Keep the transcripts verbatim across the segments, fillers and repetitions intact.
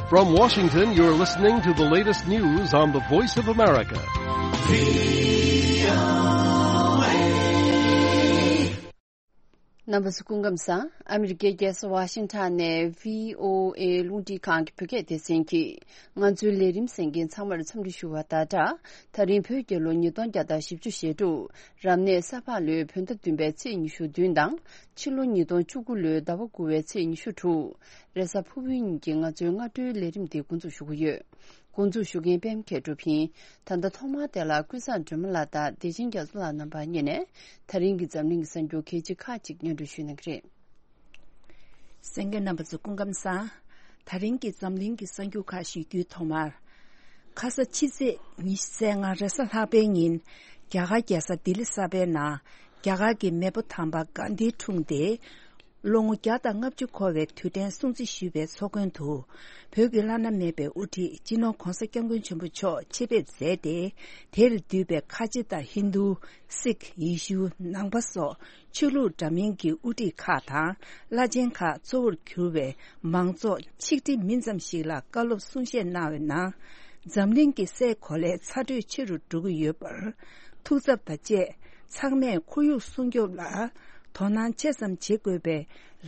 From Washington, you're listening to the latest news on the Voice of America. རྣམ་པ་ཚོ་སྐུ་ཁམས་བཟང་། ཨ་མི་རི་ཀའི་རྒྱལ་ས་ཝ་ཤིང་ཊོན་ནས་བྷི་ཨོ་ཨེ་རླུང་འཕྲིན་ཁང་གི་བོད་སྐད་སྡེ་ཚན་གྱིས་ང་ཚོའི་ལས་རིམ་གསན་མཁན་ཚང་མར་འཚམས་འདྲི་ཞུ་བ་དང་སྦྲགས། ད་རིང་བོད་རྒྱལ་ལོ་ཉིས་སྟོང་བརྒྱ་དང་བཞི་བཅུ་ཞེ་དྲུག་རབ་གནས་ས་ཕག་ལོའི་བོད་ཟླ་བདུན་པའི་ཚེས་ཉི་ཤུ་བདུན་དང་། ཕྱི་ལོ་ཉིས་སྟོང་བཅུ་དགུ་ལོའི་ཟླ་བ་དགུ་པའི་ཚེས་ཉི་ཤུ་དྲུག་རེས་གཟའ་ཕུར་བུའི་ཉིན་གྱི་ང་ཚོའི་སྔ་དྲོའི་ལས་རིམ་འདི་འགོ་འཛུགས་ཞུ་གི་ཡོད། འགོ་འཛུགས་ཞུ་མཁན་པད་མ་མཁས་གྲུབ་ཡིན། ད་ལྟ་ཐོག་མར་དེ་ལ་ཀུན་བཟང་སྒྲོལ་མ་ལགས་དང་བདེ་ཆེན་རྒྱ་མཚོ་ལགས་རྣམ་པ་གཉིས་ནས་ད་རིང་གི་འཛམ་གླིང་གི་གསར་འགྱུར་གལ་ཆེ་ཁག་ཅིག་སྙན་སྒྲོན་ཞུ་གནང་གི་རེད། གསན་མཁན་རྣམ་པ་ཚོ་སྐུ་ཁམས་བཟང་། ད་རིང་གི་འཛམ་གླིང་གི་གསར་འགྱུར་ཁག་ཞུ་རྒྱུའི་ཐོག་མར། ཁ་ས་ཕྱི་ཚེས་ཉི་ཤུ་རྩ་ལྔ་རེས་གཟའ་ལྷག་པའི་ཉིན། རྒྱ་གར་རྒྱལ་ས་ལྡི་ལི་གསར་པའི་ནང་། རྒྱ་གར་གྱི་མེས་པོ་དམ་པ་གྷན་དྷིའི་འཁྲུངས་ཏེ། ལོ་ངོ་བརྒྱ་དང་ལྔ་བཅུ་འཁོར་བའི་དུས་དྲན་སྲུང་བརྩི་ཞུས་པའི་ཚོགས་མགོན་དུ། བོད་ཀྱི་བླ་ན་མེད་པའི་དབུ་ཁྲིད་སྤྱི་ནོར་༧གོང་ས་༧སྐྱབས་མགོན་ཆེན་པོ་མཆོག་ཆེད་ཕེབས་མཛད་དེ། དེར་འདུས་པའི་ཁ་ཆེ་དང་ཧིན་རྡུ། སིག་ཡེ་ཤུ། ནང་པ་སོགས་ཆོས་ལུགས་འདྲ་མིན་གྱི་དབུ་ཁྲིད་ཁག་དང་བླ་ཆེན་ཁག་གཙོ་བོར་གྱུར་བའི་མང་ཚོགས་ཆིག་ཁྲི་མིན་ཙམ་ཞིག་ལ་བཀའ་སློབ་གསུང་བཤད་གནང་བའི་ནང་། འཛམ་གླིང་གི་སའི་གོ་ལའི་ཚ་དྲོད་ཆེ་རུ་འགྲོ་གི་ཡོད་པར། ཐུགས་འཚབ་དང་བཅས་ཚང་མས་ཁོར་ཡུག་སྲུང་སྐྱོབ་ལ་དོ་སྣང་ཆེ་ཙམ་བྱེད་དགོས་པའི་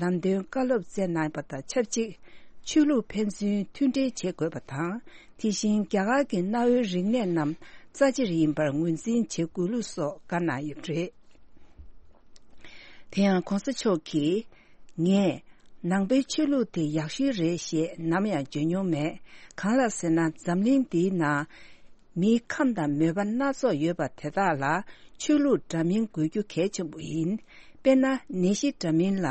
ལམ་སྟོན་བཀའ་སློབ་སྩལ་གནང་བ་དང་ཆབས་ཅིག་ཆོས་ལུགས་ཕན་ཚུན་མཐུན་འབྲེལ་བྱེད་དགོས་པ་དང་། དེ་བཞིན་རྒྱ་གར་གྱི་གནའ་བོའི་རིག་གནས་རྣམས་རྩ་ཆེར་ཡིན་པར་ངོས་འཛིན་བྱེད་དགོས་ལུགས་སོགས་བཀའ་གནང་ཡོད་པ་རེད། དེ་ཡང་༧གོང་ས་མཆོག་གིས། ངས་ནང་པའི་ཆོས་ལུགས་དེ་ཡག་ཤོས་རེད་ཞེས་ནམ་ཡང་བརྗོད་མྱོང་མེད། གང་ལགས་ཟེར་ན། འཛམ་གླིང་འདིའི་ནང་མིའི་ཁམས་དང་མོས་པ་སྣ་ཚོགས་ཡོད་པ་དེ་དག་ལ་ཆོས་ལུགས་འདྲ་མིན་དགོས་རྒྱུ་གལ་ཆེན་པོ་ཡིན། དཔེར་ན། ནད་གཞི་འདྲ་མིན་ལ་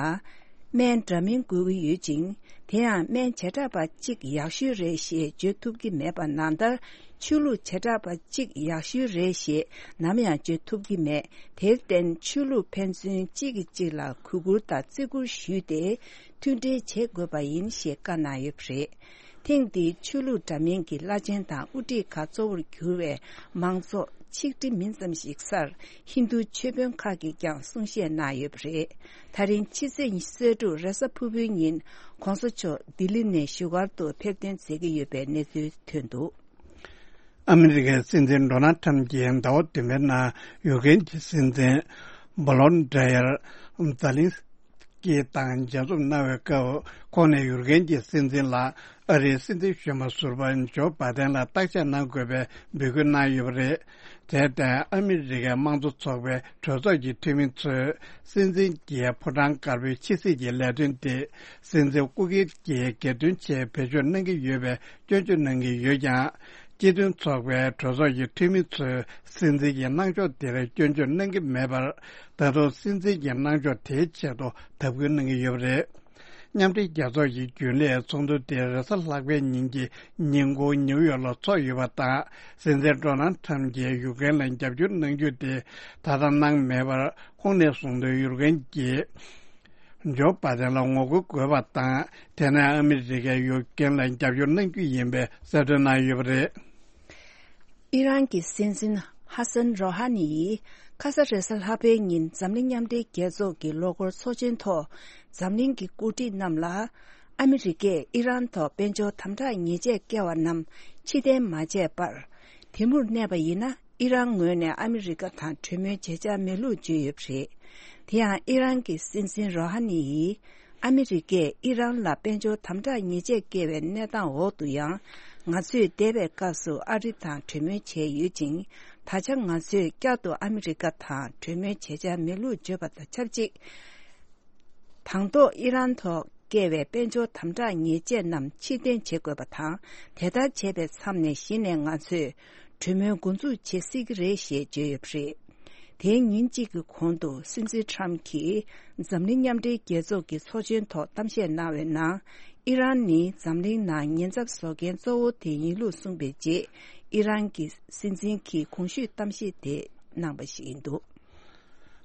སྨན་འདྲ་མིན་དགོས་ཀྱི་ཡོད་ཅིང་། དེ་ཡང་སྨན་བྱེ་བྲག་པ་གཅིག་ཡག་ཤོས་རེད་ཞེས་བརྗོད་ཐུབ་ཀྱི་མེད་པ་ནང་ལྟར། ཆོས་ལུགས་བྱེ་བྲག་པ་གཅིག་ཡག་ཤོས་རེད་ཞེས་ནམ་ཡང་བརྗོད་ཐུབ་ཀྱི་མེད། དེར་བརྟེན། ཆོས་ལུགས་ཕན་ཚུན་གཅིག་གིས་གཅིག་ལ་གུས་བཀུར་དང་བརྩི་བཀུར་ཞུས་ཏེ། མཐུན་འབྲེལ་བྱེད་དགོས་པ་ཡིན་ཞེས་བཀའ་གནང་ཡོད་པ་རེད། ཐེངས་འདིའི་ཆོས་ལུགས་འདྲ་མིན་གྱི་བླ་ཆེན་དང་དབུ་ཁྲིད་ཁག་གཙོ་བོར་གྱུར་བའི་མང་ཚོགས་ཆིག་ཁྲི་མིན་ཙམ་ཞིག་སར་ཧིན་རྡུ་ཆོས་དཔོན་ཁག་གིས་ཀྱང་གསུང་བཤད་གནང་ཡོད་པ་རེད། ད་རིང་ཕྱི་ཚེས་ཉི་ཤུ་རྩ་དྲུག་རེས་གཟའ་ཕུར་བུའི་ཉིན་༧གོང་ས་མཆོག་ལྡི་ལི་ནས་བཞུགས་སྒར་དུ་ཕེབས་ཐོན་མཛད་ཀྱི་ཡོད་པའི་གནས་ཚུལ་ཐོན་འདུག་ཨ་མི་རི་ཀའི་སྲིད་འཛིན་ཌོ་ནལ་ཁྲམ་གྱིས་ཟླ་བ་བདུན་པའི་ནང་ཡུཀ་རེན་གྱི་སྲིད་འཛིན་བྷོ་ལོན་ཌི་ཡར་ཛེ་ལིན་སི་ཀི་དང་མཇལ་འཛོམས་གནང་བའི་སྐབས། ཁོང་ནས་ཡུཀ་རེན་གྱི་སྲིད་འཛིན་ལ་ཨ་རིའི་སྲིད་འཛིན་གཞོན་པ་ཟུར་པ་ཇོ་བྷ་དན་ལ་བརྟག་དཔྱད་གནང་དགོས་པའི་འབོད་སྐུལ་གནང་ཡོད་པ་རེད། དེར་བརྟེན། ཨ་མི་རི་ཀའི་དམངས་གཙོ་ཚོགས་པའི་གྲོས་ཚོགས་ཀྱི་འཐུས་མི་ཚོས་སྲིད་འཛིན་གྱིས་ཕོ་བྲང་དཀར་པོའི་ཕྱི་སྲིད་ཀྱི་ལས་དོན་དེ་སྲིད་འཛིན་སྐུ་སྒེར་གྱི་སྒེར་དོན་ཆེད་བེད་སྤྱོད་གནང་གི་ཡོད་པའི་སྐྱོན་བརྗོད་གནང་གི་ཡོད་ཀྱང་། སྤྱི་མཐུན་ཚོགས་པའི་གྲོས་ཚོགས་ཀྱི་འཐུས་མི་ཚོས་སྲིད་འཛིན་གྱི་གནང་ཕྱོགས་དེར་སྐྱོན་བརྗོད་གནང་གི་མེད་པར། ད་དུང་སྲིད་འཛིན་གྱི་གནང་ཕྱོགས་དེའི་ཆེད་དུ་དམ་འབུལ་གནང་གི་ཡོད་པ་རེད། མཉམ་འབྲེལ་རྒྱལ་ཚོགས་ཀྱི་རྒྱུན་ལས་ཚོགས་འདུ་དེ་རེས་གཟའ་ལྷག་པའི་ཉིན་གྱི་ཉིན་གུང་ནིའུ་ཡོག་ལ་འཚོགས་ཡོད་པ་དང་། སྲིད་འཛིན་ཌོ་ནལ་ཁྲམ་གྱིས་ཡུཀ་རེན་ལ་རྒྱབ་སྐྱོར་གནང་རྒྱུ་དེ་ད་ལྟ་གནང་མེད་པར། ཁོང་ནས་གསུངས་དོན། ཡུཀ་རེན་གྱིས་ཇོ་བྷ་དན་ལ་ངོ་རྒོལ་དགོས་པ་དང་། དེ་ནས་ཨ་མི་རི་ཀས་ཡུཀ་རེན་ལ་རྒྱབ་སྐྱོར་གནང་རྒྱུ་ཡིན་པའི་གསལ་སྟོན་གནང་ཡོད་པ་རེད། ཨི་རན་གྱི་སྲིད་འཛིན་ཧ་སན་རོ་ཧ་ནི་ཡིས་ཁ་ས་རེས་གཟའ་ལྷག་པའི་ཉིན་འཛམ་གླིང་མཉམ་འབྲེལ་རྒྱལ་ཚོགས་ཀྱི་ལོ་འཁོར་ཚོགས་ཆེན་ཐོག་འཛམ་གླིང་གི་འགོ་ཁྲིད་རྣམས་ལ། ཨ་མི་རི་ཀས་ཨི་རན་ཐོག་དཔལ་འབྱོར་དམ་དྲག་ཉེས་ཆད་བཀལ་བ་རྣམས་ཕྱིར་འཐེན་མ་བྱས་པར། དེ་མུར་གནས་པ་ཡིན་ན། ཨི་རན་ངོས་ནས་ཨ་མི་རི་ཀ་དང་གྲོས་མོལ་བྱེད་འཆར་མེད་ལུགས་བརྗོད་ཡོད་པ་རེད། དེ་ཡང་ཨི་རན་གྱི་སྲིད་འཛིན་རོ་ཧ་ནི་ཡིས། ཨ་མི་རི་ཀས་ཨི་རན་ལ་དཔལ་འབྱོར་དམ་དྲག་ཉེས་ཆད་བཀལ་བའི་གནས་སྟངས་འོག་ཏུ་ཡང་། ང་ཚོས་འདས་པའི་སྐབས་སུ་ཨ་རི་དང་གྲོས་མོལ་བྱས་ཡོད་ཅིང་། ད་ཆ་ང་ཚོས་བསྐྱར་དུ་ཨ་མི་རི་ཀ་དང་གྲོས་མོལ་བྱེད་འཆར་མེད་ལུགས་བརྗོད་པ་དང་ཆབས་ཅིག་དང་ཐོག་ཨི་རན་ཐོག་བཀལ་བའི་དཔལ་འབྱོར་དམ་དྲག་ཉེས་ཆད་རྣམས་ཕྱིར་འཐེན་བྱེད་དགོས་པ་དང་། དེ་ལྟར་བྱས་པའི་མཚམས་ནས་གཞི་ནས་ང་ཚོས་གྲོས་མོལ་འགོ་འཛུགས་བྱེད་སྲིད་ཀྱི་རེད་ཞེས་བརྗོད་ཡོད་པ་རེད། དེའི་ཉིན་གཅིག་གི་གོང་དུ་སྲིད་འཛིན་ཁྲམ་གྱིས་འཛམ་གླིང་མཉམ་འབྲེལ་རྒྱལ་ཚོགས་ཀྱི་ཚོགས་ཆེན་ཐོག་གཏམ་བཤད་གནང་བའི་ནང་། ཨི་རན་ནི་འཛམ་གླིང་ནང་ཉེན་ཚབས་བཟོ་མཁན་གཙོ་བོ་དེ་ཡིན་ལུགས་གསུངས་པའི་རྗེས། ཨི་རན་གྱི་སྲིད་འཛིན་གྱིས་གོང་ཞུས་གཏམ་བཤད་དེ་གནང་བ་ཞིག་ཡིན་འདུག་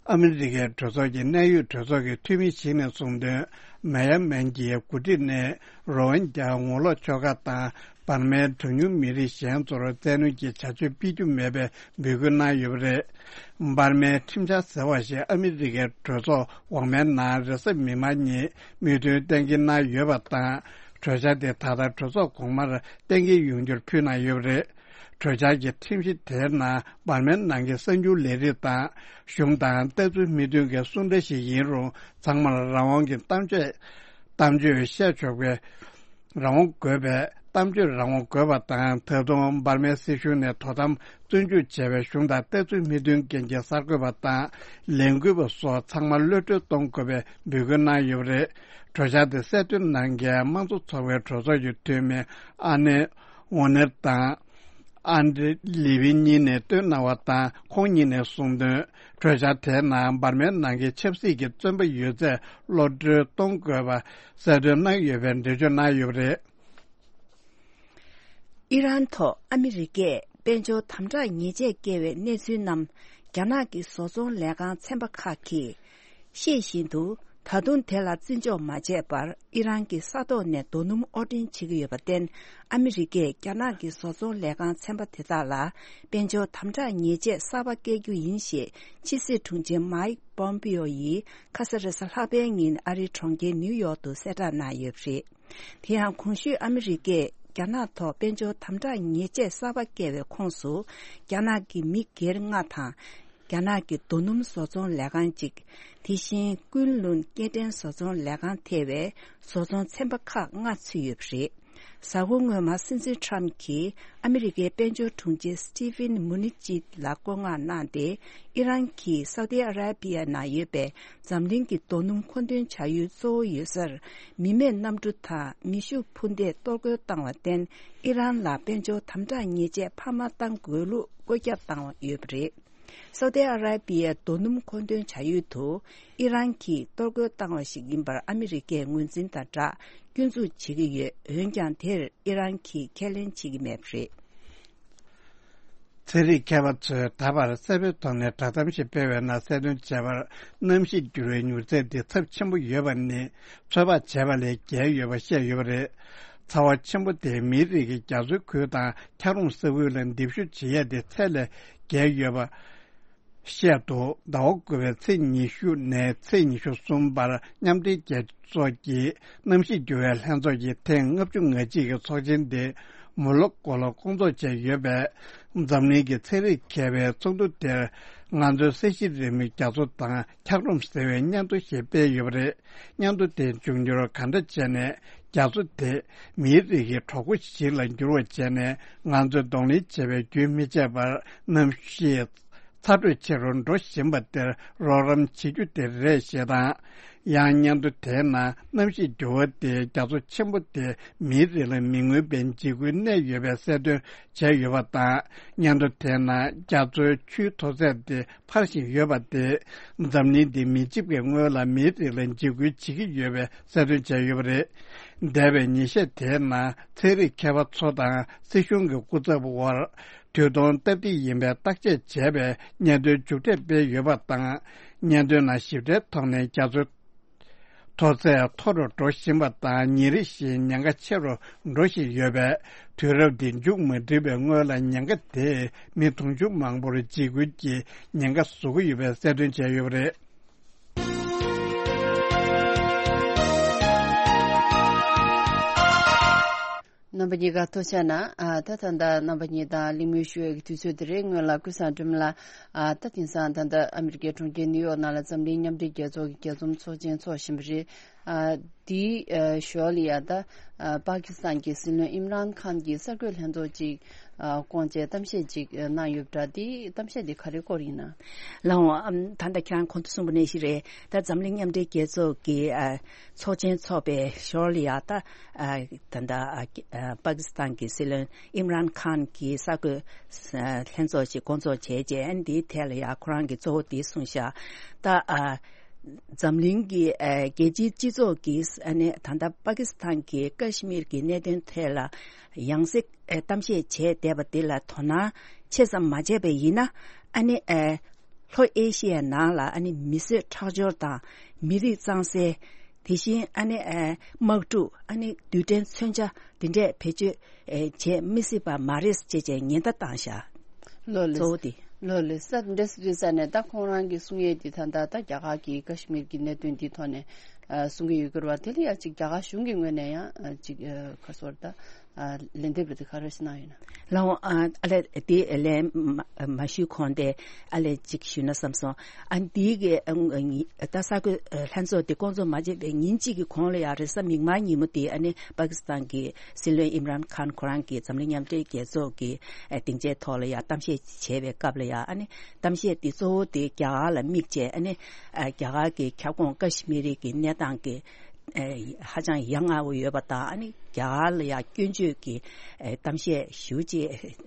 ཨ་མི་རི་ཀའི་གྲོས་ཚོགས་ཀྱི་གནད་ཡོད་གྲོས་ཚོགས་ཀྱི་འཐུས་མི་ཞིག་ནས་གསུངས་དོན། མེ་ཡན་མན་གྱི་འགོ་ཁྲིད་ནས་རོ་ཧིན་རྒྱ་ངོ་ལོག་ཆོལ་ཁ་དང་འབར་མའི་གྲངས་ཉུང་མི་རིགས་གཞན་ཚོར་བཙན་གནོན་གྱི་བྱ་སྤྱོད་སྤེལ་རྒྱུ་མེད་པའི་འབོད་སྐུལ་གནང་ཡོད་པ་རེད། འབར་མའི་ཁྲིམས་འཆར་ཟེར་བ་ཞིག་ཨ་མི་རི་ཀའི་གྲོས་ཚོགས་འོག་མའི་ནང་རེས་གཟའ་མིག་དམར་ཉིན་མོས་མཐུན་གཏན་འཁེལ་གནང་ཡོད་པ་དང་། གྲོས་འཆར་དེ་ད་ལྟ་གྲོས་ཚོགས་གོང་མར་གཏན་འཁེལ་ཡོང་རྒྱུར་ཕུལ་གནང་ཡོད་པ་རེད། གྲོས་འཆར་གྱི་ཁྲིམས་གཞི་དེའི་ནང་འབར་མའི་ནང་གི་གསར་འགྱུར་ལས་རིགས་དང་གཞུང་དང་ལྟ་ཚུལ་མི་མཐུན་གྱི་གསུང་སྒྲ་ཞིག་ཡིན་རུང་ཚང་མར་རང་དབང་གི་གཏམ་བརྗོད་གཏམ་བརྗོད་བཤད་ཆོག་པའི་རང་དབང་དགོས་པས། གཏམ་བརྗོད་རང་དབང་དགོས་པ་དང་། ད་དུང་འབར་མའི་སྲིད་གཞུང་ནས་དོ་དམ་བཙོན་འཇུག་བྱས་པའི་གཞུང་དང་ལྟ་ཚུལ་མི་མཐུན་རྐྱེན་གྱི་གསར་འགོད་པ་དང་ལས་འགུལ་བ་སོགས་ཚང་མ་གློད་གྲོལ་གཏོང་དགོས་པའི་འབོད་སྐུལ་གནང་ཡོད་པ་རེད། གྲོས་འཆར་དེ་གསལ་སྟོན་གནང་མཁན་དམངས་གཙོ་ཚོགས་པའི་གྲོས་ཚོགས་ཀྱི་འཐུས་མི་ཨ་ནེ་ཝོ་ནེར་དང་། ཨན་ཌི་ལི་བི་གཉིས་ནས་བཏོན་གནང་བ་དང་། ཁོང་གཉིས་ནས་གསུངས་དོན། གྲོས་འཆར་དེའི་ནང་འབར་མའི་ནང་གི་ཆབ་སྲིད་ཀྱི་བཙོན་པ་ཡོད་ཚད་གློད་གྲོལ་གཏོང་དགོས་པ་གསལ་སྟོན་གནང་ཡོད་པའི་འགྲེལ་བརྗོད་གནང་ཡོད་པ་རེད། ཨི་རན་ཐོག་ཨ་མི་རི་ཀས་དཔལ་འབྱོར་དམ་དྲག་ཉེས་ཆད་བཀལ་བའི་གནས་ཚུལ་རྣམས་རྒྱ་ནག་གི་བཟོ་ཚོང་ལས་ཁང་ཚན་པ་ཁག་གིས་ཤེས་བཞིན་དུ། ད་དུང་དེ་ལ་བརྩི་འཇོག་མ་བྱས་པར་ཨི་རན་གྱི་ས་ཐོག་ནས་རྡོ་སྣུམ་དབོར་འདྲེན་བྱེད་ཀྱི་ཡོད་པར་བརྟེན། ཨ་མི་རི་ཀས་རྒྱ་ནག་གི་བཟོ་ཚོང་ལས་ཁང་ཚན་པ་དེ་དག་ལ་དཔལ་འབྱོར་དམ་དྲག་ཉེས་ཆད་གསར་པ་བཀལ་རྒྱུ་ཡིན་ཞེས་ཕྱི་སྲིད་དྲུང་ཆེ་མཱིག་པོམ་པིའོ་ཡིས་ཁ་ས་རེས་གཟའ་ལྷག་པའི་ཉིན་ཨ་རིའི་གྲོང་ཁྱེར་ནིའུ་ཡོག་ཏུ་གསལ་བསྒྲགས་གནང་ཡོད་པ་རེད། དེ་ཡང་གོང་ཞུས་ཨ་མི་རི་ཀས་རྒྱ་ནག་ཐོག་དཔལ་འབྱོར་དམ་དྲག་ཉེས་ཆད་གསར་པ་བཀལ་བའི་ཁོངས་སུ། རྒྱ་ནག་གི་མི་སྒེར་ལྔ་དང་། རྒྱ་ནག་གི་རྡོ་སྣུམ་བཟོ་ཚོང་ལས་ཁང་གཅིག་དེ་བཞིན་ཀུན་ལུན་སྐྱེལ་འདྲེན་བཟོ་ཚོང་ལས་ཁང་ཐེ་བའི་བཟོ་ཚོང་ཚན་པ་ཁག་ལྔ་ཚུད་ཡོད་པ་རེད། གཟའ་འཁོར་སྔོན་མ་སྲིད་འཛིན་ཁྲམ་གྱིས་ཨ་མི་རི་ཀའི་དཔལ་འབྱོར་དྲུང་ཆེ་སི་ཊི་ཕིན་མུ་ནི་ཅི་ལ་བཀོད་མངགས་གནང་སྟེ། ཨི་རན་གྱིས་སའུ་ཏི་ཨ་ར་པི་ཡ་ནང་ཡོད་པའི་འཛམ་གླིང་གི་རྡོ་སྣུམ་མཁོ་འདོན་བྱ་ཡུལ་གཙོ་བོ་ཡོད་སར། མི་མེད་གནམ་གྲུ་དང་མེ་ཤུགས་འཕུར་མདེལ་གཏོར་རྒོལ་བཏང་བར་བརྟེན། ཨི་རན་ལ་དཔལ་འབྱོར་དམ་དྲག་ཉེས་ཆད་འཕར་མ་གཏང་དགོས་ལུགས་བཀོད་ཁྱབ་བཏང་ཡོད་པ་རེད། སའུ་ཏི་ཨ་ར་པི་ཡའི་རྡོ་སྣུམ་མཁོ་འདོན་བྱ་ཡུལ་དུ་ཨི་རན་གྱིས་གཏོར་རྒོལ་བཏང་བ་ཞིག་ཡིན་པར་ཨ་མི་རི་ཀས་ངོས་འཛིན་དང་སྦྲགས་སྐྱོན་འཛུགས་བྱེད་ཀྱི་ཡོད། འོན་ཀྱང་དེར་ཨི་རན་གྱིས་ཁས་ལེན་བྱེད་ཀྱི་མེད་པ་རེད། ཚན་རིག་མཁས་པ་ཚོས་ད་བར་གསལ་པོའི་ཐོག་ནས་བསྒྲགས་གཏམ་ཞིག་སྤེལ་བའི་ནང་གསལ་སྟོན་བྱས་པར། གནམ་གཤིས་འགྱུར་བའི་མྱུར་ཚད་འདི་ཚབས་ཆེན་པོ་ཡོད་པ་ནི་ཚོད་དཔག་བྱས་པ་ལས་བརྒལ་ཡོད་པ་བཤད་ཡོད་པ་རེད། ཚ་བ་ཆེན་པོ་དེས་མིའི་རིགས་ཀྱི་རྒྱ་མཚོའི་ཁུལ་དང་འཁྱགས་རོམ་ས་ཁུལ་ལ་འདེབས་ཞུགས་བྱེད་ཡས་དེ་ཚད་ལས་བརྒལ་ཡོད་པ། བཤད་འདུག་ཟླ་བ་དགུ་པའི་ཚེས་ཉི་ཤུ་ནས་ཚེས་ཉི་ཤུ་གསུམ་བར་མཉམ་འབྲེལ་རྒྱལ་ཚོགས་ཀྱི་གནམ་གཤིས་འགྱུར་བའི་ལྷན་ཚོགས་ཀྱི་ཐེངས་ལྔ་བཅུ་ང་གཅིག་གི་ཚོགས་ཆེན་དེ་མོ་ལོ་ཀོ་ལ་སྐོང་ཚོགས་བྱས་ཡོད་པས། འཛམ་གླིང་གི་ཚན་རིག་མཁས་པའི་ཚོགས་འདུ་དེར་ང་ཚོའི་ས་གཞི་རིལ་མོའི་རྒྱ་མཚོ་དང་འཁྱགས་རོམ་ཟེར་བའི་སྙན་ཐོ་ཞིག་སྤེལ་ཡོད་པ་རེད། སྙན་ཐོ་དེ་འབྱུང་འགྱུར་གང་འདྲ་བྱས་ནས་རྒྱ་མཚོ་དེ་མིའི་རིགས་ཀྱི་གྲོགས་པོ་ཞིག་ལ་འགྱུར་བ་བྱས་ནས་ང་ཚོས་གདོང་ལེན་བྱེད་པའི་རྒྱུན་མི་ཆད་པར་གནམ་གཤིས་ཚ་དྲོད་ཆེ་རུ་འགྲོ་བཞིན་པ་དེར་རོགས་རམ་བྱེད་རྒྱུ་དེ་རེད་ཞེས་དང་། ཡང་སྙན་ཐོ་དེའི་ནང་གནམ་གཤིས་འགྱུར་བ་དེས་རྒྱ་མཚོ་ཆེན་པོ་དེ་མིའི་རིགས་ལ་མི་མངོན་པའི་འཇིགས་སྐུལ་གནས་ཡོད་པའི་གསལ་སྟོན་བྱས་ཡོད་པ་དང་། སྙན་ཐོ་དེའི་ནང་རྒྱ་མཚོའི་ཆུའི་མཐོ་ཚད་དེ་འཕར་བཞིན་ཡོད་པ་དེས་འཛམ་གླིང་འདི་མེ་ལྕེབ་ཀྱི་སྔོན་ལ་མིའི་རིགས་ལ་འཇིགས་སྐུལ་བྱེད་ཀྱི་ཡོད་པའི་གསལ་སྟོན་བྱས་ཡོད་པ་རེད། འདས་པའི་ཉིན་ཤས་དེའི་ནང་ཚན་རིག་མཁས་པ་ཚོ་དང་སྲིད་གཞུང་གི་སྐུ་ཚབ་དབར་དུས་ཐུང་སྟབས་བདེ་ཡིན་པའི་བརྟག་དཔྱད་བྱས་པའི་སྙན་ཐོའི་མཇུག་འབྲས་སྤེལ་ཡོད་པ་དང་། སྙན་ཐོའི་ནང་ཞིབ་ཕྲའི་ཐོག་ནས་རྒྱ་མཚོའི་མཐོ་ཚད་མཐོ་རུ་འགྲོ་བཞིན་པ་དང་། ཉིན་རེ་བཞིན་ཉེན་ཁ་ཆེ་རུ་འགྲོ་བཞིན་ཡོད་པས། དུས་རབས་འདི་མཇུག་མ་སྒྲིལ་བའི་སྔོན་ལ་ཉེན་ཁ་དེས་མི་དུང་ཕྱུར་མང་པོར་འཇིགས་སྐུལ་གྱི་ཉེན་ཁ་བཟོ་གི་ཡོད་པའི་གསལ་སྟོན་བྱས་ཡོད་པ་རེད། རྣམ་པ་གཉིས་ཀ་ཐུགས་རྗེ་གནང་། ཨ། ད་ད་ལྟ་རྣམ་པ་གཉིས་དང་གླེང་མོལ་ཞུ་ཡག་གི་དུས་ཚོད་དེ་རེད། སྔོན་ལ་ཀུན་བཟང་སྒྲོལ་མ་ལགས། ཨ། ད་དེང་སང་ད་ལྟ་ཨ་མི་རི་ཀའི་གྲོང་ཁྱེར་ནིའུ་ཡོག་ནང་ལ་འཛམ་གླིང་མཉམ་འབྲེལ་རྒྱལ་ཚོགས་ཀྱི་རྒྱས་འཛོམས་ཚོགས་ཆེན་འཚོགས་བཞིན་པ་རེད། ཨ། དེའི་ཨ་ཞོར་ལ་ཡ་ད་ཨ་པ་ཀི་སི་ཐན་གྱི་སྲིད་བློན་ཨིམ་རཱན་ཁཱན་གྱིས་གསར་འགོད་ལྷན་ཚོགས་ཅིག་ཨ་བསྐོངས་བྱས་གཏམ་བཤད་ཅིག་གནང་ཡོད་པ་འདྲ། དེའི་གཏམ་བཤད་དེ་ག་རེ་སྐོར་ཡིན་ན། ལགས་འོང་། ཨམ། ད་ལྟ་ཁྱེད་རང་གོང་དུ་གསུངས་པ་ནང་བཞིན་རེད། ད་འཛམ་གླིང་མཉམ་འབྲེལ་རྒྱལ་ཚོགས་ཀྱི་ཨ་ཚོགས་ཆེན་འཚོགས་པའི་ཞོར་ལ་ཡ་ད་ཨ་ད་ལྟ་ཨ་ཨ་པ་ཀི་སི་ཐན་གྱི་སྲིད་བློན་ཨིམ་རཱན་ཁཱན་གྱིས་གསར་འགོད་ཨ་ལྷན་ཚོགས་ཤིག་སྐོང་ཚོགས་བྱས་རྗེས། ཨ་ནི་དེའི་ཐད་ལ་ཡ་ཁོ་རང་གིས་གཙོ་བོ་དེ་གསུངས་ཤག་ད་ཨ་འཛམ་གླིང་གི་ཨ་རྒྱལ་སྤྱིའི་སྤྱི་ཚོགས་ཀྱིས་ཨ་ནི་ད་ལྟ་པ་ཀི་སི་ཐན་གྱི་ཀ་ཤི་མིར་གྱི་གནད་དོན་ཐད་ལ་ཡང་སེ་ཨ་གཏམ་བཤད་བྱས་བསྡད་པ་དེ་ལ་དོ་སྣང་ཆེ་ཙམ་མ་བྱས་པ་ཡིན་ན། ཨ་ནི་ཨ་ལྷོ་ཨེ་ཤི་ཡའི་ནང་ལ་ཨ་ནི་མི་གསོད་ཁྲག་སྦྱོར་དང་མི་རིགས་གཙང་སེལ། དེ་བཞིན་ཨ་ནི་ཨ་དམག་འཁྲུག་ཨ་ནི་རྡུལ་ཕྲན་མཚོན་ཆ་འདི་འདྲས་བེད་སྤྱོད་ཨ་བྱེད་མི་སྲིད་པ་མ་རེད་ཅེས་བྱས་ཉེན་བརྡ་བཏང་ཤག་ལོ་ལེགས། གཙོ་བོ་དེ། ལོ་ལེགས་ས་འདྲ་སི་ཏུས་ས་ནས་ད་ཁོང་རང་གི་གསུང་ཡས་དེ་ད་ལྟ་ད་རྒྱ་གར་གྱི་ཀ་ཤི་མིར་གྱི་གནད་དོན་འདི་ཐོག་ནས་ ཨ་གསུང་གི་ཡོད་ཀྱི་རེད་བ། དེ་ལ་ཡང་ཅིག་རྒྱ་གར་གཞུང་གི་ངོས་ནས་ཡང་ཨ་ཅིག་ཨ་ག་རེ་ཟེར་ད་ཨ་ལན་འདེབས་རེ་དེ་ག་རེ་ཞིག་གནང་ཡོད་ན། ལགས་འོང་། ཨ་ཨ་ལས་དེ་ལན་མ་མ་ཞུས་གོང་དེ་ཨ་ལས་ཅིག་ཞུས་ན་བསམ་སོང་། ཨ་འདི་གི་ཨ་ཨ་ད་གསར་འགོད་ཨ་ལྷན་ཚོགས་དེ་བསྐོང་ཚོགས་མ་བྱས་པའི་ཉིན་གཅིག་གི་གོང་ལ་ཡང་རེས་གཟའ་མིག་དམར་ཉིན་མོ་དེ་ཨ་ནི་པ་ཀི་སི་ཐན་གྱི་སྲིད་བློན་ཨིམ་རཱན་ཁཱན་ཁོ་རང་གིས་འཛམ་གླིང་མཉམ་འབྲེལ་རྒྱལ་ཚོགས་ཀྱི་ཨ་སྡིངས་ཆའི་ཐོག་ལ་ཡང་གཏམ་བཤད་བྱས་པའི་སྐབས་ལ་ཡང་ཨ་ནི་གཏམ་བཤད་དེ་གཙོ་བོ་དེ་རྒྱ་གར་ལ་དམིགས་བྱས། ཨ་ནི་ཨ་རྒྱ་གར་གྱི་ཁྱབ་ཁོངས་ཀ་ཤི་མི་རི་གི་གནས་སྟངས་ཀྱི་ཨ་ཧ་ཅང་ཡ་ང་བོ་ཡོད་པ་དང་། ཨ་ནི་རྒྱ་གར་ལ་ཡང་སྐྱོན་བརྗོད་ཀྱི་ཨ་གཏམ་བཤད་ཞེ་པོ་ཅིག་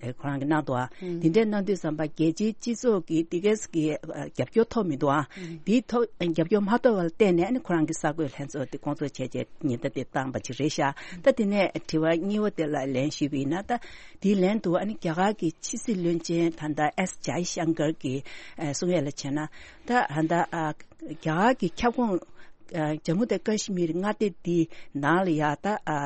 ཨ་ཁོ་རང་གིས་གནང་འདུག། ཨ་ཨུམ། དེ་འདྲ་གནང་དུས་ཙམ་པ་རྒྱལ་སྤྱིའི་སྤྱི་ཚོགས་ཀྱི་དེ་གས་ཀྱི་ཨ་རྒྱབ་སྐྱོར་ཐོབ་མི་འདུག། ཨ་ཨུམ། དེའི་ཐོག་རྒྱབ་སྐྱོར་མ་ཐོབ་པ་ལ་བརྟེན་ནས་ཨ་ནི་ཁོ་རང་གིས་གསར་འགོད་ལྷན་ཚོགས་དེ་བསྐོང་ཚོགས་བྱས་རྗེས་ཉེན་བརྡ་དེ་བཏང་བ་ཅིག་རེད་ཤག། ད་དེ་ནས་དྲི་བ་གཉིས་པ་དེ་ལ་ལན་ཞུས་པ་ཡིན་ན། ད་དེའི་ལན་དུ་ཨ་ནི་རྒྱ་གར་གྱི་ཕྱི་སྲིད་བློན་ཆེན་ད་ལྟ་ཨེས་ཇའི་ཤང་ཀར་གྱིས་ཨ་གསུང་ཡས་ལ་བྱས་ན། ད་ད་ལྟ་ཨ་རྒྱ་གར་གྱི་ཁྱབ་ཁོངས་ཨ་ཇམ་མུ་དང་ཀ་ཤི་མིར་མངའ་སྡེ་འདི་ནང་ལ་ཡ་ད་ཨ་ཨ་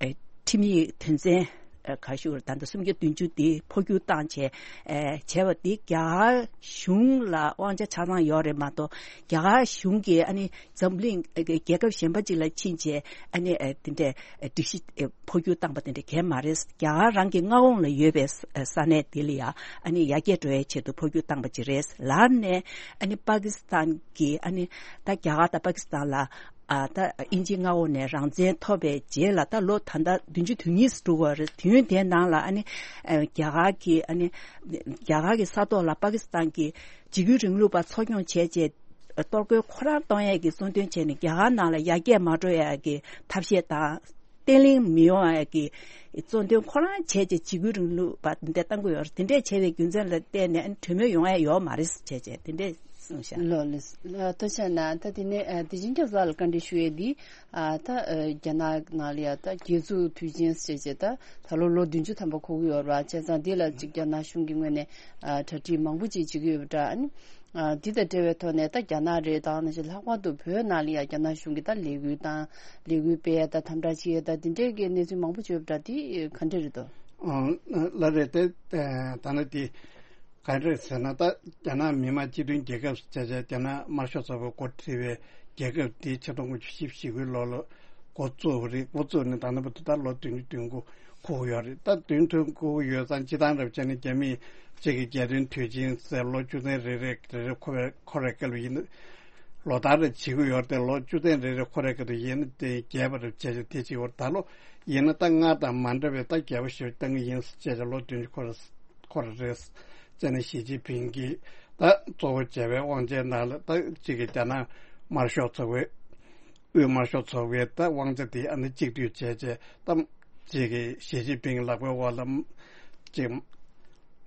ཨ་ཁྲིམས་ཡིག་དོན་ཚན་ཨ་ག་ཞུ་ད་ལྟ་སུམ་བརྒྱ་བདུན་ཅུ་འདི་འཕོ་འགྱུར་བཏང་བྱས་ཨ་བྱས་པ་འདི་རྒྱ་གར་གཞུང་ལ་དབང་ཆ་ཆ་ཚང་ཡོད་རེད་མ་གཏོགས། རྒྱ་གར་གཞུང་གིས་ཨ་ནི་འཛམ་གླིང་ཨ་རྒྱལ་ཁབ་གཞན་པ་ཅིག་ལ་ཕྱིན་བྱས་ཨ་ནི་ཨ་དེ་འདྲའི་ཨ་སྒྲིག་གཞི་ཨ་འཕོ་འགྱུར་བཏང་པ་དེ་འདྲ་གང་ཡང་མ་རེད། རྒྱ་གར་རང་གི་མངའ་དབང་ལ་ཡོད་པའི་ས་ས་གནས་དེ་ལ་ཡང་ཨ་ནི་ཡར་རྒྱས་འགྲོ་ཡའི་ཆེད་དུ་འཕོ་འགྱུར་བཏང་པ་ཅིག་རེད། ལར་ནས་ཨ་ནི་པ་ཀི་སི་ཐན་གྱི་ཨ་ནི་ད་རྒྱ་གར་དང་པ་ཀི་སི་ཐན་ལ་ཨ་ད་དབྱིན་ཇིའི་མངའ་འོག་ནས་རང་བཙན་ཐོབ་པའི་རྗེས་ལ་ད་ལོ་ད་ལྟ་བདུན་ཅུ་དོན་གཉིས་སུ་འགྲོ་གི་ཡོད་རེད། དུས་ཡུན་དེའི་ནང་ལ་ཨ་ནི་ཨ་རྒྱ་གར་གྱི་ཨ་ནི་རྒྱ་གར་གྱི་ས་ཐོག་ལ་པ་ཀི་སི་ཐན་གྱི་འཇིགས་སྐུལ་རིང་ལུགས་པ་འཚོ་སྐྱོང་བྱས་རྗེས། གཏོར་རྒོལ་ཁོ་རང་གཏོང་ཡས་ཀྱི་གཙོ་འདོན་བྱས་ནས་རྒྱ་གར་ནང་ལ་ཡར་རྒྱས་མ་འགྲོ་ཡས་ཀྱི་ཐབས་ཤེས་དང་། བརྟན་ལྷིང་མི་ཡོང་ཡས་ཀྱི་གཙོ་འདོན་ཁོ་རང་བྱས་རྗེས་འཇིགས་སྐུལ་རིང་ལུགས་པ་འདི་འདྲ་གཏང་གི་ཡོད་རེད། དེ་འདྲས་བྱས་པའི་རྒྱུ་མཚན་ལ་བརྟེན་ནས་གྲོས་མོལ་ཡོང་ཡས་ཡོད་མ་རེད་བྱས་རྗེས་དེ་འདྲས་གསུངས་ཤག། ལགས་ལགས། ཐུགས་རྗེ་གནང་། ད་དེ་ནས་ཨ་བདེ་ཆེན་སྐྱབས་ལགས་ལ་བཀའ་འདྲི་ཞུ་ཡས་འདི། ཨ་ད་ཨ་རྒྱ་ནག་ནང་ལ་ཡ་ད་རྒྱལ་བཙུགས་དུས་ཆེན་བྱས་རྗེས་ད་ད་ལོ་ལོ་བདུན་ཅུ་ཐམ་པ་འཁོར་གྱི་ཡོད་རེད་བ། བྱས་ཙང་འདི་ལ་ཅིག་རྒྱ་ནག་གཞུང་གི་ངོས་ནས་ཨ་གྲ་སྒྲིག་མང་པོ་ཅིག་བྱེད་ཀྱི་ཡོད་པ་འདྲ། ཨ་ནི། ཨ་འདི་དང་འབྲེལ་བའི་ཐོག་ནས་ད་རྒྱ་ནག་རེད། ད་ནང་བཞིན་ལྷག་པར་དུ་བོད་ནང་ལ་ཡང་རྒྱ་ནག་གཞུང་གིས་ད་ལས་འགུལ་དང་ལས་འགུལ་སྤེལ་ཡ་དང་དམ་དྲག་བྱེད་ཡ་དང་འདི་འདྲའི་གི་གནས་ཚུལ་མང་པོ་བྱོས་པ་འདྲ། འདི་ག་འདྲ་རེད་དོ། ཨང་། ལགས་རེད་དེ། ད་ནི་དེ་ག་འདྲ་ཟེར་ན། ད་རྒྱ་ནག་མི་དམངས་སྤྱི་མཐུན་རྒྱལ་ཁབ་ཟེར་བྱས་རྒྱ་ནག་དམར་ཤོག་ཚོགས་པས་འགོ་ཁྲིད་པའི་རྒྱལ་ཁབ་འདི་ཆིག་སྟོང་དགུ་བརྒྱ་བཞི་བཅུ་ཞེ་དགུའི་ལོ་ལ་འགོ་བཙུགས་པ་རེད། འགོ་བཙུགས་ནས་ད་ལྟ་བར་དུ་ད་ལོ་བདུན་ཅུ་དོན་དགུ་འཁོར་གྱི་ཡོད་རེད། ད་བདུན་ཅུ་དོན་དགུ་ཡོད་ཙང་སྤྱིར་བཏང་རབ་བྱས་ནས་རྒྱ་མིས་གཅིག་གི་རྒྱལ་སྟོན་དུས་ཆེན་ཟེར་ལོ་བཅུ་ཚན་རེ་རེ་རེ་རེ་འཁོར་བའི་འཁོར་བའི་སྐབས་ལ་ཡིན་ན་ལོ་ལྟར་རེ་བྱེད་ཀྱི་ཡོད་རེད་དེ། ལོ་བཅུ་ཚན་རེ་རེ་འཁོར་བའི་སྐབས་དུ་ཡིན་ན་དེ་རྒྱས་པ་རེ་བྱས་ཏེ་དེ་བྱེད་ཀྱི་ཡོད་རེད། ད་ལོ་ཡིན་ན་ད་སྔར་དང་མ་འདྲ་བའི་ད་རྒྱས་པ་ཞིག་བཏང་གི་ཡིན་ཟེར་བྱས་ཏེ་ལོ་བདུན་ཅུ་འཁོར་འཁོར་རེད་ཟེར་ནས་ཞི་ཅིན་ཕིང་གིས་ད་གཙོ་བོ་བྱས་པའི་དབང་ཆའི་ནང་ལ་ད་གཅིག་གི་རྒྱ་ནག་དམར་ཤོག་ཚོགས་པའི་དབུས་དམར་ཤོག་ཚོགས་པའི་ད་དབང་ཆ་དེ་ཨ་ནི་གཅིག་སྡུད་བྱས་རྗེས་ད་གཅིག་གི་ཞི་ཅིན་ཕིང་ལག་པའི་འོག་ལ་གཅིག་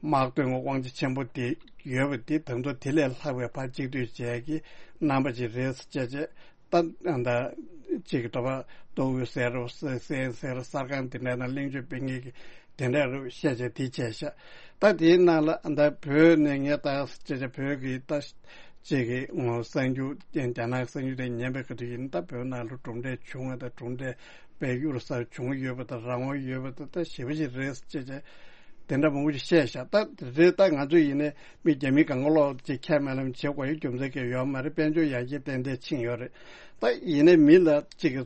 དམག་དོན་དབང་ཆ་ཆེན་པོ་དེ་ཡོད་པ་དེ་ད་དུང་དེ་ལས་ལྷག་པའི་ཕར་གཅིག་སྡུད་བྱས་ཀྱི་རྣམ་པ་ཅིག་རེད་ཟེར་བྱས་རྗེས། ད་ད་གཅིག་གི་དོ་པ་མདོ་དབུས་ཟེར་རོ་སེ་སེ་ཟེར་རོ་གསར་ཁང་དེ་འདྲ་ན་གླེང་བརྗོད་སྤེལ་མཁན་གྱི་དེ་འདྲ་རུ་བཤད་བྱས་དེ་བྱས་ཤག། ད་དེའི་ནང་ལ་ད་བོད་ནས་ངས་ད་བྱས་བྱས་བོད་ཀྱི་ད་གཅིག་གི་ངོ་གསར་འགྱུར་རྒྱ་ནག་གསར་འགྱུར་དེ་ཉན་པའི་ཁ་ཐུག་ཡིན་ན། ད་བོད་ནང་ལ་གྲུབ་འབྲས་བྱུང་བ་དང་གྲུབ་འབྲས་དཔེ་གཡུར་ཟ་བྱུང་ཡོད་པ་དང་། རང་དབང་ཡོད་པ་དང་། ད་ཞེ་པོ་ཅིག་རེད་ཟེར་བྱས་བྱས་དེ་འདྲ་མང་པོ་ཅིག་བཤད་ཤག། ད་རེད། ད་ང་ཚོ་ཡིན་ནའི་མི་རྒྱ་མི་གང་ག་ལོག་ཅིག་ཁས་མ་ལེན་བྱེད་དགོས་ཡ་རྒྱུ་མཚན་གང་ཡང་ཡོད་མ་རེད། དཔལ་འབྱོར་ཡར་རྒྱས་ཏན་ཏན་ཕྱིན་ཡོད་རེད། ད་ཡིན་ནའི་མི་ལ་ཅིག་གི་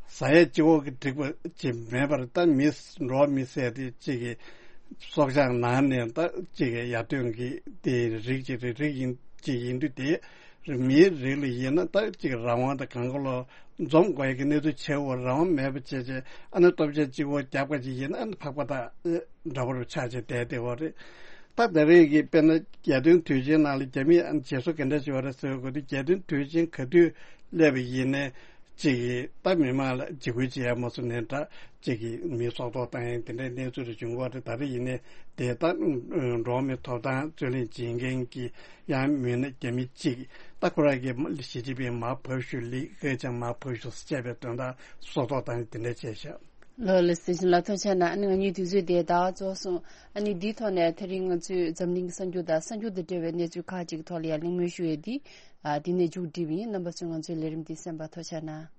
ཟ་ཡས་ལྕི་བོ་གི་འགྲིག་པ་ཅིག་མེད་པར། ད་མི་འགྲོ་བ་མི་ཟེར་དེ་ཅིག་གི་སྲོག་ཆགས་ནང་ནས་ད་ཅིག་གི་ཡར་ཐོན་གྱི་དེ་རིགས་ཅིག་རེད། རིགས་ཡིན་ཅིག་ཡིན་དུས་དེ་མིའི་རིགས་ལ་ཡིན་ན་ད་ཅིག་རང་དབང་དང་གང་ག་ལོག་འཛོམས་དགོས་ཡ་གི་གནས་ཚུལ་བྱེད་འོ། རང་དབང་མེད་པ་བྱས་བྱས་ཨ་ནི་སྟོབས་ཆེན་གཅིག་པོ་རྒྱབ་ཁ་ཅིག་ཡིན་ན་ཨ་ནི་ཕག་པ་དང་འདྲ་པོ་རུ་ཆགས་བྱས་བསྡད་བསྡད་འོ་རེད། ད་ད་རེས་ཀྱི་དཔེར་ན་རྒྱལ་སྟོན་དུས་ཆེན་ནང་ལ་རྒྱ་མིས་ཨ་ནི་བྱེད་སྲོལ་ག་འདྲ་ཞིག་ཡོད་རེད་ཟེར་དགོས་དུས། རྒྱལ་སྟོན་དུས་ཆེན་ག་དུས་སླེབས་པ་ཡིན་ནའི་ཅིག་གིས་ད་མི་མང་ལ་འཇིགས་སྐུལ་བྱེད་ཡ་མ་སོང་ནས་འདྲ་ཅིག་གིས་མི་སྲོག་ཐོག་བཏང་ཡ་དེ་འདྲའི་གནས་ཚུལ་རེ་བྱུང་གི་རེད། ད་རེས་ཡིན་ནའི་དེ་ད་འགྲོ་བ་མིའི་ཐོབ་ཐང་རྩོད་ལེན་བྱེད་མཁན་གྱི་ཡང་མིན་ན་རྒྱ་མི་གཅིག་ད་ཁོ་རང་གིས་ཞི་ཅིན་ཕིང་མར་བབས་ཤོག་ལི་ཁེ་ཆང་མར་བབས་ཤོག་ཟེར་བྱས་པའི་དོན་དག་སྲོག་ཐོག་བཏང་དེ་འདྲ་བྱས་ཤག། ལགས་ལགས། སྲིད་ཞིང་ལ་ཐུགས་རྗེ་གནང་། ཨ་ནི་ང་གཉིས་དུས་ཚོད་དེ་ད་རྫོགས་སོང་། ཨ་ནི་འདིའི་ཐོག་ནས་དེ་རིང་ང་ཚོས་འཛམ་གླིང་གི་གསར་འགྱུར་དང་གསར་འགྱུར་དང་འབྲེལ་བའི་གནས་ཚུལ་ཁག་ཅིག་གི་ཐོག་ལ་ཡང་གླེང་མོལ་ཞུ་ཡས་འདི་ཨ་འདི་ནས་མཇུག་སྒྲིལ་བ་ཡིན། རྣམ་པ་ཚོས་ང་ཚོའི་ལས་རིམ་འདི་གསན་པར་ཐུགས་རྗེ་གནང་།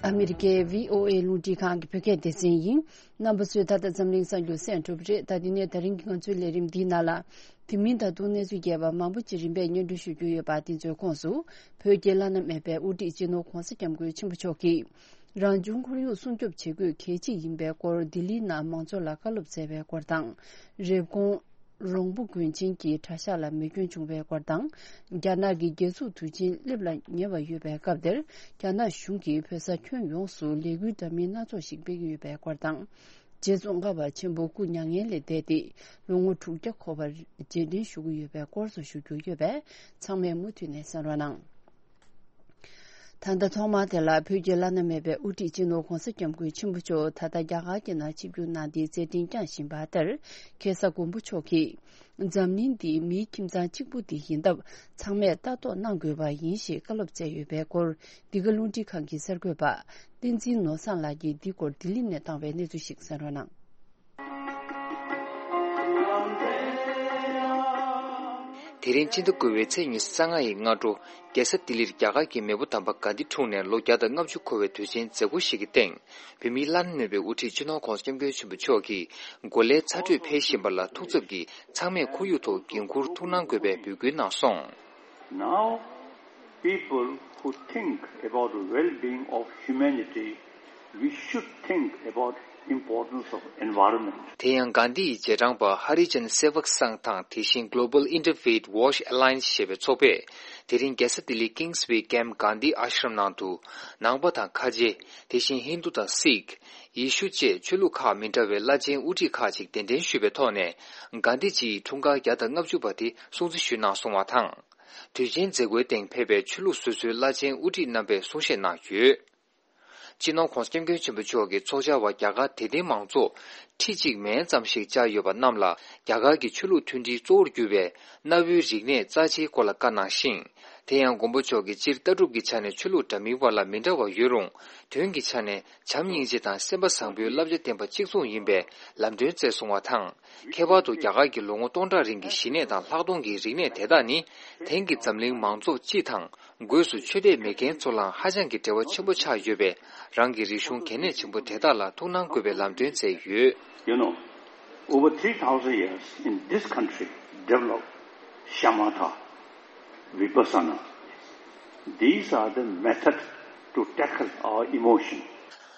ཨ་མི་རི་ཀའི་བྷི་ཨོ་ཨེ་རླུང་འཕྲིན་ཁང་གི་བོད་སྐད་སྡེ་ཚན་ཡིན། རྣམ་པ་ཚོས་ད་ལྟ་འཛམ་གླིང་གསར་འགྱུར་གསན་གྲུབ་རེད། ད་དེ་ནས་ད་རིང་གི་ང་ཚོའི་ལས་རིམ་འདིའི་ནང་ལ། དེ་མིན་ད་དུང་གནས་ཚུལ་རྒྱས་པ་མང་པོ་ཅིག་རིམ་པས་སྙན་སྒྲོན་ཞུ་རྒྱུ་ཡོད་པ། དེ་ཚོའི་ཁོངས་སུ། བོད་ཀྱི་བླ་ན་མེད་པའི་དབུ་ཁྲིད་སྤྱི་ནོར་༧གོང་ས་༧སྐྱབས་མགོན་ཆེན་པོ་མཆོག་གིས། རང་བྱུང་ཁོར་ཡུག་སྲུང་སྐྱོབ་བྱེད་དགོས་གལ་ཆེ་ཡིན་པའི་སྐོར་ལྡི་ལིའི་ནང་མང་ཚོགས་ལ་བཀའ་སློབ་སྩལ་བའི་སྐོར་དང་། རེབ་གོང་། རོང་པོ་དགོན་ཆེན་གྱི་གྲྭ་ཤག་ལ་མེ་སྐྱོན་བྱུང་བའི་སྐོར་དང་། རྒྱ་ནག་གི་རྒྱལ་འཛུགས་དུས་ཆེན་སླེབས་ལ་ཉེ་བ་ཡོད་པའི་སྐབས་དེར། རྒྱ་ནག་གཞུང་གིས་བོད་ས་ཁྱོན་ཡོངས་སུ་ལས་འགུལ་འདྲ་མིན་སྣ་ཚོགས་ཤིག་སྤེལ་གྱི་ཡོད་པའི་སྐོར་དང་། རྗེ་ཙོང་ཁ་པ་ཆེན་པོ་སྐུ་མྱ་ངན་ལས་འདས་ཏེ་ལོ་ངོ་དྲུག་བརྒྱ་འཁོར་བར་རྗེས་དྲན་ཞུ་གི་ཡོད་པའི་སྐོར་སོགས་ཞུ་རྒྱུ་ཡོད་པས། ཚང་མས་མུ་མཐུད་ནས་གསན་རོགས་གནང་། ད་ལྟ་ཐོག་མར་དེ་ལ་བོད་ཀྱི་བླ་ན་མེད་པའི་དབུ་ཁྲིད་སྤྱི་ནོར་༧གོང་ས་༧སྐྱབས་མགོན་ཆེན་པོ་མཆོག་ད་ལྟ་རྒྱ་གར་གྱི་ནང་ཆིབས་བསྒྱུར་གནང་སྟེ་མཛད་འཕྲིན་བསྐྱངས་བཞིན་པ་ལྟར། ཁ་སང་མགོན་པོ་མཆོག་གིས། འཛམ་གླིང་འདི་མིའི་ཁྱིམ་ཚང་གཅིག་པུ་དེ་ཡིན་སྟབས། ཚང་མས་ལྟ་རྟོག་གནང་དགོས་པ་ཡིན་ཞེས་བཀའ་སློབ་སྩལ་ཡོད་པའི་སྐོར། འདི་ག་རླུང་འཕྲིན་ཁང་གི་གསར་འགོད་པ། བསྟན་འཛིན་ནོར་བཟང་ལགས་ཀྱིས་འདི་སྐོར་ལྡི་ལི་ནས་བཏང་བའི་གནས་ཚུལ་ཞིག་གསན་རོགས་གནང་། དེ་རིང་ཕྱི་ཟླ་དགུ་པའི་ཚེས་ཉི་ཤུ་རྩ་ལྔ་ཡི་སྔ་དྲོ། རྒྱལ་ས་ལྡི་ལིར་རྒྱ་གར་གྱི་མེས་པོ་དམ་པ་གྷན་དྷི་འཁྲུངས་ནས་ལོ་བརྒྱ་དང་ལྔ་བཅུ་འཁོར་བའི་དུས་ཆེན་མཛད་སྒོ་ཞིག་གི་སྟེང་། བོད་མིའི་བླ་ན་མེད་པའི་དབུ་ཁྲིད་སྤྱི་ནོར་༧གོང་ས་༧སྐྱབས་མགོན་ཆེན་པོ་མཆོག་གིས་གོ་ལའི་ཚ་དྲོད་འཕེལ་བཞིན་པ་ལ་ཐུགས་འཚབ་ཀྱིས་ཚང་མས་ཁོར་ཡུག་ཐོག་འགན་འཁུར་ཐུགས་སྣང་དགོས་པའི་འབོད་སྐུལ་གནང་སོང་། Now, people who think about the well-being of humanity, we should think about importance of environment. དེ་ཡང་གྷན་དྷི་ཡི་རྗེས་འབྲང་པ་ཧ་རི་ཇན་སེ་བག་སང་དང་དེ་བཞིན་Global Interfaith Wash Alliance ཞེས་པའི་ཚོགས་པས། དེ་རིང་རྒྱལ་ས་ལྡི་ལི་Kingsway Camp Gandhi Ashram ནང་དུ། ནང་པ་དང་ཁ་ཆེ། དེ་བཞིན་ཧིན་དུ་དང་སིག་ཡེ་ཤུ་བཅས་ཆོས་ལུགས་ཁག་མི་འདྲ་བའི་བླ་ཆེན་དབུ་ཁྲིད་ཁག་ཅིག་གདན་འདྲེན་ཞུས་པའི་ཐོག་ནས། གྷན་དྷི་ཇི་ཡི་འཁྲུངས་སྐར་བརྒྱ་དང་ལྔ་བཅུ་པ་དེ་སྲུང་བརྩི་ཞུས་གནང་སོང་བ་དང་། དུས་ཆེན་མཛད་སྒོའི་སྟེང་ཕེབས་པའི་ཆོས་ལུགས་སོ་སོའི་བླ་ཆེན་དབུ་ཁྲིད་རྣམ་པས་གསུང་བཤད་གནང་ཡོད། སྤྱི་ནོར་༧གོང་ས་༧སྐྱབས་མགོན་ཆེན་པོ་མཆོག་གིས་ཚོགས་བཅར་བ་རྒྱ་གར་དད་ལྡན་མང་ཚོགས་ཁྲི་གཅིག་མན་ཙམ་ཞིག་བཅར་ཡོད་པ་རྣམས་ལ། རྒྱ་གར་གྱི་ཆོས་ལུགས་མཐུན་སྒྲིལ་གཙོ་བོར་གྱུར་བའི་གནའ་བོའི་རིག་གནས་རྩ་ཆེའི་སྐོར་ལ་བཀའ་གནང་ཞིང་། དེ་ཡང་མགོན་པོ་མཆོག་གིས་སྤྱིར་ལྟ་གྲུབ་ཀྱི་ཆ་ནས་ཆོས་ལུགས་འདྲ་མིན་བར་ལ་མི་འདྲ་བ་ཡོད་རུང་། དོན་གྱི་ཆ་ནས་བྱམས་སྙིང་རྗེ་དང་སེམས་པ་བཟང་པོའི་བསླབ་བྱ་ལྡན་པ་གཅིག་མཚུངས་ཡིན་པའི་ལམ་སྟོན་སྩལ་སོང་བ་དང་། ཁྱད་པར་དུ་རྒྱ་གར་གྱི་ལོ་ངོ་སྟོང་ཕྲག་རིང་གི་ཞི་གནས་དང་ལྷག་མཐོང་གི་རིག་གནས་དེ་དག་ནི། དེང་གི་འཛམ་གླིང་མང་ཚོགས་སྤྱི་དང་། སྒོས་སུ་ཆོས་དད་མེད་མཁན་ཚོ་ལའང་ཧ་ཅང་གི་འབྲེལ་བ་ཆེན་པོ་ཆགས་ཡོད་པས། རང་གི་རིག་གཞུང་གལ་གནད་ཆེན་པོ་དེ་དག་ལ་ཐུགས་སྣང་དགོས་པའི་ལམ་སྟོན་སྩལ་ཡོད། You know, over three thousand years in this country developed shamatha, vipassana. These are the methods to tackle our emotion.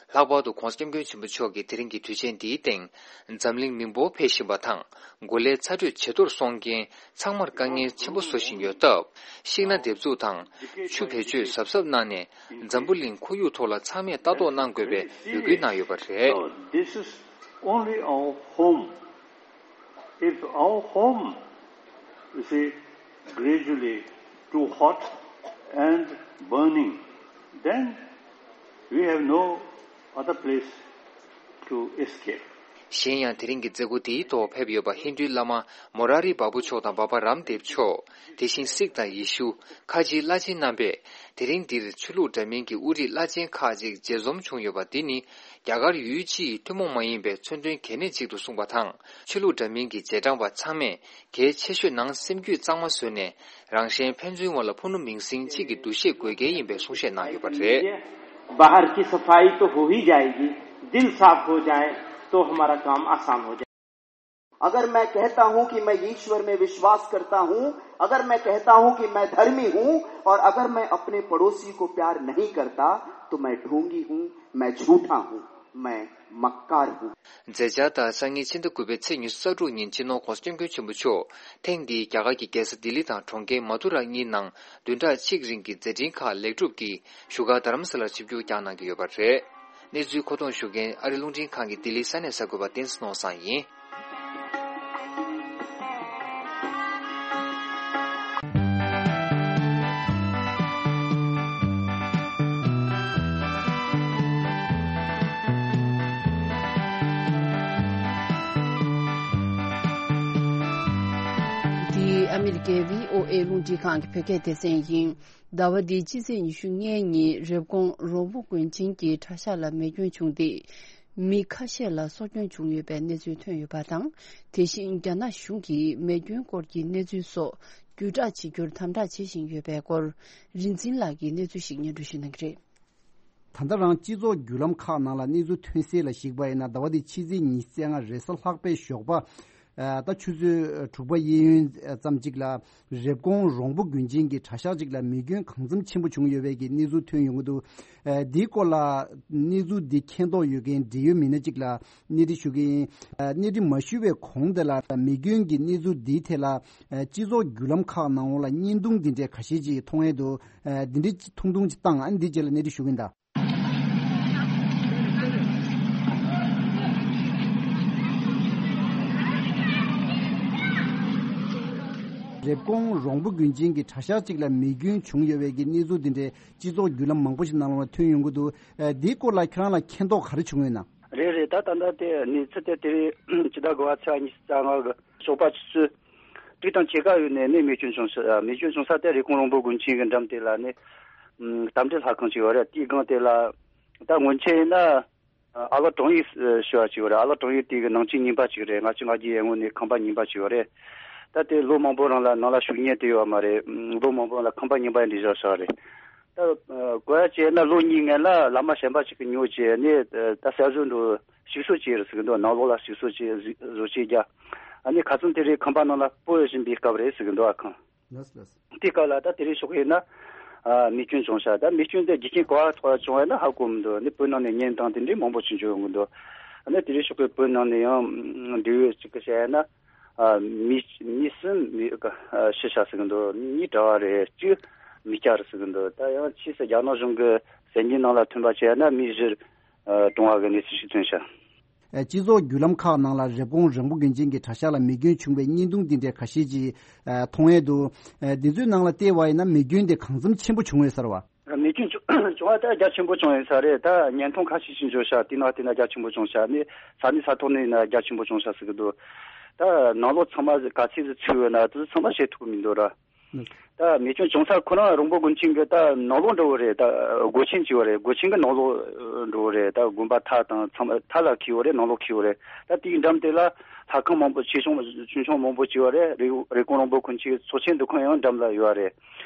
ལྷག་པར་དུ་༧གོང་ས་༧སྐྱབས་མགོན་ཆེན་པོ་མཆོག་གིས་དེ་རིང་གི་དུས་ཆེན་འདིའི་སྟེང་། འཛམ་གླིང་མི་འབོར་འཕེལ་བཞིན་པ་དང་། གོ་ལའི་ཚ་དྲོད་ཇེ་མཐོར་སོང་རྐྱེན། ཚང་མར་དཀའ་ངལ་ཆེན་པོ་བཟོ་བཞིན་ཡོད་སྟབས། ཤིང་སྣ་འདེབས་འཛུགས་དང་། ཆུ་བེད་སྤྱོད་གཟབ་གཟབ་གནང་ནས། འཛམ་བུ་གླིང་ཁོར་ཡུག་ཐོག་ལ་ཚང་མས་ལྟ་རྟོག་གནང་དགོས་པའི་འབོད་སྐུལ་གནང་ཡོད་པ་རེད། So, this is only our home. If our home, you see, gradually too hot and burning, then we have no other place to escape. གཞན་ཡང་དེ་རིང་གི་མཛད་སྒོ་དེའི་ཐོག་ཕེབས་ཡོད་པ་ཧིན་རྡུའི་བླ་མ་མོ་ར་རི་བཱ་བུ་མཆོག་དང་བཱ་བཱ་རམ་དེབ་མཆོག་དེ་བཞིན་སིག་དང་ཡེ་ཤུ། ཁ་ཆེའི་བླ་ཆེན་རྣམ་པས། དེ་རིང་འདིར་ཆོས་ལུགས་འདྲ་མིན་གྱི་དབུ་ཁྲིད་བླ་ཆེན་ཁག་ཅིག་མཇལ་འཛོམས་བྱུང་ཡོད་པ་འདི་ནི། རྒྱ་གར་ཡུལ་སྤྱི་ཡི་ཐུན་མོང་མ་ཡིན་པའི་མཚོན་དོན་གལ་གནད་ཅིག་ཏུ་གསུངས་པ་དང་། ཆོས་ལུགས་འདྲ་མིན་གྱི་རྗེས་འབྲང་པ་ཚང་མས། གལ་ཆེ་ཤོས་ནང་སེམས་རྒྱུད་གཙང་མ་བཟོས་ནས། རང་གཞན་ཕན་ཚུན་བར་ལ་ཕུ་ནུ་མིང་སྲིང་གཅིག་གི་འདུ་ཤེས་དགོས་གལ་ཡིན་པའི་གསུང་བཤད་གནང་ཡོད་པ་རེད། बाहर की सफाई तो हो ही जाएगी, दिल साफ हो जाए तो हमारा काम आसान हो जाए। अगर मैं कहता हूं कि मैं ईश्वर में विश्वास करता हूं, अगर मैं कहता हूं कि मैं धर्मी हूं और अगर मैं अपने पड़ोसी को प्यार नहीं करता, तो मैं ढोंगी हूं, मैं झूठा हूं, मैं मक्कार हूं। མཛད་འཆར་ལྟར། སང་ཉིན་ཕྱི་ཟླ་དགུ་པའི་ཚེས་ཉི་ཤུ་རྩ་དྲུག་ཉིན་སྤྱི་ནོར་༧གོང་ས་༧སྐྱབས་མགོན་ཆེན་པོ་མཆོག་ཐེངས་འདིའི་རྒྱ་གར་གྱི་རྒྱལ་ས་ལྡི་ལི་དང་གྲོང་ཁྱེར་མ་ཐུ་ར་གཉིས་ནང་བདུན་ཕྲག་གཅིག་རིང་གི་མཛད་འཕྲིན་ཁག་ལེགས་གྲུབ་ཀྱིས་བཞུགས་སྒར་རྡ་རམ་ས་ལར་ཆིབས་བསྒྱུར་བསྐྱངས་གནང་གི་ཡོད་པ་རེད། གནས་ཚུལ་མཁོ་གཏོང་ཞུ་མཁན་ཨ་རི་རླུང་འཕྲིན་ཁང་གི་ལྡི་ལི་ས་གནས་གསར་འགོད་པ་བསྟན་འཛིན་ནོར་བཟང་ཡིན། འདི་ཨ་མི་རི་ཀའི་བྷི་ཨོ་ཨེ་རླུང་འཕྲིན་ཁང་གི་བོད་སྐད་སྡེ་ཚན་ཡིན། ཟླ་བ་འདིའི་སྤྱི་ཚེས་ཉི་ཤུ་ལྔའི་ཉིན་རེབ་གོང་རོང་པོ་དགོན་ཆེན་གྱི་གྲྭ་ཤག་ལ་མེ་སྐྱོན་བྱུང་སྟེ། མི་ཁ་ཤས་ལ་སྲོག་སྐྱོན་བྱུང་ཡོད་པའི་གནས་ཚུལ་ཐོན་ཡོད་པ་དང་། དེ་བཞིན་རྒྱ་ནག་གཞུང་གིས་མེ་སྐྱོན་སྐོར་གྱི་གནས་ཚུལ་སོགས་བརྒྱུད་བསྒྲགས་བྱེད་རྒྱུར་དམ་དྲག་བྱེད་བཞིན་ཡོད་པའི་སྐོར། རིག་འཛིན་ལགས་ཀྱིས་གནས་ཚུལ་ཞིག་སྙན་སྒྲོན་ཞུ་གནང་གི་རེད། ད་ལྟ་རང་སྤྱི་ཚོགས་བརྒྱུད་ལམ་ཁག་ནང་ལ་གནས་ཚུལ་ཐོན་གསལ་ལ་གཞིགས་པ་ཡིན་ན། ཟླ་བ་འདིའི་ཕྱི་ཚེས་ཉི་ཤུ་རྩ་ལྔ་རེས་གཟའ་ལྷག་པའི་ཞོགས་པ། ཨ། ད་ཆུ་ཚོད་དྲུག་པ་གཡས་གཡོན་ཙམ་ཅིག་ལ། རེབ་གོང་རོང་པོ་དགོན་ཆེན་གྱི་གྲྭ་ཤག་ཅིག་ལ་མེ་སྐྱོན་གང་འཚམ་ཆེན་པོ་བྱུང་ཡོད་པའི་གི་གནས་ཚུལ་ཐོན་ཡོང་གི་འདུག་ཨ། འདིའི་སྐོར་ལ་གནས་ཚུལ་འདི་མཁྱེན་རྟོགས་ཡོད་མཁན་འབྲེལ་ཡོད་མི་སྣ་ཅིག་ལ་གནས་འདྲི་ཞུ་གི་ཡིན། ཨ། གནས་འདྲི་མ་ཞུས་པའི་གོང་དེ་ལ་མེ་སྐྱོན་གྱི་གནས་ཚུལ་འདིའི་ཐད་ལ། ཨ། སྤྱི་ཚོགས་བརྒྱུད་ལམ་ཁག་ནང་ལ་བརྙན་ཐུང་འདི་འདྲའི་ཁ་ཤས་ཅིག་མཐོང་ཡས་འདུག་ཨ། འདི་འདྲའི་ཐུང་ཐུང་ཅིག་བཏང་། ཨ། འདི་རྗེས་ལ་གནས་འདྲི་ཞུ་གི་ཡིན་ད། རེབ་གོང་རོང་པོ་དགོན་ཆེན་གྱི་གྲྭ་ཤག་ཅིག་ལ་མེ་སྐྱོན་བྱུང་ཡོད་པའི་གི་གནས་ཚུལ་འདི་འདྲའི་སྤྱི་ཚོགས་བརྒྱུད་ལམ་མང་པོ་ཞིག་ནང་ལ་ཐོན་ཡོང་གི་འདུག་ཨ། འདིའི་སྐོར་ལ་ཁྱེད་རང་ལ་མཁྱེན་རྟོགས་ག་རེ་བྱུང་ཡོད་ན། རེད་རེད། ད་ད་ལྟ་དེ་གནས་ཚུལ་དེ་དེ་རིང་ཕྱི་ཟླ་དགུ་པ་ཚེས་ཉི་ཤུ་རྩ་ལྔ་གི་ཞོགས་པ་ཆུ་ཚོད་དྲུག་དང་ཕྱེད་ཀ་ཡོལ་ནས་ནས་མེ་སྐྱོན་བྱུང་ས། མེ་སྐྱོན་བྱུང་ས་དེ་རེབ་གོང་རོང་པོ་དགོན་ཆེན་གྱི་འགྲམ་དེ་ལ་ནས། ཨམ། རྟ་མགྲིན་ལྷ་ཁང་ཅིག་ཡོད་རེད། དེའི་སྒང་དེ་ལ་ད་སྔོན་ཆད་ཡིན་ན། ཨ། ཨ་ལགས་དྲུང་ཡིག་ཞུ་བ་ཅིག་ཡོད་རེད། ཨ་ལགས་དྲུང་ཡིག་དེ་གི་ནང་ཆེན་རྙིང་པ་ཅིག་རེད། ལྔ་བཅུ་ང་བརྒྱད་ཡར་སྔོན་ནས་ཁང་པ་རྙིང་པ་ཅིག་ཡོད་རེད། ད་དེ་ལོ་མང་པོ་རིང་ལ་ནང་ལ་ཞུགས་མཁན་དེ་ཡོད་མ་རེད། ལོ་མང་པོ་རིང་ལ་ཁང་པ་རྙིང་པ་འདི་བཞག་བཞག་རེད། ད་གོ་ཡ་བྱས་ན་ལོ་གཉིས་སྔོན་ལ་བླ་མ་གཞན་པ་ཅིག་གིས་ཉོ་བྱས་ནས། ད་གསར་བཟོ་འགྲོ་ཞིག་གསོ་བྱས་རེད་ཟེར་གི་འདུག་ནང་ལོགས་ལ་ཞིག་གསོ་བྱས་བཟོ་བྱས་རྒྱ། ཨ་ནི་ཁ་སང་དེ་རིང་ཁང་པ་ནང་ལ་སྤོ་བཞིན་པའི་སྐབས་རེད་ཟེར་གི་འདུག་ཨ་ཁང་། ལགས་ལགས། དེ་སྐབས་ལ་ད་དེ་རིང་ཞོགས་ཡིན་ན། ཨ། མེ་སྐྱོན་བྱུང་ཤག་ད་མེ་སྐྱོན་དེ་རྒྱུ་རྐྱེན་ག་པར་ཐོག་བྱུང་བ་ན་ཧ་གོ་མི་འདུག་ནི་བོད་ནང་ནས་བརྙན་ཐུང་དེ་འདྲའི་མང་པོ་ཅིག་འབྱོར་ཡོང་གི་འདུག་ཨ་ནི་དེ་རིང་ཞོགས་པའི་བོད་ནང་ནས་ཡང་འབྲེལ་ཡོད་ཅིག་གིས་བཤད་ན། ཨ། མི་མི་གསུམ་མི་ཤི་ཤག་ཟེར་གི་འདུག་གཉིས་གྲྭ་བ་རེད། གཅིག་མི་སྐྱ་རེད་ཟེར་གི་འདུག་ད་ཡང་ཕྱིས་སུ་རྒྱ་ནག་གཞུང་གི་གསར་འགྱུར་ནང་ལ་ཐོན་པ་བྱས་ན་མི་བཞི་གྲོངས་པ་གི་གནས་ཚུལ་ཞིག་ཐོན་ཤག་སྤྱི་ཚོགས་བརྒྱུད་ལམ་ཁག་ནང་ལ་རེབ་གོང་རོང་པོ་དགོན་ཆེན་གྱི་གྲྭ་ཤག་ལ་མེ་སྐྱོན་བྱུང་བའི་བརྙན་ཐུང་འདི་འདྲའི་ཁ་ཤས་ཅིག་མཐོང་ཡས་འདུག་འདི་ཚོའི་ནང་ལ་བལྟས་པ་ཡིན་ན་མེ་སྐྱོན་དེ་གང་འཚམ་ཆེན་པོ་བྱུང་ཡོད་ས་རེད་བ། མེ་སྐྱོན་བྱུང་བྱུང་བ་དེ་རྒྱ་ཆེན་པོ་བྱུང་ཡོད་ས་རེད། ད་བརྙན་ཐུང་ཁ་ཤས་ཤིག་འབྱོར་ཤག་དེ་ནང་དེ་ན་རྒྱ་ཆེན་པོ་བྱུང་ཤག་ནི་ས་གནས་ས་ཐོག་ནས་ཡིན་ན་རྒྱ་ཆེན་པོ་བྱུང་ཤག་ཟེར་གི་འདུག་ད་ནང་ལོགས་ཚང་མ་ག་ཚོད་ཅིག་ཚུད་ཡོད་ན་དེ་ཚོ་ཚང་མ་བཤད་ཐུབ་ཀྱི་མི་འདུག་ར། ད་མེ་སྐྱོན་བྱུང་ས་ཁོ་རང་རོང་པོ་དགོན་ཆེན་གྱི་ད་ནང་ལོགས་འགྲོ་བོ་རེད། ད་སྒོ་ཆེན་ཅིག་བོ་རེད། སྒོ་ཆེན་གྱི་ནང་ལོགས་འགྲོ་བོ་རེད། ད་དགོན་པ་མཐའ་དང་ཚང་མ་མཐའ་ལ་འཁེལ་བོ་རེད། ནང་ལོགས་འཁེལ་བོ་རེད། ད་དེའི་འགྲམ་དེ་ལ་ལྷ་ཁང་མང་པོ་ཆེ་ཆུང་ཆུང་ཆུང་མང་པོ་ཅིག་བོ་རེད། རེབ་རེབ་གོང་རོང་པོ་དགོན་ཆེན་གྱི་ཚོགས་ཆེན་འདུ་ཁང་ཡང་འགྲམ་ལ་ཡོད་རེད།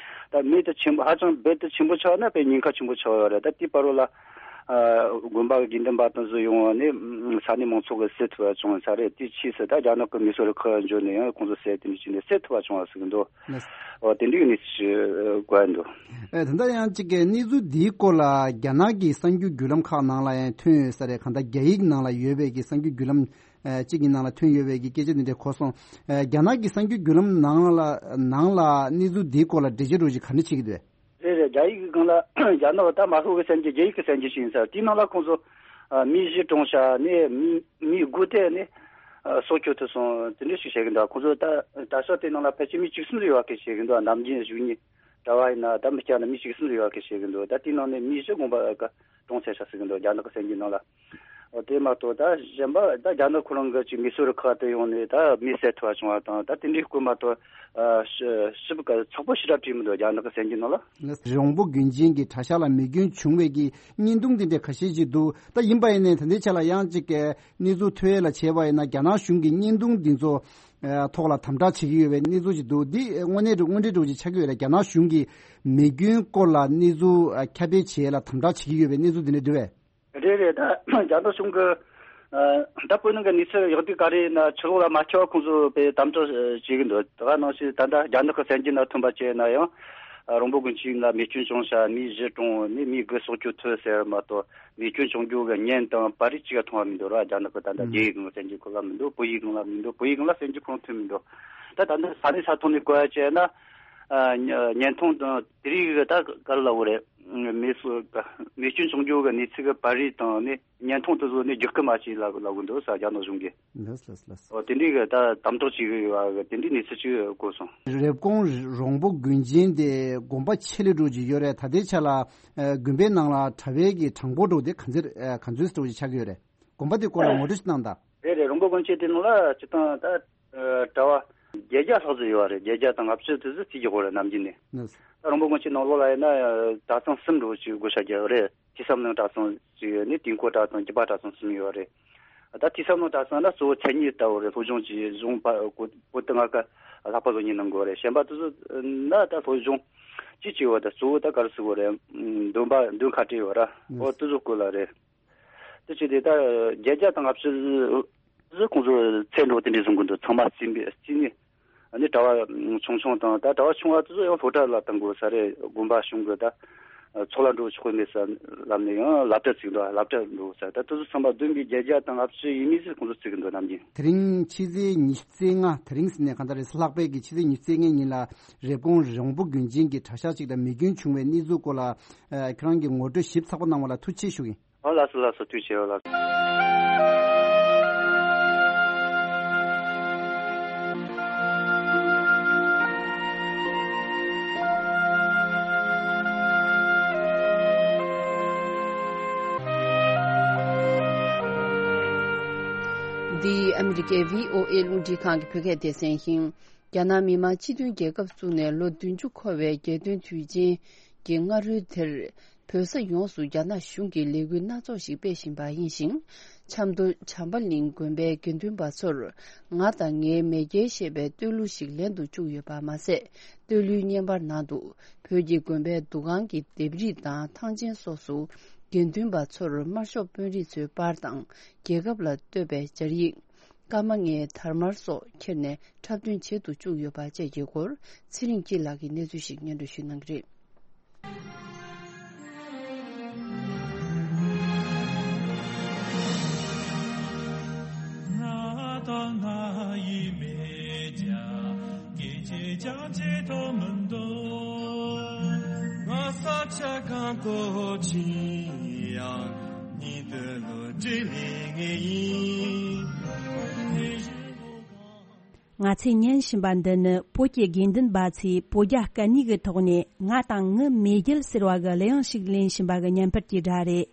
ད་མེ་དེ་ཆེན་པོ་ཧ་ཅང་རྦད་དེ་ཆེན་པོ་ཆགས་ན་དཔེ་ཉེན་ཁ་ཆེན་པོ་ཆགས་ཡོད་རེད། ད་དེའི་བར་རོ་ལ། ཨ། དགོན་པ་གི་དགེ་འདུན་པ་དང་ཚོ་ཡོང་བ་ནས་ས་གནས་མང་ཚོགས་ཀྱིས་སེལ་ཐུབ་པ་བྱུང་ས་རེད། དེའི་ཕྱིས་སུ་ད་རྒྱ་ནག་གི་མེ་གསོད་རུ་ཁག་འབྱོར་ནས་ཡང་ཁོང་ཚོ་སེལ་དེ་འདྲ་བྱས་ནས་སེལ་ཐུབ་པ་བྱུང་བ་ཟེར་གི་འདུག་འོ་དེ་འདྲའི་གནས་ཚུལ་ཞིག་གོ་ཡ་འདུག་ཨེ། ད་ལྟ་ཡང་གཅིག་གི་གནས་ཚུལ་འདིའི་སྐོར་ལ་རྒྱ་ནག་གི་གསར་འགྱུར་བརྒྱུད་ལམ་ཁག་ནང་ལ་ཡང་ཐོན་ཡོད་ས་རེད། གང་ལྟར་རྒྱ་ཡིག་ནང་ལ་ཡོད་པའི་གི་གསར་འགྱུར་བརྒྱུད་ལམ་ཨེ། གཅིག་གི་ནང་ལ་ཐོན་ཡོད་པའི་གི་སྐད་ཆ་འདི་འདྲ་གོ་སོང་། ཨེ། རྒྱ་ནག་གི་གསར་འགྱུར་བརྒྱུད་ལམ་ནང་ལ་ནང་ལ་གནས་ཚུལ་འདིའི་སྐོར་ལ་འགྲེལ་བརྗོད་འདྲ་བོ་ཞིག་ག་འདྲ་བྱེད་ཀྱི་འདུག་རེད་རེད། རྒྱ་ཡིག་གི་སྒང་ལ་རྒྱ་ནག་ད་དམར་ཤོག་གི་གསར་འགྱུར་རྒྱ་ཡིག་གི་གསར་འགྱུར་ཞིག་ཡིན་ས་རེད། དེའི་ནང་ལ་ཁོང་ཚོ་ཨ། མི་བཞི་གྲོངས་ཤག་ནས་མི་མི་དགུ་དེ་ནས་ཨ། སྲོག་སྐྱོབ་ཐུབ་སོང་དེ་འདྲ་ཞིག་བཤད་གི་འདུག་ཁོང་ཚོ་ད་གྲྭ་ཤག་དེ་ནང་ལ་ཕལ་ཆེར་མི་བཅུ་གསུམ་ཙམ་ཡོད་པ་སྐད་བཤད་གི་འདུག་ནམ་རྒྱུན་བཞུགས་མཁན་གྲྭ་བ་ཡིན་ན་ད་མི་སྐྱ་ན་མི་བཅུ་གསུམ་ཙམ་ཡོད་པ་སྐད་བཤད་གི་འདུག་ད་དེའི་ནང་ནས་མི་བཞི་དགོངས་པ་གྲོངས་ཚར་ཤག་ཟེར་གི་འདུག་རྒྱ་ནག་གི་གསར་འགྱུར་ནང་ལ། འོ་དེ་མ་གཏོགས་ད་གཞན་པ་ད་རྒྱ་ནག་ཁོ་རང་གི་ཅིག་མེ་གསོད་རུ་ཁག་དེ་ཡོང་ནས་ད་མི་བསད་ཐུབ་པ་བྱུང་བ་དང་ད་དེ་འདྲའི་སྐོར་མ་གཏོགས། ཨ། ཞིབ་ཞིབ་ཚགས་པོ་ཞེ་དྲག་བྲིས་མི་འདུག་རྒྱ་ནག་གི་གསར་འགྱུར་ནང་ལ། རོང་པོ་དགོན་ཆེན་གྱི་གྲྭ་ཤག་ལ་མེ་སྐྱོན་བྱུང་བའི་གི་བརྙན་ཐུང་འདི་འདྲ་ཁ་ཤས་ཅིག་འདུག་ད་ཡིན་པ་ཡིན་ནའི་ད་ལྟའི་ཆ་ལ་ཡང་ཅིག་གི་གནས་ཚུལ་ཐོན་ཡས་ལ་བྱས་པ་ཡིན་ན་རྒྱ་ནག་གཞུང་གིས་བརྙན་ཐུང་འདི་ཚོ་ཨ། ཐོག་ལ་དམ་དྲག་བྱེད་ཀྱི་ཡོད་པའི་གནས་ཚུལ་ཅིག་འདུག་འདི་དངོས་གནས་དངོས་འབྲེལ་འདྲ་བོ་ཅིག་ཆགས་ཀྱི་ཡོད་རེད། རྒྱ་ནག་གཞུང་གིས་མེ་སྐྱོན་སྐོར་ལ་གནས་ཚུལ་ཨ། ཁྱབ་སྤེལ་བྱེད་ཡས་ལ་དམ་དྲག་བྱེད་ཀྱི་ཡོད་པའི་གནས་ཚུལ་འདི་འདྲ་འདུག་པས། རེད་རེད། ད་རྒྱ་ནག་གཞུང་གི་ཨ། ད་བོད་ནང་གི་གནས་ཚུལ་ཡག་སྡུག་ག་རེ་ཡིན་ན་ཕྱི་ལོགས་ལ་མ་ཁྱབ་པ་ཁོང་ཚོ་དཔེ་དམ་དྲག་བྱེད་ཀྱི་འདུག་དེ་ག་ནང་བཞིན་ད་ལྟ་རྒྱ་ནག་གི་གསར་འགྱུར་ནང་ཐོན་པ་བྱས་ན་ཡང་ཨ། རོང་པོ་དགོན་ཆེན་ལ་མེ་སྐྱོན་བྱུང་ཤག་མི་བཞི་གྲོངས། ནི་མི་དགུ་སྲོག་སྐྱོབ་ཐུབ་ཟེར་བ་མ་གཏོགས་མེ་སྐྱོན་བྱུང་རྒྱུ་གི་བརྙན་དང་པར་རིས་གཅིག་ཀྱང་མཐོང་བ་མི་འདུག་ར། རྒྱ་ནག་གི་ད་ལྟ་ཨུ། རྒྱ་ཡིག་གི་གསར་འགྱུར་ཁོ་ལ་མི་འདུག་བོད་ཡིག་གི་ལ་མི་འདུག་བོད་ཡིག་གི་ལ་གསར་འགྱུར་ཁོ་རང་ཐོན་མི་འདུག་ད་ད་ལྟ་ས་གནས་ས་ཐོག་ནས་གོ་ཡ་བྱས་ན་ཨ། བརྙན་ཐུང་དང་དེ་རིགས་ཀྱི་ད་ག་རེ་ལབ་དགོས་རེད། མེ་སོ་མེ་སྐྱོན་བྱུང་རྒྱུ་གི་གནས་ཚུལ་གི་པར་རིས་དང་ནི་བརྙན་ཐུང་དེ་ཚོ་ནི་བསྒྱུར་བཀོད་མ་བྱེད་ལབ་ལབ་གི་འདུག་ས་རྒྱ་ནག་གཞུང་གིས། ལགས་ལགས་ལགས། འོ་དེ་འདྲའི་གི་ད་དམ་དྲག་བྱེད་གི་ཡོད་པ་གི་དེ་འདྲའི་གནས་ཚུལ་ཅིག་གོ་སོང་། རེབ་གོང་རོང་པོ་དགོན་ཆེན་དེ་དགོན་པ་ཆེ་ལེ་འགྲོ་གི་ཡོད་རེད། ད་ལྟའི་ཆ་ལ་ཨ། དགོན་པའི་ནང་ལ་གྲྭ་པའི་གི་གྲངས་འབོར་འགྲོ་དེ་ག་ཚོད་ཨ། ག་ཚོད་འགྲོ་ཅིག་ཆགས་ཀྱི་ཡོད་རེད། དགོན་པ་དེ་སྐོར་ལ་ངོ་སྤྲོད་ཅིག་གནང་དང་། རེད་རེད། རོང་པོ་དགོན་ཆེན་དེ་ནང་ལ་སྤྱིར་བཏང་ད་ཨ། གྲྭ་པ་བརྒྱད་བརྒྱ་ལྷག་ཙམ་ཡོད་རེད། བརྒྱད་བརྒྱ་དང་ལྔ་བཅུ་དེ་ཚོ་ཅིག་གི་ཧོ་རེད་ནམ་རྒྱུན་ནས། ལགས། ད་རོང་པོ་དགོན་ཆེན་ནང་ལོགས་ལ་ཡིན་ན་གྲྭ་ཚང་གསུམ་འགྲོ་ཅིག་བགོ་བཤའ་རྒྱག་ཡོད་རེད། ཐོས་བསམ་གླིང་གྲྭ་ཚང་ཅིག་ཡོད་ནི་དུས་འཁོར་གྲྭ་ཚང་རྒྱུད་པ་གྲྭ་ཚང་གསུམ་ཡོད་རེད། ད་དེའི་བསམ་བློ་བཏང་སོང་ན་གཙོ་བོ་མཚན་ཉིད་ལྟ་བུ་རེད། སློབ་སྦྱོང་བྱས་གཞུང་པ་གོ་བོད་དུ་ང་ཀ་ལྷག་པ་སློབ་གཉེར་གནང་དགོས་རེད། གཞན་པ་དེ་ཚོ་ན་ད་སློབ་སྦྱོང་ཅི་བྱས་པ་ད་གཙོ་བོ་ད་ག་རེ་ཟེར་དགོས་རེད། འདོན་པ་འདོན་ཁ་བྲལ་ཡོད་ར། ཨོ་དེ་ཚོ་སྐོར་ལ་རེད། དེ་བྱས་ཏེ་ད་བརྒྱད་བརྒྱ་དང་ལྔ་བཅུ་ཁོང་ཚོ་ཚེ་འགྲོ་དེ་འདྲས་བཟུང་གི་འདུག་ཚང་མ་རྩིས་མེད་རྩིས་ནས། ཨ་ནི་གྲྭ་བ་ཆུང་ཆུང་དང་ད་གྲྭ་བ་ཆུང་བ་དེ་ཚོ་ཡང་སློབ་གྲྭ་ལ་བཏང་དགོས་ས་རེད། དགོན་པ་གཞུང་གི་ད་ཚོགས་ལ་འགྲོ་ཆོག་གི་མེད་ས་ལབ་ནས་ཡང་སློབ་གྲྭ་བཙུགས་འདུག་སློབ་གྲྭ་འགྲོ་ས་ད་དེ་ཚོ་ཚང་མ་བསྡོམས་པས་བརྒྱད་བརྒྱ་དང་ལྔ་བཅུ་ཡིན་མིན་ཟེར་ཁོང་ཚོ་བརྩི་གི་འདུག་ནམ་རྒྱུན། དེ་རིང་ཕྱི་ཚེས་ཉི་ཤུ་རྩ་ལྔ། དེ་རིང་ཟེར་ནས་གང་ལྟར་རེད། ལྷག་པའི་གི་ཕྱི་ཚེས་ཉི་ཤུ་རྩ་ལྔའི་ཉིན་ལ་རེབ་གོང་རོང་པོ་དགོན་ཆེན་གྱི་གྲྭ་ཤག་ཅིག་ལ་མེ་སྐྱོན་བྱུང་བའི་གནས་ཚུལ་སྐོར་ལ་ཁྱེད་རང་གིས་ངོ་སྤྲོད་ཞིབ་ཚགས་པོ་གནང་བ་ལ་ཐུགས་རྗེ་ཆེ་ཞུ་གི་ཡིན། ཨོ་ལགས་སོ་ལགས་སོ། ཐུགས་རྗེ་ཆེ། ཨོ་ལགས་སོ། འདི་ཨ་མི་རི་ཀའི་བྷི་ཨོ་ཨེ་རླུང་འཕྲིན་ཁང་གི་བོད་སྐད་སྡེ་ཚན་ཡིན། རྒྱ་ནག་མི་དམངས་སྤྱི་མཐུན་རྒྱལ་ཁབ་བཙུགས་ནས་ལོ་བདུན་ཅུ་འཁོར་བའི་རྒྱལ་སྟོན་དུས་ཆེན་གྱི་སྔ་དྲོའི་དེར། བོད་ས་ཡོངས་སུ་རྒྱ་ནག་གཞུང་གིས་ལས་འགུལ་སྣ་ཚོགས་ཤིག་སྤེལ་བཞིན་པ་ཡིན་ཞིང་། ཆབ་མདོ་བྱམས་པ་གླིང་དགོན་པའི་དགེ་འདུན་པ་ཚོར་ང་དང་ངའི་མེས་རྒྱལ་ཞེས་པའི་བསྟོད་གླུ་ཞིག་ལེན་དུ་བཅུག་ཡོད་པ་མ་ཟད། བསྟོད་གླུའི་བརྙན་པར་ནང་དུ་བོད་ཀྱི་དགོན་པའི་འདུ་ཁང་གི་ལྡེབས་རིས་དང་ཐང་ཆེན་སོགས་སུ་དགེ་འདུན་པ་ཚོར་དམར་ཤོག་དཔོན་རིགས་ཚོའི་པར་དང་རྒྱལ་ཁབ་ལ་བསྟོད་པའི་སྦྱར་ཡིག་ཀརྨ་ངའི་དར་དམར་སོགས་ཁྱེར་ནས་འཁྲབ་སྟོན་བྱེད་དུ་བཅུག་ཡོད་པ་བཅས་ཀྱི་སྐོར་ཚེ་རིང་སྐྱིད་ལགས་ཀྱིས་གནས་ཚུལ་ཞིག་སྙན་སྒྲོན་ཞུ་གནང་གི་རེད། ང་དང་ང་ཡི་མེས་རྒྱལ་སྐད་ཅིག་ཀྱང་བརྗེད་དུ་མི་འདོད། ང་ས་ཆ་གང་དུ་ཕྱིན་ཡང་ཉིད་དུ་ལོ་དྲིལ་ལེ་ངེས་ཡིན། ང་ཚོས་ཉན་བཞིན་པ་འདི་ནི་བོད་ཀྱི་དགེ་འདུན་པ་ཚོས་བོད་རྒྱ་སྐད་གཉིས་ཀྱི་ཐོག་ནས་ང་དང་ངི་མེས་རྒྱལ་ཟེར་བ་གི་གླུ་དབྱངས་ཤིག་ལེན་བཞིན་པ་གི་བརྙན་པར་གྱི་སྒྲ་རེད།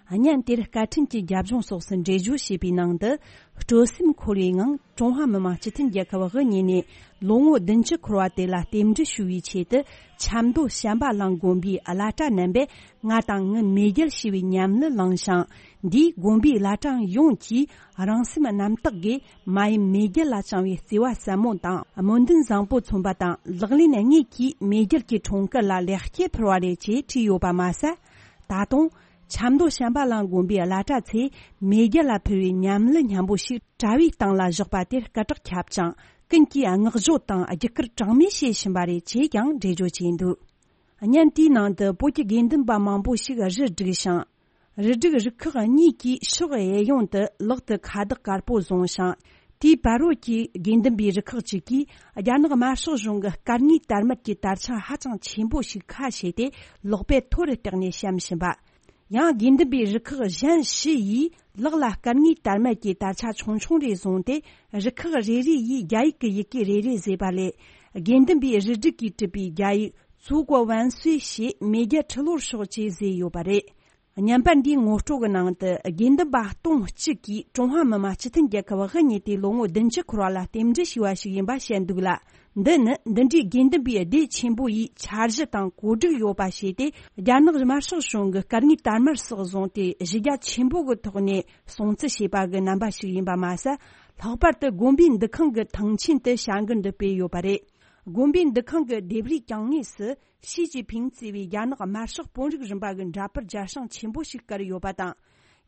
བརྙན་དེར་སྐད་འཕྲིན་གྱི་རྒྱབ་ལྗོངས་སོགས་སུ་འགྲེལ་བརྗོད་བྱས་པའི་ནང་དུ། སྤྲོ་སེམས་འཁོལ་བའི་ངང་ཀྲུང་ཧྭ་མི་དམངས་སྤྱི་མཐུན་རྒྱལ་ཁབ་དབུ་བརྙེས་ནས་ལོ་ངོ་བདུན་ཅུ་འཁོར་བ་དེ་ལ་རྟེན་འབྲེལ་ཞུ་བའི་ཆེད་དུ། ཆབ་མདོ་བྱམས་པ་གླིང་དགོན་པའི་བླ་གྲྭ་རྣམ་པས་ང་དང་ངི་མེས་རྒྱལ་ཞེས་པའི་ཉམས་གླུ་བླངས་ཤིང་། འདིས་དགོན་པའི་བླ་བྲང་ཡོངས་ཀྱིས་རང་སེམས་རྣམ་དག་གིས་མ་ཡུམ་མེས་རྒྱལ་ལ་བཅངས་པའི་བརྩེ་བ་ཟབ་མོ་དང་སྨོན་འདུན་བཟང་པོ་མཚོན་པ་དང་། ལག་ལེན་དངོས་ཀྱིས་མེས་རྒྱལ་གྱི་འཁྲུངས་སྐར་ལ་ལེགས་སྐྱེས་ཕུལ་བ་རེད་ཅེས་བྲིས་ཡོད་པ་མ་ཟད། ད་དུང་། ཆབ་མདོ་བྱམས་པ་གླིང་དགོན་པའི་བླ་གྲྭ་ཚོས་མེས་རྒྱལ་ལ་ཕུལ་བའི་ཉམས་གླུ་སྙན་པོ་ཞིག་དྲ་བའི་སྟེང་ལ་བཞག་པ་དེར་སྐད་གྲགས་ཁྱབ་ཅིང་། ཀུན་གྱིས་བསྔགས་བརྗོད་དང་རྒྱུ་སྐར་གྲངས་མེད་བྱེད་བཞིན་པ་རེད་ཅེས་ཀྱང་འགྲེལ་བརྗོད་བྱས་འདུག་བརྙན་དེའི་ནང་དུ་བོད་ཀྱི་དགེ་འདུན་པ་མང་པོ་ཞིག་རུ་བསྒྲིགས་ཤིང་། རུ་སྒྲིག་རུ་ཁག་གཉིས་ཀྱིས་ཕྱོགས་གཡས་གཡོན་དུ་ལག་ཏུ་ཁ་བཏགས་དཀར་པོ་བཟུང་ཞིང་། དེའི་བར་རོལ་གྱི་དགེ་འདུན་པའི་རུ་ཁག་ཅིག་གིས་རྒྱ་ནག་དམར་ཤོག་གཞུང་གི་སྐད་ངན་དར་དམར་གྱི་དར་ཆ་ཧ་ཅང་ཆེན་པོ་ཞིག་ཁ་ཕྱེས་ཏེ་ལག་པས་མཐོ་རུ་བཏེགས་ནས་བཤམས་བཞིན་པ། ཡང་དགེ་འདུན་པའི་རུ་ཁག་གཞན་བཞི་ཡིས་ལག་ལ་སྐད་ངན་དར་དམར་གྱི་དར་ཆ་ཆུང་ཆུང་རེ་བཟུང་སྟེ། རུ་ཁག་རེ་རེ་ཡིས་རྒྱ་ཡིག་གི་ཡི་གེ་རེ་རེ་བཟོས་པ་ལས། དགེ་འདུན་པའི་རུ་སྒྲིག་གིས་བྲིས་པའི་རྒྱ་ཡིག 祖国万岁 ཞེས་མེས་རྒྱལ་ཁྲི་ལོར་ཤོག་ཅེས་བཟོས་ཡོད་པ་རེད། བརྙན་པར་འདིའི་ངོ་སྤྲོད་ཀྱི་ནང་དུ་དགེ་འདུན་པ་སྟོང་གཅིག་གིས་ཀྲུང་ཧྭ་མི་དམངས་སྤྱི་མཐུན་རྒྱལ་ཁབ་དབུ་བརྙེས་ཏེ་ལོ་ངོ་བདུན་ཅུ་འཁོར་བ་ལ་རྟེན་འབྲེལ་ཞུས་པ་ཞིག་ཡིན་པ་བཤད་འདུག་ལ། འདི་ནི་འདི་འདྲའི་དགེ་འདུན་པའི་སྡེ་ཆེན་པོ་ཡིས་འཆར་གཞི་དང་གོ་སྒྲིག་ཡོད་པ་བྱས་ཏེ། རྒྱ་ནག་དམར་ཤོག་གཞུང་གི་སྐད་ངན་དར་དམར་སོགས་བཟུང་སྟེ་གཞི་རྒྱ་ཆེན་པོ་གི་ཐོག་ནས་སྲུང་བརྩི་བྱས་པ་གི་རྣམ་པ་ཞིག་ཡིན་པ་མ་ཟད། ལྷག་པར་དུ་དགོན་པའི་འདུ་ཁང་གི་ཐང་ཆེན་དུ་བྱ་འགུལ་འདི་སྤེལ་ཡོད་པ་རེད། དགོན་པའི་འདུ་ཁང་གི་ལྡེབས་རིས་གྱང་ངོས་སུ། ཞི་ཅིན་ཕིང་གཙོས་པའི་རྒྱ་ནག་དམར་ཤོག་དཔོན་རིགས་རིམ་པ་གི་འདྲ་པར་རྒྱ་ཤང་ཆེན་པོ་ཞིག་བཀར་ཡོད་པ་དང་།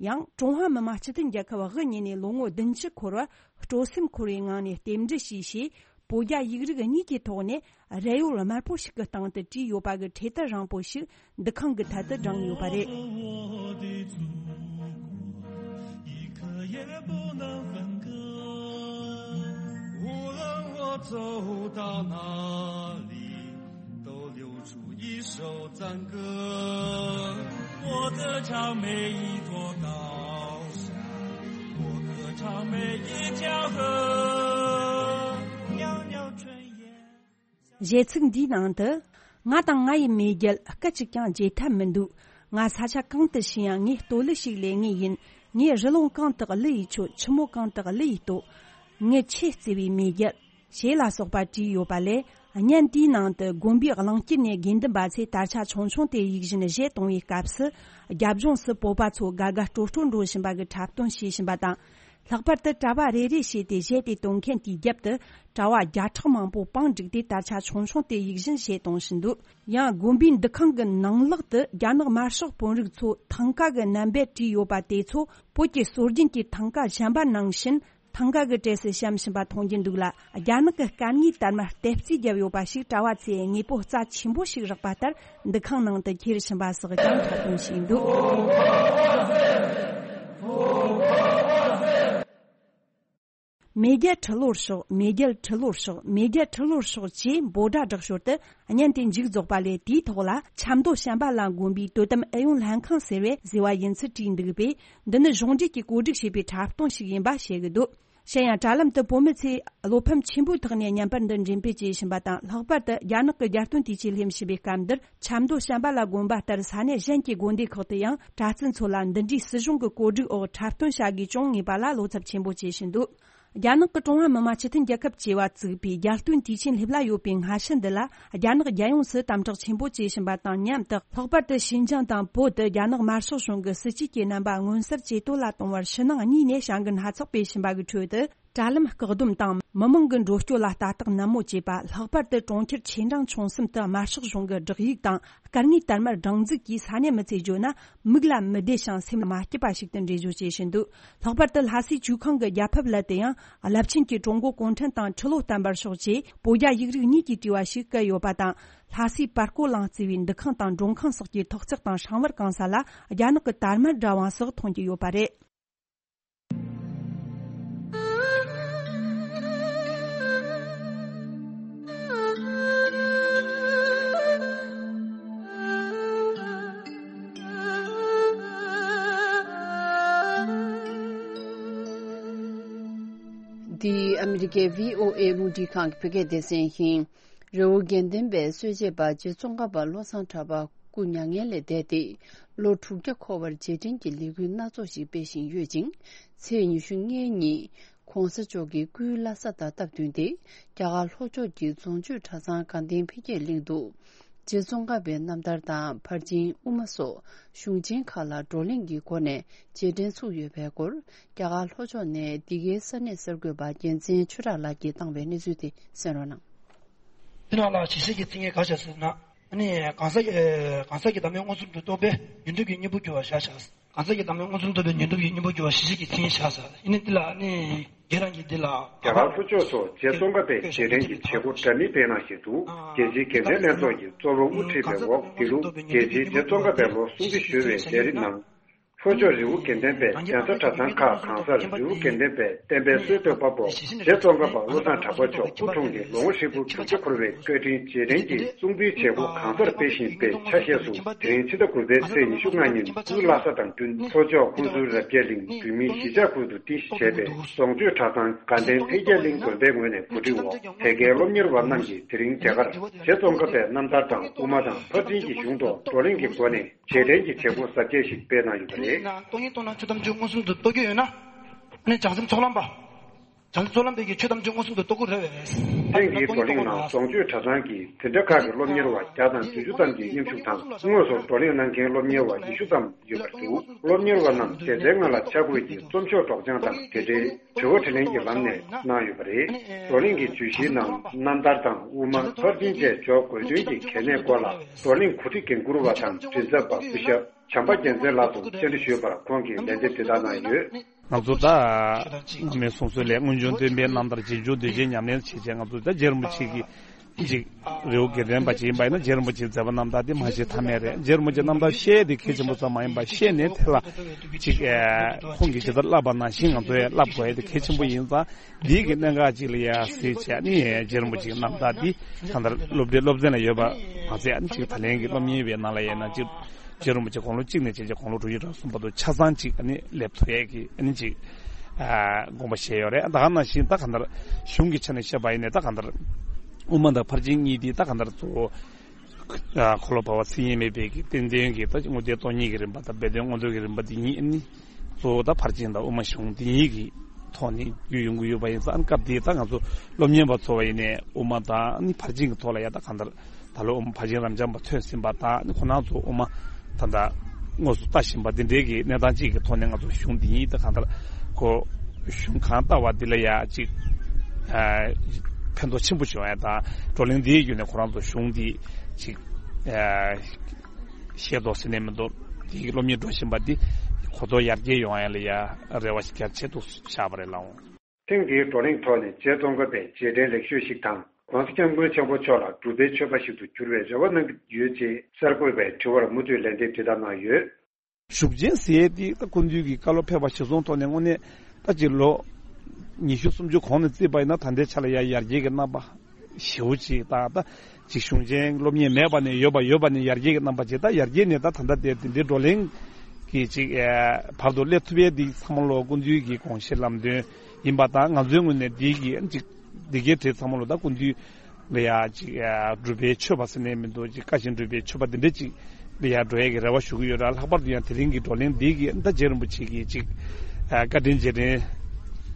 ཡང་ཀྲུང་ཧྭ་མི་དམངས་སྤྱི་མཐུན་རྒྱལ་ཁབ་དབུ་བརྙེས་ནས་ལོ་ངོ་བདུན་ཅུ་འཁོར་བར་སྤྲོ་སེམས་འཁོལ་བའི་ངང་ནས་རྟེན་འབྲེལ་ཞུས་ཞེས། བོད་རྒྱ་ཡིག་རིགས་གཉིས་ཀྱི་ཐོག་ནས་རས་ཡོལ་དམར་པོ་ཞིག་གི་སྟེང་དུ་བྲིས་ཡོད་པ་གི་འཕྲེད་དར་རིང་པོ་ཞིག་འདུ་ཁང་གི་ཐད་དུ་བསྒྲེངས་ཡོད་པ་རེད། 一首赞歌，我歌唱每一座高山，我歌唱每一条河，袅袅炊烟。 གཞས་ཚིག་འདིའི་ནང་དུ། ང་དང་ང་ཡི་མེས་རྒྱལ་སྐད་ཅིག་ཀྱང་བརྗེད་ཐབས་མི་འདུག་ང་ས་ཆ་གང་དུ་ཕྱིན་ཡང་ངས་བསྟོད་གླུ་ཞིག་ལེན་ངེས་ཡིན། ངས་རི་ལུང་གང་དག་གླུ་ཡིས་མཆོད། ཆུ་མོ་གང་དག་གླུ་ཡིས་བསྟོད། ངི་ཆེས་བརྩེ་བའི་མེས་རྒྱལ། ཞེས་ལ་སོགས་པ་བྲིས་ཡོད་པ་ལས། བརྙན་དེའི་ནང་དུ་དགོན་པའི་གླིང་དཀྱིལ་ནས་དགེ་འདུན་པ་ཚོས་དར་ཆ་ཆུང་ཆུང་དེ་ཡིད་བཞིན་བཞེས་གཏོང་བའི་སྐབས་སུ། རྒྱབ་ལྗོངས་སུ་བོད་པ་ཚོ་དགའ་དགའ་སྤྲོ་སྤྲོ་འགྲོ་བཞིན་པ་གི་འཁྲབ་སྟོན་བྱེད་བཞིན་པ་དང་། ལྷག་པར་དུ་གྲྭ་བ་རེ་རེ་བྱས་ཏེ་གཞས་དེ་གཏོང་མཁན་དེའི་རྒྱབ་ཏུ་གྲྭ་བ་བརྒྱ་ཕྲག་མང་པོ་པང་བསྒྲིགས་ཏེ་དར་ཆ་ཆུང་ཆུང་དེ་ཡིད་བཞིན་གཞས་གཏོང་བཞིན་འདུག། ཡང་དགོན་པའི་འདུ་ཁང་གི་ནང་ལོགས་དུ་རྒྱ་ནག་དམར་ཤོག་དཔོན་རིགས་ཚོ་ཐང་ག་གི་རྣམ་པས་བྲིས་ཡོད་པ་དེ་ཚོ་བོད་ཀྱི་སྲོལ་རྒྱུན་གྱི་ཐང་ག་གཞན་པ་ནང་བཞིན་ཐང་ག་གི་གྲས་སུ་བཤམས་བཞིན་པ་མཐོང་རྒྱུ་འདུག་ལ། རྒྱ་ནག་གི་སྐད་ངའི་དར་དམར་གཏེར་རྩིས་བརྒྱབ་ཡོད་པ་ཞིག་གྲྭ་བ་ཚོས་དངོས་པོ་རྩ་ཆེན་པོ་ཞིག་རེག་པ་ལྟར་འདུ་ཁང་ནང་དུ་འཁྱེར་བཞིན་པ་སོགས་ཀྱང་འཁྲབ་སྟོན་བྱས་འདུག། མེས་རྒྱལ་ཁྲི་ལོར་ཤོག། མེས་རྒྱལ་ཁྲི་ལོར་ཤོག། མེས་རྒྱལ་ཁྲི་ལོར་ཤོག་ཅེས་འབོད་སྒྲ་བསྒྲགས་ཞོར་དུ་བརྙན་དེ་མཇུག་རྫོགས་པ་ལས། དེའི་ཐོག་ལ་ཆབ་མདོ་བྱམས་པ་ལ་དགོན་པའི་དོ་དམ་ཨུ་ཡོན་ལྷན་ཁང་ཟེར་བས་ཟེར་བ་ཡིན་ཚུལ་བྲིས་འདུག་པས། འདི་ནི་གཞུང་འབྲེལ་གྱིས་བཀོད་སྒྲིག་བྱས་པའི་འཁྲབ་སྟོན་ཞིག་ཡིན་པ་བཤད་ཀྱི་འདུག། གཞན་ཡང་དྲ་ལམ་དུ་བོད་མི་ཚོས་བློ་ཕམ་ཆེན་པོའི་ཐོག་ནས་བརྙན་པར་འདི་འགྲེམས་སྤེལ་བྱེད་བཞིན་པ་དང་། ལྷག་པར་དུ་རྒྱ་ནག་གི་རྒྱལ་སྟོན་དུས་ཆེན་སླེབས་བཞིན་པའི་སྐབས་འདིར་ཆབ་མདོ་བྱམས་པ་ལ་དགོན་པ་ལྟར་ས་གནས་གཞན་གྱི་དགོན་སྡེ་ཁག་ཏུ་ཡང་གྲྭ་བཙུན་ཚོ་ལ་འདི་འདྲའི་སྲིད་གཞུང་གི་བཀོད་སྒྲིག་འོག་འཁྲབ་སྟོན་བྱ་དགོས་བྱུང་ངེས་པ་ལ་བློ་འཚབ་ཆེན་པོ་བྱེད་བཞིན་འདུག། རྒྱ་ནག་གི་ཀྲུང་ཧྭ་མི་དམངས་སྤྱི་མཐུན་རྒྱལ་ཁབ་ཅེས་པ་བཙུགས་པའི་རྒྱལ་སྟོན་དུས་ཆེན་སླེབས་ལ་ཡོད་པའི་སྔ་ཕྱི་འདི་ལ། རྒྱ་ནག་རྒྱལ་ཡོངས་སུ་དམ་དྲག་ཆེན་པོ་བྱེད་བཞིན་པ་དང་མཉམ་དུ། ལྷག་པར་དུ་ཞིན་ཅང་དང་བོད་དུ་རྒྱ་ནག་དམར་ཤོག་གཞུང་གི་སྲིད་བྱུས་ཀྱི་རྣམ་པ་མངོན་གསལ་ཇེ་དོད་ལ་གཏོང་བར་ཕྱི་ནང་གཉིས་ནས་བྱ་འགུལ་སྣ་ཚོགས་སྤེལ་བཞིན་པ་གི་ཁྲོད་དུ། དྲ་ལམ་བཀག་སྡོམ་དང་མི་མང་གི་འགྲོ་སྐྱོད་ལ་ལྟ་རྟོག་ནན་མོ་བྱེད་པ། ལྷག་པར་དུ་གྲོང་ཁྱེར་ཆེ་འབྲིང་ཆུང་གསུམ་དུ་དམར་ཤོག་གཞུང་གི་བསྒྲགས་ཡིག་དང་། སྐར་ལྔའི་དར་དམར་སྒྲེང་འཛུགས་ཀྱིས་ས་གནས་མི་ཚོས་བརྗོད་ན། མིག་ལ་མི་བདེ་ཞིང་སེམས་ལ་མ་སྐྱིད་པ་ཞིག་ཏུ་འགྲེལ་བརྗོད་བྱེད་བཞིན་འདུག། ལྷག་པར་དུ་ལྷ་སའི་ཇོ་ཁང་གི་རྒྱ་ཕིབས་ལ་དེ་ཡང་རླབས་ཆེན་གྱི་ཀྲུང་གོ་གུང་ཁྲན་ཏང་ཁྲི་ལོ་བརྟན་པར་ཤོག་ཅེས་བོད་རྒྱ་ཡིག་རིགས་གཉིས་ཀྱིས་བྲིས་པ་ཞིག་བཀལ་ཡོད་པ་དང་། ལྷ་སའི་པར་བརྐོས་གླིང་གཙོས་པའི་འདུ་ཁང་དང་མགྲོན་ཁང་སོགས་ཀྱི་ཐོག་བརྩེགས་དང་སྲང་བར་གང་ས་ལ་རྒྱ་ནག་གི་དར་དམར་འདྲ་བ་སོགས་མཐོང་རྒྱུ་ཡོད་པ་རེད། འདི་ཨ་མི་རི་ཀའི་བྷི་ཨོ་ཨེ་རླུང་འཕྲིན་ཁང་གི་བོད་སྐད་སྡེ་ཚན་ཡིན། རི་བོ་དགེ་ལྡན་པའི་གསོལ་མཆེད་པ་རྗེ་ཙོང་ཁ་པ་བློ་བཟང་གྲགས་པ་སྐུ་མྱ་ངན་ལས་འདས་ཏེ་ལོ་དྲུག་བརྒྱ་འཁོར་བར་རྗེས་དྲན་གྱི་ལས་འགུལ་སྣ་ཚོགས་ཤིག་སྤེལ་བཞིན་ཡོད་ཅིང་། ཚེས་ཉི་ཤུ་ལྔ་ཉིན་༧གོང་ས་མཆོག་གི་སྐུའི་བླ་གཟའ་དང་སྟབས་བསྟུན་ཏེ་རྒྱ་གར་ལྷོ་ཕྱོགས་ཀྱི་རྫོང་ཆོས་གྲྭ་ཚང་དགའ་ལྡན་འཕེལ་རྒྱས་གླིང་དུ་རྗེ་ཙོང་ཁ་པའི་རྣམ་ཐར་དང་ཕར་ཕྱིན་དབུ་མ་སོགས་གཞུང་ཆེན་ཁག་ལ་བགྲོ་གླེང་གི་སྒོ་ནས་རྗེས་དྲན་ཚུགས་ཡོད་པའི་སྐོར་རྒྱ་གར་ལྷོ་ཕྱོགས་ནས་འདི་གའི་ས་གནས་གསར་འགོད་པ་རྒྱལ་མཚན་ཆོས་གྲགས་ལགས་ཀྱིས་བཏང་བའི་གནས་ཚུལ་དེ་གསན་རོགས་གནང་། དེ་ནང་ལ་ཞི་བྱེད་ཀྱི་ཚིག་ངན་ག་བྱས་ཟེར་ན། ཨ་ནི་གང་ཟག་གི་གང་ཟག་གི་བདག་མེད་མངོན་སུམ་དུ་རྟོགས་པའི་ཉོན་སྒྲིབ་ཀྱི་གཉེན་པོ་གྱུར་པར་བཞག་བྱ། གང་ཟག་གི་བདག་མེད་མངོན་སུམ་རྟོགས་པའི་ཉོན་སྒྲིབ་ཀྱི་གཉེན་པོ་གྱུར་པ་ཞི་བྱེད་ཀྱི་ཚིག་ངན་བཞག་ཟེར། ཨ་ནི་འདི་ལ་ཨ་ནི་རྒྱ་གར་ལྷོ་ཕྱོགས་སུ་རྗེ་ཙོང་ཁ་པས་རྗེས་དྲན་གྱི་བྱེད་སྒོ་འདྲ་མིན་སྤེལ་གནང་བཞིན་འདུག། རྒྱལ་སྤྱིའི་དགེ་ལྡན་ལྷན་ཚོགས་ཀྱི་གཙོ་བོ་དབུ་ཁྲིད་པའི་འོག་འདི་ལོ་རྒྱལ་སྤྱིའི་རྗེ་ཙོང་ཁ་པའི་ལོ་སྲུང་བརྩི་ཞུ་བའི་ལས་རིམ་ནང་། ལྷོ་ཕྱོགས་རི་བོ་དགེ་ལྡན་པའི་གདན་ས་གྲྭ་ཚང་ཁག་གང་སར་རི་བོ་དགེ་ལྡན་པའི་བསྟན་པའི་སྲོལ་གཏོད་པ་པོ་རྗེ་ཙོང་ཁ་པ་བློ་བཟང་གྲགས་པ་མཆོག་སྐུ་འཁྲུངས་ཀྱི་ལོ་ངོ་ཧྲིལ་པོ་དྲུག་ཅུ་འཁོར་བའི་བཀའ་དྲིན་རྗེས་དྲན་གྱི་སྲུང་བརྩིའི་བྱེད་སྒོ་གང་སར་སྤེལ་བཞིན་པའི་ཆ་ཤས་སུ། དེ་རིང་ཕྱི་ཟླ་དགུ་པའི་ཚེས་ཉི་ཤུ་ལྔ་ཉིན་སྐུའི་བླ་གཟའ་དང་བསྟུན། ལྷོ་ཕྱོགས་ཁུ་ཚུར་རབ་རྒྱས་གླིང་བོད་མིའི་གཞིས་ཆགས་ཁུལ་དུ་རྟེན་གཞི་བྱས་པའི་རྫོང་ཆོས་གྲྭ་ཚང་དགའ་ལྡན་འཕེལ་རྒྱས་གླིང་དགོན་པའི་ངོས་ནས་གོ་སྒྲིག་འོག་དེ་གའི་སློབ་གཉེར་བ་རྣམས་ཀྱིས་དེ་རིང་དེ་གར་རྗེ་ཙོང་ཁ་པའི་རྣམ་ཐར་དང་དབུ་མ་དང་ཕར་ཕྱིན་གྱི་གཞུང་ཐོག་བགྲོ་གླེང་གི་སྒོ་ནས། རྗེས་དྲན་གྱི་བྱེད་སྒོ་གཟབ་རྒྱས་ཤིག་སྤེལ་གནང་ཡོད་པ་རེད། ནང་སྟོང་ཉིད་སྟོང་ན་ཆོས་ཐམས་ཅད་མངོན་སུམ་དུ་རྟོགས་ཀྱི་ཡོད་ན། ཨ་ནི་བྱང་སེམས་ཚོགས་ལམ་པ། བྱང་སེམས་ཚོགས་ལམ་པས་ཀྱི་ཆོས་ཐམས་ཅད་མངོན་སུམ་དུ་རྟོགས་ཀྱི་རེད་པས། ཐེངས་འདིའི་བགྲོ་གླེང་ནང་རྫོང་ཆོས་གྲྭ་ཚང་གི་འཛིན་གྲྭ་ཁག་གི་སློབ་གཉེར་བ་བརྒྱ་དང་བདུན་ཅུ་ཙམ་གྱིས་མཉམ་ཞུགས་དང་། དངོས་སུ་བགྲོ་གླེང་གནང་མཁན་སློབ་གཉེར་བ་ཉི་ཤུ་ཙམ་ཡོད་པར་འདུག། སློབ་གཉེར་བ་རྣམས་སྡེ་ཚན་ལྔ་ལ་ཆ་བགོས་ཀྱིས་རྩོམ་ཤོག་སྒྲོག་སྦྱང་དང་དེ་འབྲེལ། དྲི་བ་དྲིས་ལན་གྱི་ལམ་ནས་གནང་ཡོད་པ་རེད། བགྲོ་གླེང་གི་བརྗོད་གཞིའི་ནང་རྣམ་ཐར་དང་དབུ་མ་ཕར་ཕྱིན་བཅས་འཇོག་དགོས་དོན་གྱི་གལ་གནད་སྐོར་ལ་བགྲོ་གླེང་གོ་སྒྲིག་འགན་འཁུར་བ་དང་མགྲིན་ཚབ་པ་སྐུ་ཞབས་བྱམས་པ་རྒྱལ་མཚན་ལགས་སུ་བཅར་འདྲི་ཞུས་པར་ཁོང་གིས་ལན་འདེབས་འདི་ལྟར་གནང་ཡོད། ང་ཚོ་ད་མི་སོ་སོའི་ལས་སྔོན་བྱུང་སྟོན་པའི་རྣམ་ཐར་རྗེས་འཇུག་འདུས་བྱས་ཉམས་ལེན་བྱེད་ཆེད་ང་ཚོ་ད་རྗེ་རིན་པོ་ཆེ་གི་ཅིག་རི་བོ་དགེ་ལྡན་པ་ཅིག་ཡིན་པ་ཡིན་ན་རྗེ་རིན་པོ་ཆེའི་མཛད་པ་རྣམ་ཐར་དེ་མ་ཤེས་ཐབས་མེད་རེད། རྗེ་རིན་པོ་ཆེའི་རྣམ་ཐར་ཤེས་དེ་གལ་ཆེན་པོ་ཙམ་མ་ཡིན་པ་ཤེས་ནས་དེ་ལ་ཅིག་ཨེ་ཁོང་གིས་ཇི་ལྟར་བསླབ་པ་ནང་བཞིན་ང་ཚོས་བསླབ་དགོས་ཡ་དེ་གལ་ཆེན་པོ་ཡིན་ཙང་འདིའི་གི་གནད་འགག་ཅིག་ལ་ཡ་གཟིགས་བྱས་ནས་རྗེ་རིན་པོ་ཆེའི་རྣམ་ཐར་འདི་གང་ལྟར་སློབ་གྲྭའི་སློབ་ཚན་ལ་ཡོད་པ་མ་ཟད་ཨ་ནི་ཅིག་ད་ལན་གྱི་སློབ་གཉེར་བའི་ནང་ལ་ཡིན་ན་ཅིག་རྗེ་རིན་པོ་ཆེ་དགུང་ལོ་གཅིག་ནས་བྱས་རྗེས་དགུང་ལོ་དྲུག་ཅུ་རེ་གསུམ་བར་དུ་ཆ་ཚང་ཅིག་ཨ་ནི་སླེབས་ཐུབ་ཡས་ཀྱི་ཨ་ནི་ཅིག་ཨ་དགོངས་པ་བཞེས་ཡོད་རེད། ད་ག་ནང་བཞིན་ད་གང་ལྟར་གཞུང་གི་ཆ་ནས་བཤད་པ་ཡིན་ནའི་ད་གང་ལྟར་དབུ་མ་དང་ཕར་ཕྱིན་གཉིས་འདི་ད་གང་ལྟར་གཙོ་བོ་ཨ་འཁོར་ལོ་བར་པ་མཚན་ཉིད་མེད་པའི་གི་བསྟན་འཛིན་གྱི་ད་དངོས་བསྟན་སྟོང་ཉིད་ཀྱི་རིམ་པ་དང་སྦས་དོན་མངོན་མཐོ་གི་རིམ་པ་འདི་གཉིས་ཨ་ནི་གཙོ་བོ་ད་ཕར་ཕྱིན་དང་དབུ་མ་གཞུང་འདི་གཉིས་ཀྱི་ཐོག་ནས་བརྒྱུད་ཡོང་གི་ཡོད་པ་ཡིན་ཙང་ཨ་ནི་སྐབས་འདིའི་ད་ང་ཚོ་སློབ་གཉེར་བ་ཚོ་བ་ཡིན་ནའི་དབུ་མ་དང་ཨ་ནི་ཕར་ཕྱིན་གྱི་ཐོག་ལ་ཡ་ད་གང་ལྟར། ད་ལོ་ཕ་ཆེན་རབ་འབྱམས་པ་ཐོན་ཟིན་པ་དང་ཁོ་རང་ཚོ་དབུ་མ་ད་ལྟ་དངོས་སུ་ལྟ་བཞིན་པ་འདི་འདྲའི་གི་གནས་སྟངས་གཅིག་གི་ཐོག་ནས་ང་ཚོ་གཞུང་འདི་ཉིད་དང་གང་ལྟར་ཁོ་ གཞུང་གང་ལྟ་བ་འདི་ལ་ཡ་ཅིག་ཨ་ཕན་ཐོགས་ཆེན་པོ་བྱུང་ཡ་དང་། བགྲོ་གླེང་འདིའི་བརྒྱུད་ནས་ཁོ་རང་ཚོ་གཞུང་འདི་ཅིག་ཨ་ཤེས་རྟོགས་ཟིན་ནས་མི་འདུག་འདི་གི་སློབ་གཉེར་འགྲོ་བཞིན་པ་འདི་གོ་རྟོགས་ཡར་རྒྱས་ཡོང་ཡ་ལ་ཡ་རེ་བ་ཞིག་རྒྱ་ཆེ་དུ་བཞག་པ་རེད་ལགས། ཐེངས་འདིའི་བགྲོ་གླེང་ཐོག་ནས་རྗེ་ཙོང་ཁ་པའི་རྗེས་དྲན་ལེགས་ཤོས་ཤིག་དང་། ྋགོང་ས་ྋསྐྱབས་མགོན་ཆེན་པོ་མཆོག་ལ་སྒྲུབ་པའི་ཆོས་པ་ཞིག་ཏུ་འགྱུར་བའི་རེ་བ་གནང་གི་ཡོད་ཅེས་གསར་འགོད་པའི་དྲི་བར་མུ་མཐུད་ལན་འདེབས་དེ་ལྟར་གནང་ཡོད། ཞུགས་ཆེན་ཟེར་ཡས་དེ་ད་སྐུ་མདུན་གྱི་བཀའ་སློབ་ཕེབས་པ་གཞིར་བཟུང་ཐོག་ནས་དངོས་གནས་ད་ཅིག་ལོ་ཉི་ཤུ་སུམ་ཅུ་གོང་ནས་བརྩིས་པ་ཡིན་ན་ད་ལྟའི་ཆ་ལ་ཡ་ཡར་རྒྱས་ཀྱི་རྣམ་པ་ཞེ་པོ་ཅིག་དང་། ད་ཅིག་གཞུང་ཆེན་སློབ་གཉེར་མེད་པ་ནས་ཡོད་པ། ཡོད་པ་ནས་ཡར་རྒྱས་ཀྱི་རྣམ་པ་ཅིག་ད་ཡར་རྒྱས་ནས་ད་ད་ལྟ་དེ་དེ་འདྲའི་བགྲོ་གླེང་གི་ཅིག་ཨེ་བར་དུ་སླེབས་ཐུབ་ཡས་འདི་ཚང་མ་ལོ་སྐུ་མདུན་གྱི་དགོངས་བཞེད་ལམ་སྟོན་ཡིན་པ་དང་། ང་ཚོའི་ངོས་ནས་འདི་གི་ཅིག་འདི་གའི་གྲས་ཚང་མ་ལོ་ད་སྐུ་མདུན་ལ་ཡ་ཅིག་ཨ་སྒྲུབ་པའི་ཆོས་པ་ཟེར་ནས་མི་འདུག་ཅིག་བཀའ་བཞིན་སྒྲུབ་པའི་ཆོས་པ་འདི་འདྲ་ཅིག་ལ་ཡ་འགྲོ་ཡ་གི་རེ་བ་ཞུ་གི་ཡོད་ར། ལྷག་པར་དུ་ཡང་དེ་རིང་གི་བགྲོ་གླེང་འདི་གི་ད་རྗེ་རིན་པོ་ཆེ་གི་ཅིག་ཨ་བཀའ་དྲིན་རྗེས་དྲན་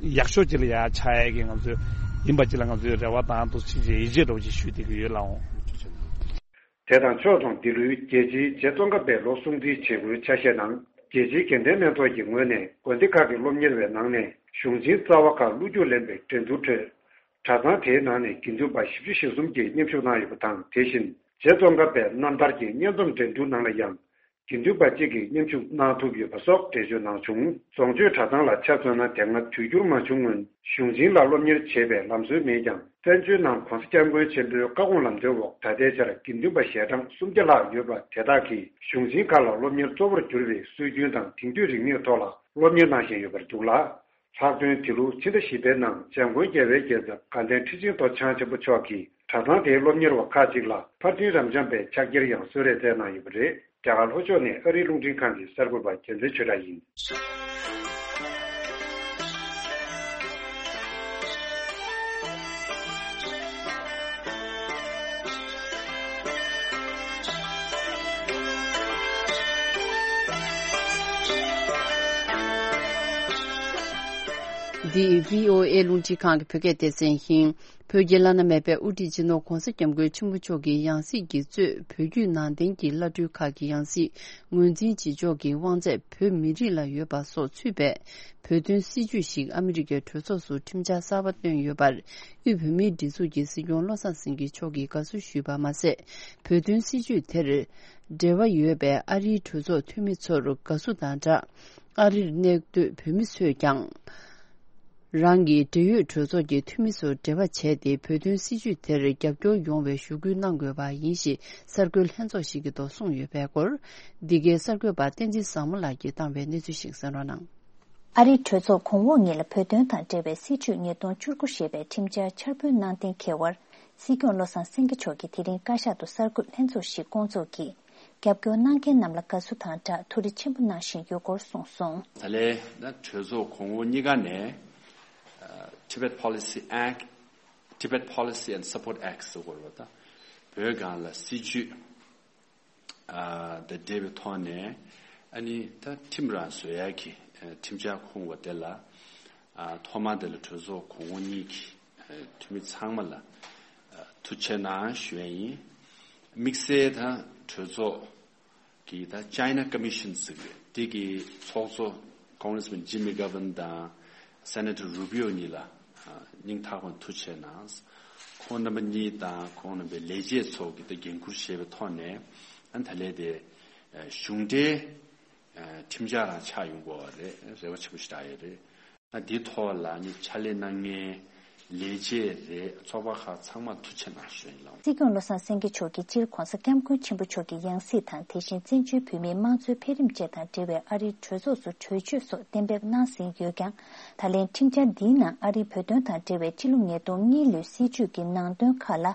ཡག་ཤོས་ཅིག་ལ་ཡ་ཆགས་ཡ་གི་ང་ཚོས་ཡིན་པ་ཅིག་ལ་ང་ཚོས་རེ་བ་དང་ཐུགས་རྗེ་ཆེ་ཡིད་ཆེས་འདྲ་བོ་ཅིག་ཞུ་བསྡད་ཀྱི་ཡོད་ལགས་འོང་། དེ་དང་ཕྱོགས་མཚུངས་འདི་ལོའི་རྒྱལ་སྤྱིའི་རྗེ་ཙོང་ཁ་པའི་ལོ་སྲུང་བརྩི་བྱེད་སྒོའི་ཆ་ཤས་ནང་། རྒྱལ་སྤྱིའི་དགེ་ལྡན་སྨན་ཚོགས་ཀྱི་ངོས་ནས་དགོན་སྡེ་ཁག་གི་སློབ་གཉེར་བའི་ནང་ནས་གཞུང་ཆེན་རྩ་བ་ཁག་བློ་རྒྱུགས་ལེན་པའི་འགྲན་བསྡུར་ཁྲོད། གྲྭ་ཚང་དེའི་ནང་ནས་དགེ་འདུན་པ་བཞི་བཅུ་ཞེ་གསུམ་གྱིས་མཉམ་ཞུགས་གནང་ཡོད་པ་དང་། དེ་བཞིན་རྗེ་ཙོང་ཁ་པའི་རྣམ་ཐར་གྱི་སྙན་རྩོམ་འགྲན་བསྡུར་ནང་ལ་ཡང་དགེ་འདུན་པ་གཅིག་གིས་མཉམ་ཞུགས་གནང་ཐུབ་ཡོད་པ་སོགས་འགྲེལ་བརྗོད་གནང་བྱུང་། རྫོང་ཆོས་གྲྭ་ཚང་ལ་ཆ་མཚོན་ན། དེ་སྔ་དུས་འགྱུར་མ་བྱུང་སྔོན་གཞུང་ཆེན་ལ་སློབ་གཉེར་བྱེད་པའི་ལམ་སྲོལ་མེད་ཀྱང་། བཙན་བྱོལ་ནང་༧གོང་ས་༧སྐྱབས་མགོན་ཆེན་པོའི་བཀའ་དགོངས་ལམ་སྟོན་འོག་ད་ལྟའི་ཆར་དགེ་འདུན་པ་ཞལ་གྲངས་སུམ་བརྒྱ་ལྷག་ཡོད་པ་དེ་དག་གིས་གཞུང་ཆེན་ཁག་ལ་སློབ་གཉེར་གཙོ་བོར་གྱུར་པའི་སྲོལ་རྒྱུན་དང་དེང་དུས་རིག་གནས་ཐོག་ལ་སློབ་གཉེར་གནང་བཞིན་ཡོད་པར་འདུག་ལ། ལྷག་དོན་འདི་ལོ་ཕྱི་ཟླ་བཞི་པའི་ནང་འཇམ་མགོན་རྒྱལ་བའི་རྒྱལ་ཚབ་དགའ་ལྡན་ཁྲི་ཆེན་ཐོག་འཆང་ཆེན་པོ་མཆོག་གིས་གྲྭ་ཚང་དེའི་སློབ་གཉེར་བ་ཁག་ཅིག་ལ་ཕར་འགྲིམ་རབ་འབྱམས་པའི་ཕྱག་འཁྱེར་ཡང་གསོལ་རས་སྩལ་གནང་ཡོད་པ་རེད། རྒྱ་གར་ལྷོ་ཕྱོགས་ནས་ཨ་རིའི་རླུང་འཕྲིན་ཁང་གི་གསར་འགོད་པ་རྒྱལ་མཚན་ཆོས་གྲགས་ཡིན། འདི་བྷི་ཨོ་ཨེ་རླུང་འཕྲིན་ཁང་གི་བོད་སྐད་སྡེ་ཚན་ཡིན། བོད་ཀྱི་བླ་ན་མེད་པའི་དབུ་ཁྲིད་སྤྱི་ནོར་༧གོང་ས་༧སྐྱབས་མགོན་ཆེན་པོ་མཆོག་གི་ཡང་སྲིད་ཀྱིས་གཙོས་བོད་བརྒྱུད་ནང་བསྟན་གྱི་བླ་སྤྲུལ་ཁག་གི་ཡང་སྲིད་ངོས་འཛིན་བྱེད་ཕྱོགས་ཀྱི་དབང་ཚད་བོད་མི་རིགས་ལ་ཡོད་པ་སོགས་ཚུད་པའི་བོད་དོན་སྲིད་བྱུས་ཤིག་ཨ་མི་རི་ཀའི་གྲོས་ཚོགས་སུ་ཁྲིམས་འཆར་གསར་པ་བཏོན་ཡོད་པར། དབུས་བོད་མིའི་སྒྲིག་འཛུགས་ཀྱི་སྲིད་སྐྱོང་བློ་བཟང་སེང་གེ་མཆོག་གིས་དགའ་བསུ་ཞུས་པ་མ་ཟད། བོད་དོན་སྲིད་བྱུས་དེར་འབྲེལ་བ་ཡོད་པའི་ཨ་རིའི་གྲོས་ཚོགས་འཐུས་མི་ཚོར་དགའ་བསུ་དང་སྦྲགས། ཨ་རིར་གནས་སྡོད་བོད་མི་ཚོས་ཀྱང་། རང་གི་འབྲེལ་ཡོད་གྲོས་ཚོགས་ཀྱི་འཐུས་མི་ཚོར་འབྲེལ་བ་བྱས་ཏེ། བོད་དོན་སྲིད་བྱུས་དེར་རྒྱབ་སྐྱོར་ཡོང་བའི་ཞུ་སྐུལ་གནང་དགོས་པ་ཡིན་ཞེས་གསར་འགོད་ལྷན་ཚོགས་ཤིག་གི་ཐོག་གསུངས་ཡོད་པའི་སྐོར། འདི་གའི་གསར་འགོད་པ་བསྟན་འཛིན་བཟང་མོ་ལགས་ཀྱིས་བཏང་བའི་གནས་ཚུལ་ཞིག་གསན་རོགས་གནང་། ཨ་རིའི་གྲོས་ཚོགས་གོང་འོག་གཉིས་ལ་བོད་དོན་དང་འབྲེལ་བའི་སྲིད་བྱུས་ཉིས་སྟོང་བཅུ་དགུ་ཞེས་པའི་ཁྲིམས་འཆར་འཆར་འབུལ་གནང་གཏན་འཁེལ་བར། སྲིད་སྐྱོང་བློ་བཟང་སེང་གེ་མཆོག་གིས་དེ་རིང་བཀའ་ཤག་ཏུ་གསར་འགོད་ལྷན་ཚོགས་ཤིག་བསྐོང་ཚོགས་ཀྱིས། རྒྱབ་སྐྱོར་གནང་མཁན་རྣམས་ལ་དགའ་བསུ་དང་སྦྲགས་ཐུགས་རེ་ཆེན་པོ་གནང་བཞིན་ཡོད་སྐོར་གསུངས་སོང་། ད་ལན་ད་གྲོས་ཚོགས་གོང་འོག་གཉིས་ཀ་ནས་ཨ། Tibet Policy Act, Tibet Policy and Support Act ཟེར་དགོས་རེད་པ། ད་བོད་སྒང་ལ་སྲིད་བྱུས་ཨ། དང་འབྲེལ་བའི་ཐོག་ནས་ཨ་ནི་ད་ཁྲིམས་རང་བཟོ་ཡག་གི་ཨ། ཁྲིམས་འཆར་ཁུངས་པ་དེ་ལ་ཨ། ཐོག་མར་དེ་ལ་གྲོས་ཚོགས་གོང་འོག་གཉིས་ཀྱི་ཨ། འཐུས་མི་ཚང་མ་ལ་ཨ། ཐུགས་རྗེ་གནང་ཞུ་ཡ་ཡིན། དམིགས་བསལ་ད་གྲོས་ཚོགས་ཀྱི་ད་China Commission ཟེར་གི་དེ་གི་ཚོགས་གཙོ་Congressman Jim McGovern དང་Senator Rubio གཉིས་ལ་ཨ། སྙིང་ཐག་པ་ནས་ཐུགས་རྗེ་གནང་། ཁོང་རྣམ་པ་གཉིས་དང་ཁོང་རྣམ་པའི་ལས་བྱེད་ཚོ་གི་ད་འགན་འཁུར་བཞེས་པའི་ཐོག་ནས་ཨ། ད་ལན་དེ་ཨ། གཞུང་འབྲེལ་ཨ། ཁྲིམས་འཆར་རང་ཆགས་ཡོང་དགོས་པ་རེད། རེ་བ་ཆེན་པོ་ཞིག་བཞག་ཡོད་རེད། ཨ། འདིའི་ཐོག་ལ་ནི་ཕྱག་ལས་གནང་མཁན་ལས་བྱེད་རེད། ཚོགས་པ་ཁག་ཚང་མར་ཐུགས་རྗེ་གནང་ཞུ་ཡིན་ལགས། སྲིད་སྐྱོང་བློ་བཟང་སེང་གེ་མཆོག་གིས་སྤྱིར་༧གོང་ས་༧སྐྱབས་མགོན་ཆེན་པོ་མཆོག་གི་ཡང་སྲིད་དང་། དེ་བཞིན་བཙན་བྱོལ་བོད་མིའི་དམངས་གཙོའི་འཕེལ་རིམ་བཅས་དང་འབྲེལ་བའི་ཨ་རིའི་གྲོས་ཚོགས་སུ་གྲོས་ཆོད་སོགས་གཏན་འབེབས་གནང་ཟིན་ཡོད་ཀྱང་། ད་ལན་ཁྲིམས་འཆར་འདིའི་ནང་ཨ་རིའི་བོད་དོན་དང་འབྲེལ་བའི་སྤྱི་ལོ་ཉིས་སྟོང་གཉིས་ལོའི་སྲིད་བྱུས་ཀྱི་ནང་དོན་ཁག་ལ་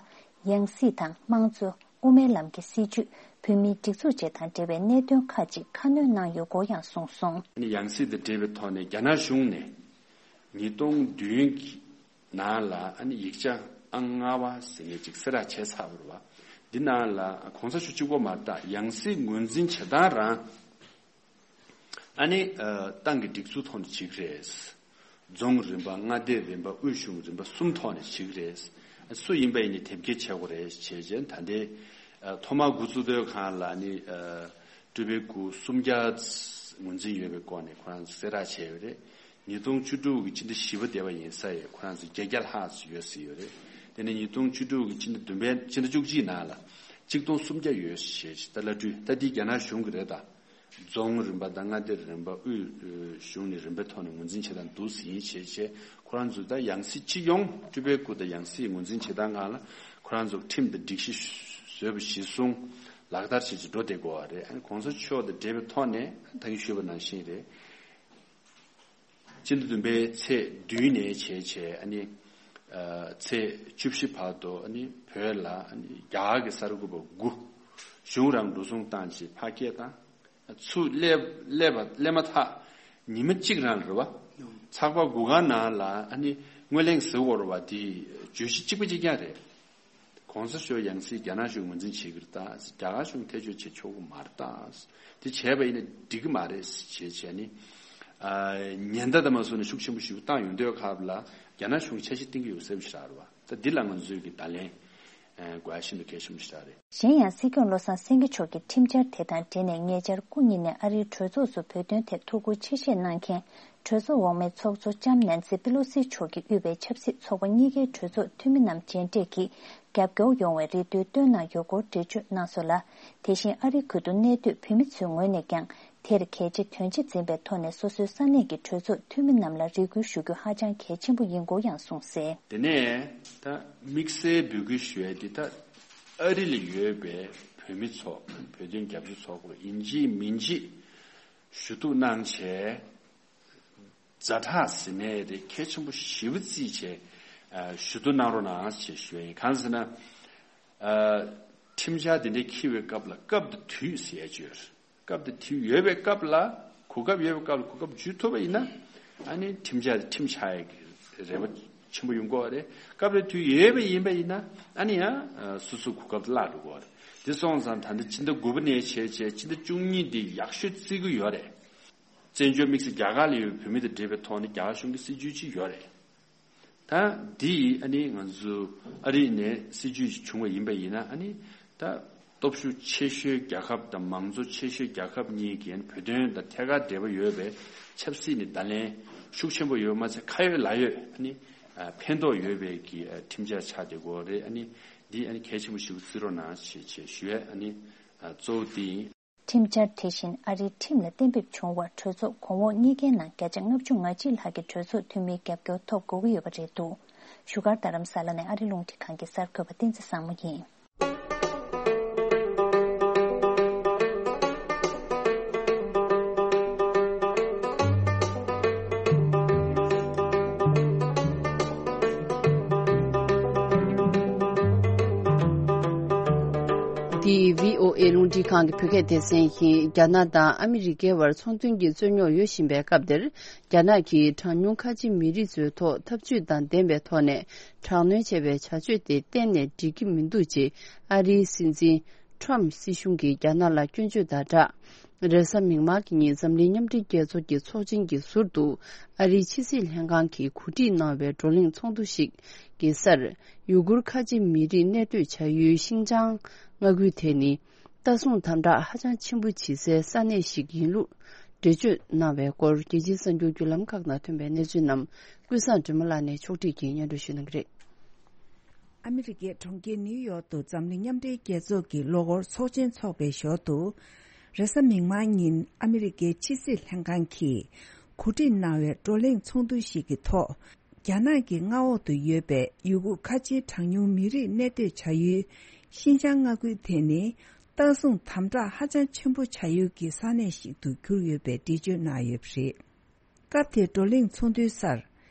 ཡང་སྲིད་དང་དམངས་གཙོ། དབུ་མའི་ལམ་གྱི་སྲིད་བྱུས། བོད་མིའི་སྒྲིག་འཛུགས་བཅས་དང་འབྲེལ་བའི་གནད་དོན་ཁག་ཅིག་ཁ་སྣོན་གནང་ཡོད་སྐོར་ཡང་གསུངས་སོང་། ཡང་སྲིད་དང་འབྲེལ་བའི་ཐོག་ནས་རྒྱ་ནག་གཞུང་ནས་ཉིས་སྟོང་བདུན་གྱི་ནང་ལ་ཨ་ནི་ཡིག་ཆ་ཨང་ལྔ་པ་ཟེར་མཁན་ཅིག་གསལ་བསྒྲགས་བྱས་ཚར་བ་རེད་པ། འདི་ནང་ལ་གོང་ས་མཆོག་གཅིག་པོ་མ་རེད། ད་ཡང་སྲིད་ངོས་འཛིན་བྱེད་སྟངས་རང་ཨ་ནི་ཨ། ཏང་གི་སྒྲིག་འཛུགས་ཐོག་ནས་བྱེད་ཀྱི་རེད། རྫོང་རིམ་པ། མངའ་སྡེ་རིམ་པ། དབུས་གཞུང་རིམ་པ་གསུམ་ཐོག་ནས་བྱེད་ཀྱི་རེད། སུ་ཡིན་པ་ཡིན་ནའི་དེབ་སྐྱེལ་བྱེད་དགོས་རེད་བྱས་རྗེས། ད་ལྟའི་ཨ། ཐོག་མར་འགོ་བཙུགས་དུས་སྒང་ལ་ནི་ཨ། སྤྲུལ་པའི་སྐུ་སུམ་བརྒྱ་ངོས་འཛིན་ཡོད་པའི་སྐོར་ནས་ཁོ་རང་གསལ་བསྒྲགས་བྱས་ཡོད་རེད། ཉིས་སྟོང་བཅུ་དྲུག་གི་སྤྱི་ཟླ་བཞི་པ་འདས་པ་ཡིན་ས་ཡས་ཁོ་རང་ཚོ་བརྒྱད་བརྒྱ་ལྷག་ཙམ་ཡོད་ཟེར་ཡོད་རེད། དེ་ནས་ཉིས་སྟོང་བཅུ་དྲུག་གི་སྤྱི་ཟླ་བདུན་པའི་སྤྱི་ཟླ་བཅུ་གཅིག་ནང་ལ་གཅིག་སྟོང་སུམ་བརྒྱ་ཡོད་ཞེས་ད་ལ་སྤྲུལ་ད་འདི་རྒྱ་ནག་གཞུང་གི་རེད་ད། རྫོང་རིམ་པ་དང་མངའ་སྡེ་རིམ་པ་དབུས་གཞུང་ནས་རིམ་པའི་ཐོག་ནས་ངོས་འཛིན་བྱེད་སྟངས་འདུག་ཟིན་བྱས་བྱས་ཁོ་རང་ཚོ་ད་ཡང་སྲིད་སྤྱི་ཡོངས་སྤྲུལ་པའི་སྐུ་དང་ཡང་སྲིད་ངོས་འཛིན་བྱེད་སྟངས་སྒང་ལ་ཁོ་རང་ཚོ་ཁྲིམས་དང་སྒྲིག་གཞི་བཟོས་པ་གཞིར་བཟུང་ལག་བསྟར་བྱེད་ཀྱི་འགྲོ་བསྡད་དགོས་པ་རེད། ཨ་ནི་གོང་ས་མཆོག་དང་འབྲེལ་བའི་ཐོག་ནས་ད་གིན་ཞུས་པ་ནང་བཞིན་རེད། སྤྱི་ཟླ་བདུན་པའི་ཚེས་བདུན་ནས་བྱས་བྱས་ཨ་ནི་ཚེས་བཅུ་བཞི་བར་དུ་ཨ་ནི་བོད་ལ་ཨ་ནི་རྒྱ་གར་གྱི་གསར་འགོད་པ་དགུ་གཞུང་རང་འགྲོ་སོང་བཏང་བྱས་ཕར་སྐད་བཏང་། ཚུར་སླེབས་སླེབས་པ་སླེབས་མ་ཐག་ཉི་མ་གཅིག་རང་རེད་བ། ཚགས་པར་དགུ་སྒང་ནང་ལ་ཨ་ནི་དངོས་གླེང་ཟེར་བ་རེད་བ། དེ་བརྗོད་གཞི་གཅིག་པ་གཅིག་རྐྱང་རེད། གོང་ས་མཆོག་ཡང་སྲིད་རྒྱ་ནག་གཞུང་ངོས་འཛིན་བྱེད་ཀྱི་རེད་ད། རྒྱ་གར་གཞུང་ཐེ་བྱུས་བྱེད་ཆོག་གི་མ་རེད་ད། དེ་བྱས་པ་ཡིན་ན་འགྲིག་གི་མ་རེད་ཞེས་བྱས་ནས། ཨ་ཉེན་བརྡ་དང་མ་སོ་ནས་ཤུགས་ཆེན་པོ་ཞིག་བཏང་ཡོང་དུས་སྐབས་ལ་རྒྱ་ནག་གཞུང་གིས་འཆར་གཞི་བཏིང་གི་ཡོད་ཟེར་བ་ཞིག་རེད་བ། ད་འདི་ལ་ང་ཚོས་ཀྱི་བརྡ་ལན་ཨ་དགོས་ཡ་ཤིན་ཏུ་གལ་ཆེན་པོ་ཞིག་རེད། གཞན་ཡང་སྲིད་སྐྱོང་བློ་བཟང་སེང་གེ་མཆོག་གིས་ཁྲིམས་འཆར་དེ་དང་འབྲེལ་ནས་ཉེ་ཆར་སྐུ་ཉིད་ནས་ཨ་རིའི་གྲོས་ཚོགས་སུ་བོད་དོན་ཐད་ཐུགས་ཁུར་ཆེ་བཞེས་གནང་མཁན་གྲོས་ཚོགས་འོག་མའི་ཚོགས་གཙོ་ལྕམ་ནན་སི་པེ་ལོ་སི་མཆོག་གིས་དབུས་པའི་ཆབ་སྲིད་ཚོགས་པ་གཉིས་ཀའི་གྲོས་ཚོགས་འཐུས་མི་རྣམས་མཇལ་འཕྲད་ཀྱིས་རྒྱབ་སྐྱོར་ཡོང་བའི་རེ་འདུན་བཏོན་གནང་ཡོད་སྐོར་འགྲེལ་བརྗོད་གནང་སོང་ལ། དེ་བཞིན་ཨ་རིའི་ཁུལ་དུ་གནས་སྡོད་བོད་མི་ཚོའི་ངོས་ནས་ཀྱང་དེར་གལ་ཆེ་དོན་ཆེ་འཛིན་པའི་ཐོག་ནས་སོ་སོའི་ས་གནས་ཀྱི་གྲོས་ཚོགས་འཐུས་མི་རྣམས་ལ་རེ་སྐུལ་ཞུ་རྒྱུ་ཧ་ཅང་གལ་ཆེན་པོ་ཡིན་སྐོར་ཡང་གསུངས་གསལ། དེ་ནས་ད་དམིགས་བསལ་འབོད་སྐུལ་ཞུ་ཡས་འདི་ད་ཨ་རི་ལ་ཡོད་པའི་བོད་མི་ཚོ་བོད་དོན་རྒྱབ་སྐྱོར་ཚོགས་པ་ཡིན་གཅིག་མིན་གཅིག་ཞུ་གཏུག་གནང་བྱས། ཛ་དྲག་ཟེར་ནའི་རེད། གལ་ཆེན་པོ་ཞེ་པོ་བརྩིས་བྱས་ཞུ་གཏུག་གནང་རོགས་གནང་ཞེས་ཞུ་ཡ་ཡིན། གང་ཟེར་ན། ཁྲིམས་འཆར་དེ་འདྲའི་འཁྱེར་བའི་སྐབས་ལ་སྐབས་དང་དུས་ཟེར་ཡ་ཅིག་ཡོད་རེད། སྐབས་དང་དུས་ཡོད་པའི་སྐབས་ལ་གོ་སྐབས་ཡོད་པའི་སྐབས་ལ་གོ་སྐབས་འཇུ་ཐུབ་པ་ཡིན་ན་ཨ་ནི་ཁྲིམས་འཆར་དེ་ཁྲིམས་ཆགས་ཡ་གི་རེ་བ་ཆེན་པོ་ཡོང་གི་ཡོད་རེད། སྐབས་དང་དུས་ཡོད་པ་ཡིན་པ་ཡིན་ན་ཨ་ནི་ཡང་སོ་སོའི་གོ་སྐབས་དེ་བརླག་འགྲོ་གི་ཡོད་རེད། དེ་སོང་ཙང་ད་ལྟ་ཕྱི་ཟླ་དགུ་པ་ནས་བྱས་བྱས་ཕྱི་ཟླ་བཅུ་གཉིས་འདི་ཡག་ཤོས་བརྩི་གི་ཡོད་རེད། བཙན་བྱོལ་དམིགས་བསལ་རྒྱ་གར་ལ་ཡོད་བོད་མི་དང་འབྲེལ་བའི་ཐོག་ནས་རྒྱ་གར་གཞུང་གི་སྲིད་བྱུས་ཅིག་ཡོད་རེད། ད་འདི་ཡིས་ཨ་ནི་ང་ཚོ་ཨ་རི་ནས་སྲིད་བྱུས་ཅིག་བྱུང་བ་ཡིན་པ་ཡིན་ན་ཨ་ནི་ད་སྟོབས་ཤུགས་ཆེ་ཤོས་རྒྱལ་ཁབ་དང་མང་གཙོ་ཆེ་ཤོས་རྒྱལ་ཁབ་གཉིས་ཀྱི་བོད་དོན་དང་ཐད་ཀར་འབྲེལ་བ་ཡོད་པའི་ཆབ་སྲིད་ནས་བརྡ་ལན་ཤུགས་ཆེན་པོ་ཡོད་མ་ཚད་ཁ་ཡོད་ལག་ཡོད་ཨ་ནི་ཕན་ཐོགས་ཡོད་པའི་གི་ཁྲིམས་འཆར་ཆགས་བསྡད་ཀྱི་ཡོད་རེད། ཨ་ནི་འདི་ཨ་ནི་གལ་ཆེན་པོ་ཞིག་བརྩི་རོགས་གནང་ཞེས་ཞུ་ཡས་ཨ་ནི་གཙོ་བོ་འདི་ཡིན། ཁྲིམས་འཆར་དེ་བཞིན་ཨ་རིའི་ཁྲིམས་ལ་གཏན་འབེབས་བྱུང་བར་གྲོས་ཚོགས་གོང་འོག་གཉིས་ཀའི་ནང་བརྒྱ་ཆ་ལྔ་བཅུ་ང་གཅིག་ལྷག་གི་གྲོས་ཚོགས་འཐུས་མིའི་རྒྱབ་སྐྱོར་ཐོབ་དགོས་ཀྱི་ཡོད་པ་རེད་འདུག་བཞུགས་སྒར་རྡ་རམ་ས་ལ་ནས་ཨ་རི་རླུང་འཕྲིན་ཁང་གི་གསར་འགོད་པ་བསྟན་འཛིན་བཟང་མོ་ཡིན། འདི་བྷི་ཨོ་ཨེ་རླུང་འཕྲིན་ཁང་གི་བོད་སྐད་སྡེ་ཚན་ཡིན། རྒྱ་ནག་དང་ཨ་མི་རི་ཀའི་བར་ཚོང་དོན་གྱི་རྩོད་རྙོག་ཡོད་བཞིན་པའི་སྐབས་འདིར། རྒྱ་ནག་གིས་གྲངས་ཉུང་ཁ་ཆེ་མི་རིགས་ཚོའི་ཐོག་འཐབ་ཇུས་དང་ལྡན་པའི་ཐོག་ནས་དྲག་གནོན་བྱས་པའི་བྱ་སྤྱོད་དེ་གཏན་ནས་འགྲིག་གི་མི་འདུག་ཅེས་ཨ་རིའི་སྲིད་འཛིན་ཁྲོམ་སྲིད་གཞུང་གིས་རྒྱ་ནག་ལ་སྐྱོན་བརྗོད་དང་སྦྲགས། རེས་གཟའ་མིག་དམར་གྱི་ཉིན་འཛམ་གླིང་མཉམ་འབྲེལ་རྒྱལ་ཚོགས་ཀྱི་ཚོགས་ཆེན་གྱི་ཟུར་དུ་ཨ་རིའི་ཕྱི་སྲིད་ལྷན་ཁང་གིས་གོ་སྒྲིག་གནང་བའི་བགྲོ་གླེང་ཚོགས་འདུ་ཞིག་གི་སར། ཡུ་གུར་ཁ་ཆེ་མི་རིགས་གནས་སྡོད་བྱ་ཡུལ་ཤིན་ཅང་མངའ་ཁུལ་དེ་ནི། ལྟ་སྲུང་དམ་དྲག་ཧ་ཅང་ཆེན་པོ་བྱེད་སའི་ས་གནས་ཤིག་ཡིན་ལུགས་འགྲེལ་བརྗོད་གནང་བའི་སྐོར། རྒྱལ་སྤྱིའི་གསར་འགྱུར་བརྒྱུད་ལམ་ཁག་ནང་ཐོན་པའི་གནས་ཚུལ་རྣམས་ཀུན་བཟང་སྒྲོལ་མ་ལགས་ནས་ཕྱོགས་སྒྲིག་གིས་སྙན་སྒྲོན་ཞུ་གནང་གི་རེད། ཨ་མི་རི་ཀའི་གྲོང་ཁྱེར་ནིའུ་ཡོག་ཏུ་འཛམ་གླིང་མཉམ་འབྲེལ་རྒྱལ་ཚོགས་ཀྱི་ལོ་འཁོར་ཚོགས་ཆེན་འཚོགས་པའི་ཞོར་དུ། རེས་གཟའ་མིག་དམར་ཉིན་ཨ་མི་རི་ཀའི་ཕྱི་སྲིད་ལྷན་ཁང་གིས་གོ་སྒྲིག་གནང་བའི་བགྲོ་གླེང་ཚོགས་འདུ་ཞིག་གི་ཐོག་རྒྱ་ནག་གི་མངའ་འོག་ཏུ་ཡོད་པའི་ཡུ་གུར་ཁ་ཆེའི་གྲངས་ཉུང་མི་རིགས་གནས་སྡོད་བྱ་ཡུལ་ཤིན་ཅང་མངའ་ཁུལ་དེ་ནི་ལྟ་སྲུང་དམ་དྲག་ཧ་ཅང་ཆེན་པོ་བྱ་ཡུལ་གྱི་ས་གནས་ཤིག་ཏུ་གྱུར་ཡོད་པའི་འགྲེལ་བརྗོད་གནང་ཡོད་པ་རེད། སྐབས་དེའི་བགྲོ་གླེང་ཚོགས་འདུའི་སར་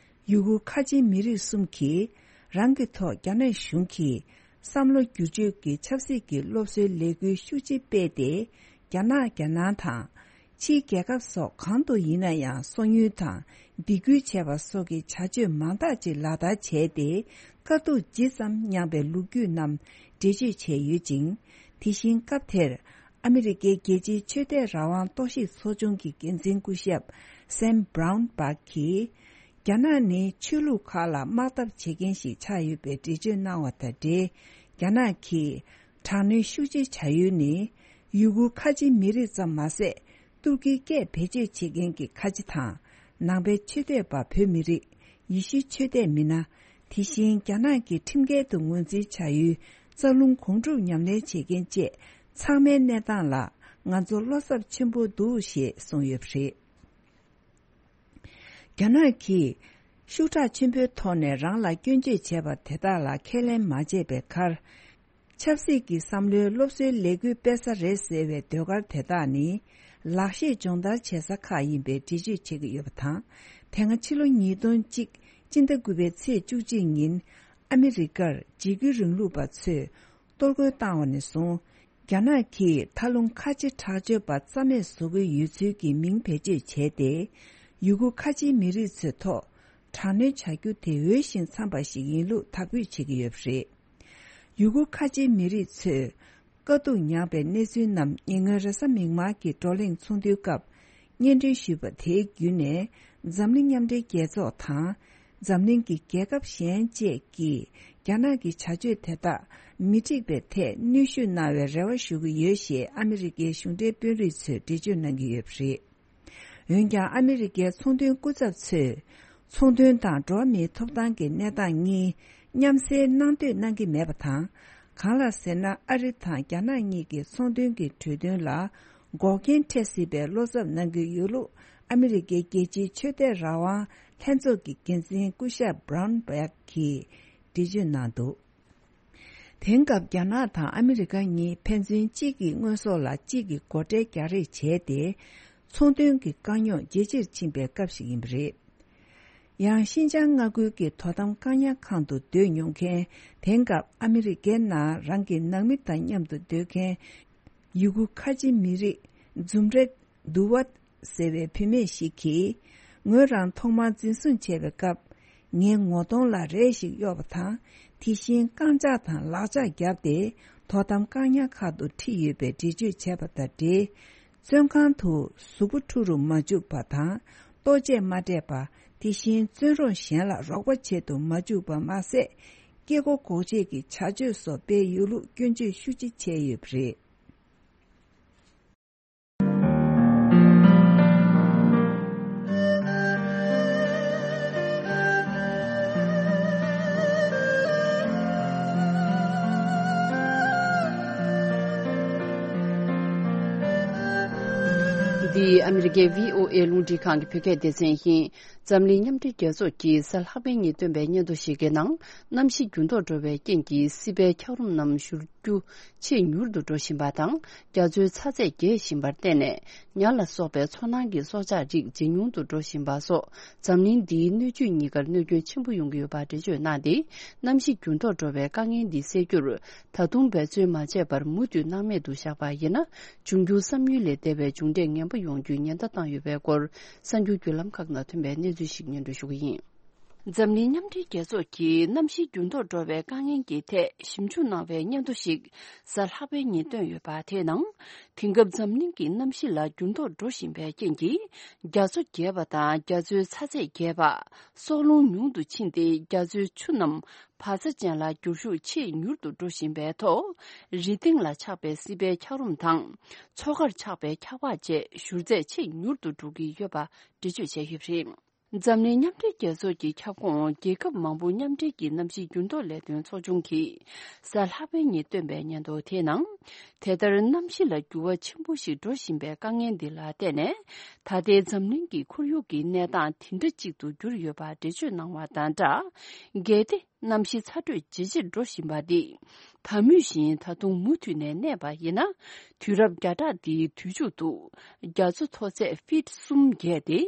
ཡུ་གུར་ཁ་ཆེའི་མི་རིགས་གསུམ་གྱིས་རང་གི་ཐོག་རྒྱ་ནག་གཞུང་གིས་བསམ་བློ་བསྒྱུར་བཅོས་ཀྱི་ཆབ་སྲིད་ཀྱི་སློབ་གསོའི་ལས་འགུལ་ཤུགས་ཆེ་སྤེལ་ཏེ། རྒྱ་ནག་རྒྱ་ནང་དང་། ཕྱིའི་རྒྱལ་ཁབ་སོགས་གང་དུ་ཡིན་ན་ཡང་སོ་ཉུལ་དང་སྡིགས་སྐུལ་བྱས་པ་སོགས་ཀྱི་བྱ་སྤྱོད་མང་དག་ཅིག་ལག་བསྟར་བྱས་ཏེ། དཀའ་སྡུག་ཇི་ཙམ་མྱངས་པའི་ལོ་རྒྱུས་རྣམས་འགྲེལ་བརྗོད་བྱས་ཡོད་ཅིང་། དེ་བཞིན་སྐབས་དེར་ཨ་མི་རི་ཀའི་རྒྱལ་སྤྱིའི་ཆོས་དད་རང་དབང་རྟོག་ཞིབ་ཚོགས་ཆུང་གི་འགན་འཛིན་སྐུ་ཞབས་སེམ་བྷ་རའུན་བྷག་གིས། རྒྱ་ནག་ནི་ཆོས་ལུགས་ཁག་ལ་དམག་འཐབ་བྱེད་མཁན་ཞིག་ཆགས་ཡོད་པའི་འགྲེལ་བརྗོད་གནང་བ་དང་འབྲེལ། རྒྱ་ནག་གིས་དྲག་གནོན་ཤུགས་ཆེ་བྱ་ཡུལ་ནི་ཡུ་གུར་ཁ་ཆེའི་མི་རིགས་ཙམ་མ་ཟད། ཏུར་ཀིའི་སྐད་བེད་སྤྱོད་བྱེད་མཁན་གྱི་ཁ་ཆེ་དང་ ནང་པའི་ཆོས་དད་པ་བོད་མི་རིགས། ཡེ་ཤུའི་ཆོས་དད་མི་སྣ། དེ་བཞིན་རྒྱ་ནག་གི་ཁྲིམས་འགལ་དུ་ངོས་འཛིན་བྱ་ཡུལ་རྩ་རླུང་སྒོམ་སྒྲུབ་ཉམས་ལེན་བྱེད་མཁན་བཅས་ཚང་མའི་གནས་སྟངས་ལ་ང་ཚོ་བློ་འཚབ་ཆེན་པོ་འདུག་ཞེས་གསུངས་ཡོད་པ་རེད། རྒྱ་ནག་གིས་ཤུགས་དྲག་ཆེན་པོའི་ཐོག་ནས་རང་ལ་སྐྱོན་བརྗོད་བྱས་པ་དེ་དག་ལ་ཁས་ལེན་མ་བྱས་པའི་ཁར། ཆབ་སྲིད་ཀྱི་བསམ་བློའི་སློབ་གསོའི་ལས་འགུལ་སྤེལ་ས་རེད་ཟེར་བའི་ཟློས་གར་དེ་དག་ནི། ལག་ཤེས་སྦྱོང་བརྡར་བྱེད་ས་ཁག་ཡིན་པའི་འགྲེལ་བརྗོད་བྱེད་ཀྱི་ཡོད་པ་དང་། དེ་སྔ་ཕྱི་ལོ་ཉིས་སྟོང་གཅིག་སྤྱི་ཟླ་དགུ་པའི་ཚེས་བཅུ་གཅིག་ཉིན། ཨ་མི་རི་ཀར་འཇིགས་སྐུལ་རིང་ལུགས་པ་ཚོས་གཏོར་རྒོལ་བཏང་བ་ནས་བཟུང་། རྒྱ་ནག་གིས་མཐའ་ལྷུང་ཁ་ཆེ་དྲག་སྤྱོད་པ་རྩ་མེད་བཟོ་གི་ཡོད་ཚུལ་གྱི་མིང་བེད་སྤྱོད་བྱས་ཏེ། ཡུ་གུར་ཁ་ཆེའི་མི་རིགས་ཚོའི་ཐོག་དྲག་གནོན་བྱ་རྒྱུ་དེ་འོས་ཤིང་འཚམས་པ་ཞིག་ཡིན་ལུགས་དག་འབུད་བྱེད་ཀྱི་ཡོད་པ་རེད། ཡུ་གུར་ཁ་ཆེའི་མི་རིགས་ཚོས་དཀའ་སྡུག་མྱངས་པའི་གནས་ཚུལ་རྣམས་ཉེ་སྔོན་རེས་གཟའ་མིག་དམར་གྱི་བགྲོ་གླེང་ཚོགས་འདུའི་སྐབས་སྙན་སྒྲོན་ཞུས་པ་དེའི་བརྒྱུད་ནས། འཛམ་གླིང་མཉམ་འབྲེལ་རྒྱལ་ཚོགས་དང་། འཛམ་གླིང་གི་རྒྱལ་ཁབ་གཞན་བཅས་ཀྱིས་རྒྱ་ནག་གི་བྱ་སྤྱོད་དེ་དག་མི་འགྲིག་པའི་ཐད་གནོན་ཤུགས་གནང་བའི་རེ་བ་ཞུ་གི་ཡོད་ཞེས་ཨ་མི་རི་ཀའི་གཞུང་འབྲེལ་དཔོན་རིགས་ཚོས་འགྲེལ་བརྗོད་གནང་གི་ཡོད་པ་རེད། འོན་ཀྱང་ཨ་མི་རི་ཀའི་ཚོང་དོན་སྐུ་ཚབ་ཚོས། ཚོང་དོན་དང་འགྲོ་བ་མིའི་ཐོབ་ཐང་གི་གནས་སྟངས་གཉིས་མཉམ་བསྲེས་གནང་འདོད་གནང་གི་མེད་པ་དང་། གང་ལགས་ཟེར་ན། ཨ་རི་དང་རྒྱ་ནག་གཉིས་ཀྱི་ཚོང་དོན་གྱི་གྲོས་མཐུན་ལ་འགོག་རྐྱེན་འཕྲད་སྲིད་པའི་བློ་འཚབ་གནང་གི་ཡོད་ལུགས་ཨ་མི་རི་ཀའི་རྒྱལ་སྤྱིའི་ཆོས་དད་རང་དབང་ལྷན་ཚོགས་ཀྱི་འགན་འཛིན་སྐུ་ཞབས་Brown Bag གིས་འགྲེལ་བརྗོད་གནང་འདུག་དེང་སྐབས་རྒྱ་ནག་དང་ཨ་མི་རི་ཀ་གཉིས་ཕན་ཚུན་གཅིག་གི་དངོས་ཟོག་ལ་གཅིག་གིས་སྒོ་ཁྲལ་རྒྱག་རེས་བྱས་ཏེ། ཚོང་དོན་གྱི་དཀའ་རྙོག་ཇེ་ཆེར་ཕྱིན་པའི་སྐབས་ཤིག་ཡིན་པ་རེད། ཡང་ཤིན་ཅང་མངའ་ཁུལ་གྱི་དོ་དམ་བཀག་ཉར་ཁང་དུ་སྡོད་མྱོང་མཁན། དེང་སྐབས་ཨ་མི་རི་ཀའི་ནང་རང་གི་ནང་མི་དང་མཉམ་དུ་སྡོད་མཁན་ཡུ་གུར་ཁ་ཆེ་མི་རིགས་ཛུམ་རེ་དུ་ཝད་ཟེར་བའི་བུད་མེད་ཞིག་གིས། ངོས་རང་ཐོག་མར་འཛིན་བཟུང་བྱས་པའི་སྐབས། ངའི་ངོ་གདོང་ལ་རས་ཤིག་གཡོགས་པ་དང་། དེ་བཞིན་རྐང་ལྕགས་དང་ལག་ལྕགས་བརྒྱབ་སྟེ། དོ་དམ་བཀག་ཉར་ཁང་དུ་ཁྲིད་ཡོད་པའི་འགྲེལ་བརྗོད་བྱས་པ་དང་འབྲེལ། བཙོན་ཁང་དུ་གཟུགས་པོ་འཁྲུ་རུ་མ་བཅུག་པ་དང་། ལྟོ་ཆས་མ་སྤྲད་པ། དེ་བཞིན་བཙོན་རོགས་གཞན་ལ་རོགས་པ་བྱེད་དུ་མ་བཅུག་པ་མ་ཟད། སྐྱེ་སྒོ་འགོག་ཆེད་ཀྱི་བྱ་སྤྱོད་སོགས་སྤེལ་ཡོད་ལུགས་སྐྱོན་བརྗོད་ཤུགས་ཆེ་བྱས་ཡོད་པ་རེད། འདི་ཨ་མི་རི་ཀའི་བྷི་ཨོ་ཨེ་རླུང་འཕྲིན་ཁང་གི་བོད་སྐད་སྡེ་ཚན་ཡིན། འཛམ་གླིང་མཉམ་འབྲེལ་རྒྱལ་ཚོགས་ཀྱིས་གཟའ་ལྷག་པའི་ཉིན་བཏོན་པའི་སྙན་ཐོ་ཞིག་གི་ནང་། གནམ་གཤིས་འགྱུར་ལྡོག་འགྲོ་བའི་རྐྱེན་གྱིས་སྲིད་པའི་འཁྱགས་རོམ་རྣམས་བཞུར་རྒྱུ་ཆེས་མྱུར་དུ་འགྲོ་བཞིན་པ་དང་། རྒྱ་མཚོའི་ཚ་ཚད་རྒྱས་བཞིན་པར་བརྟེན་ནས། ཉ་ལ་སོགས་པའི་མཚོ་ནང་གི་སྲོག་ཆགས་རིགས་ཇེ་ཉུང་དུ་འགྲོ་བཞིན་པ་སོགས། འཛམ་གླིང་འདིའི་སྣོད་བཅུད་གཉིས་ཀར་གནོད་སྐྱོན་ཆེན་པོ་ཡོང་གི་ཡོད་པ་འགྲེལ་བརྗོད་གནང་སྟེ། གནམ་གཤིས་འགྱུར་ལྡོག་འགྲོ་བའི་དཀའ་ངལ་འདི་སེལ་རྒྱུར། ད་དུང་འབད་བརྩོན་མ་བྱས་པར་མུ་མཐུད་སྣང་མེད་དུ་བཞག་པ་ཡིན་ན། འབྱུང་འགྱུར་བསམ་ཡུལ་ལས་འདས་པའི་མཇུག་འབྲས་ངན་པ་ཡོང་རྒྱུའི་ཉེན་བརྡ་བཏང་ཡོད་པའི་སྐོར། གསར་འགྱུར་བརྒྱུད་ལམ་ཁག་ནང་ཐོན་པའི་གནས་ཚུལ་ཞིག་སྙན་སྒྲོན་ཞུ་གི་ཡིན། འཛམ་གླིང་མཉམ་འབྲེལ་རྒྱལ་ཚོགས་ཀྱིས་གནམ་གཤིས་འགྱུར་ལྡོག་འགྲོ་བའི་དཀའ་ངལ་གྱི་ཐད་ཞིབ་འཇུག་གནང་བའི་སྙན་ཐོ་ཞིག་གཟའ་ལྷག་པའི་ཉིན་བཏོན་ཡོད་པ། དེའི་ནང་། དེང་སྐབས་འཛམ་གླིང་གི་གནམ་གཤིས་ལ་འགྱུར་ལྡོག་འགྲོ་བཞིན་པའི་རྐྱེན་གྱིས། རྒྱ་མཚོ་རྒྱས་པ་དང་རྒྱ་མཚོའི་ཚ་ཚད་རྒྱས་པ། སྲོག་རླུང་ཉུང་དུ་ཕྱིན་ཏེ། རྒྱ་མཚོའི་ཆུ་རྣམས་བག་ཚ་ཅན་ལ་འགྱུར་ཤུགས་ཆེས་མྱུར་དུ་འགྲོ་བཞིན་པའི་ཐོག་རི་སྟེང་ལ་ཆགས་པའི་སྲིད་པའི་འཁྱགས་རོམ་དང་། མཚོ་ཁར་ཆགས་པའི་འཁྱགས་པ་བཅས་བཞུར་ཚད་ཆེས་མྱུར་དུ་འགྲོ་གི་ཡོད་པ་འགྲེལ་བརྗོད་བྱས་ཡོད་པ་རེད། འཛམ་གླིང་མཉམ་འབྲེལ་རྒྱལ་ཚོགས་ཀྱི་ཁྱབ་ཁོངས་རྒྱལ་ཁབ་མང་པོ་མཉམ་འབྲེལ་གྱི་གནམ་གཤིས་འགྱུར་ལྡོག་ལས་དོན་ཚོགས་ཆུང་གིས་གཟའ་ལྷག་པའི་ཉིན་བཏོན་པའི་སྙན་ཐོ་དེའི་ནང་། དེ་ལྟར་གནམ་གཤིས་ལ་འགྱུར་བ་ཆེན་པོ་ཞིག་འགྲོ་བཞིན་པའི་དཀའ་ངལ་འདི་ལ་བརྟེན་ནས། ད་ལྟའི་འཛམ་གླིང་གི་ཁོར་ཡུག་གི་གནས་སྟངས་དེ་འདྲ་གཅིག་ཏུ་གྱུར་ཡོད་པ་འགྲེལ་བརྗོད་གནང་བ་དང་སྦྲགས། གལ་ཏེ། གནམ་གཤིས་ཚ་དྲོད་ཇེ་ཆེར་འགྲོ་བཞིན་པ་འདི། ད་མུས་བཞིན་ད་དུང་མུ་མཐུད་ནས་གནས་པ་ཡིན་ན། དུས་རབས་བརྒྱ་ཕྲག་འདིའི་དུས་མཇུག་ཏུ། རྒྱ་མཚོ་མཐོ་ཚད་ཕིཊ་གསུམ་བརྒལ་ཏེ་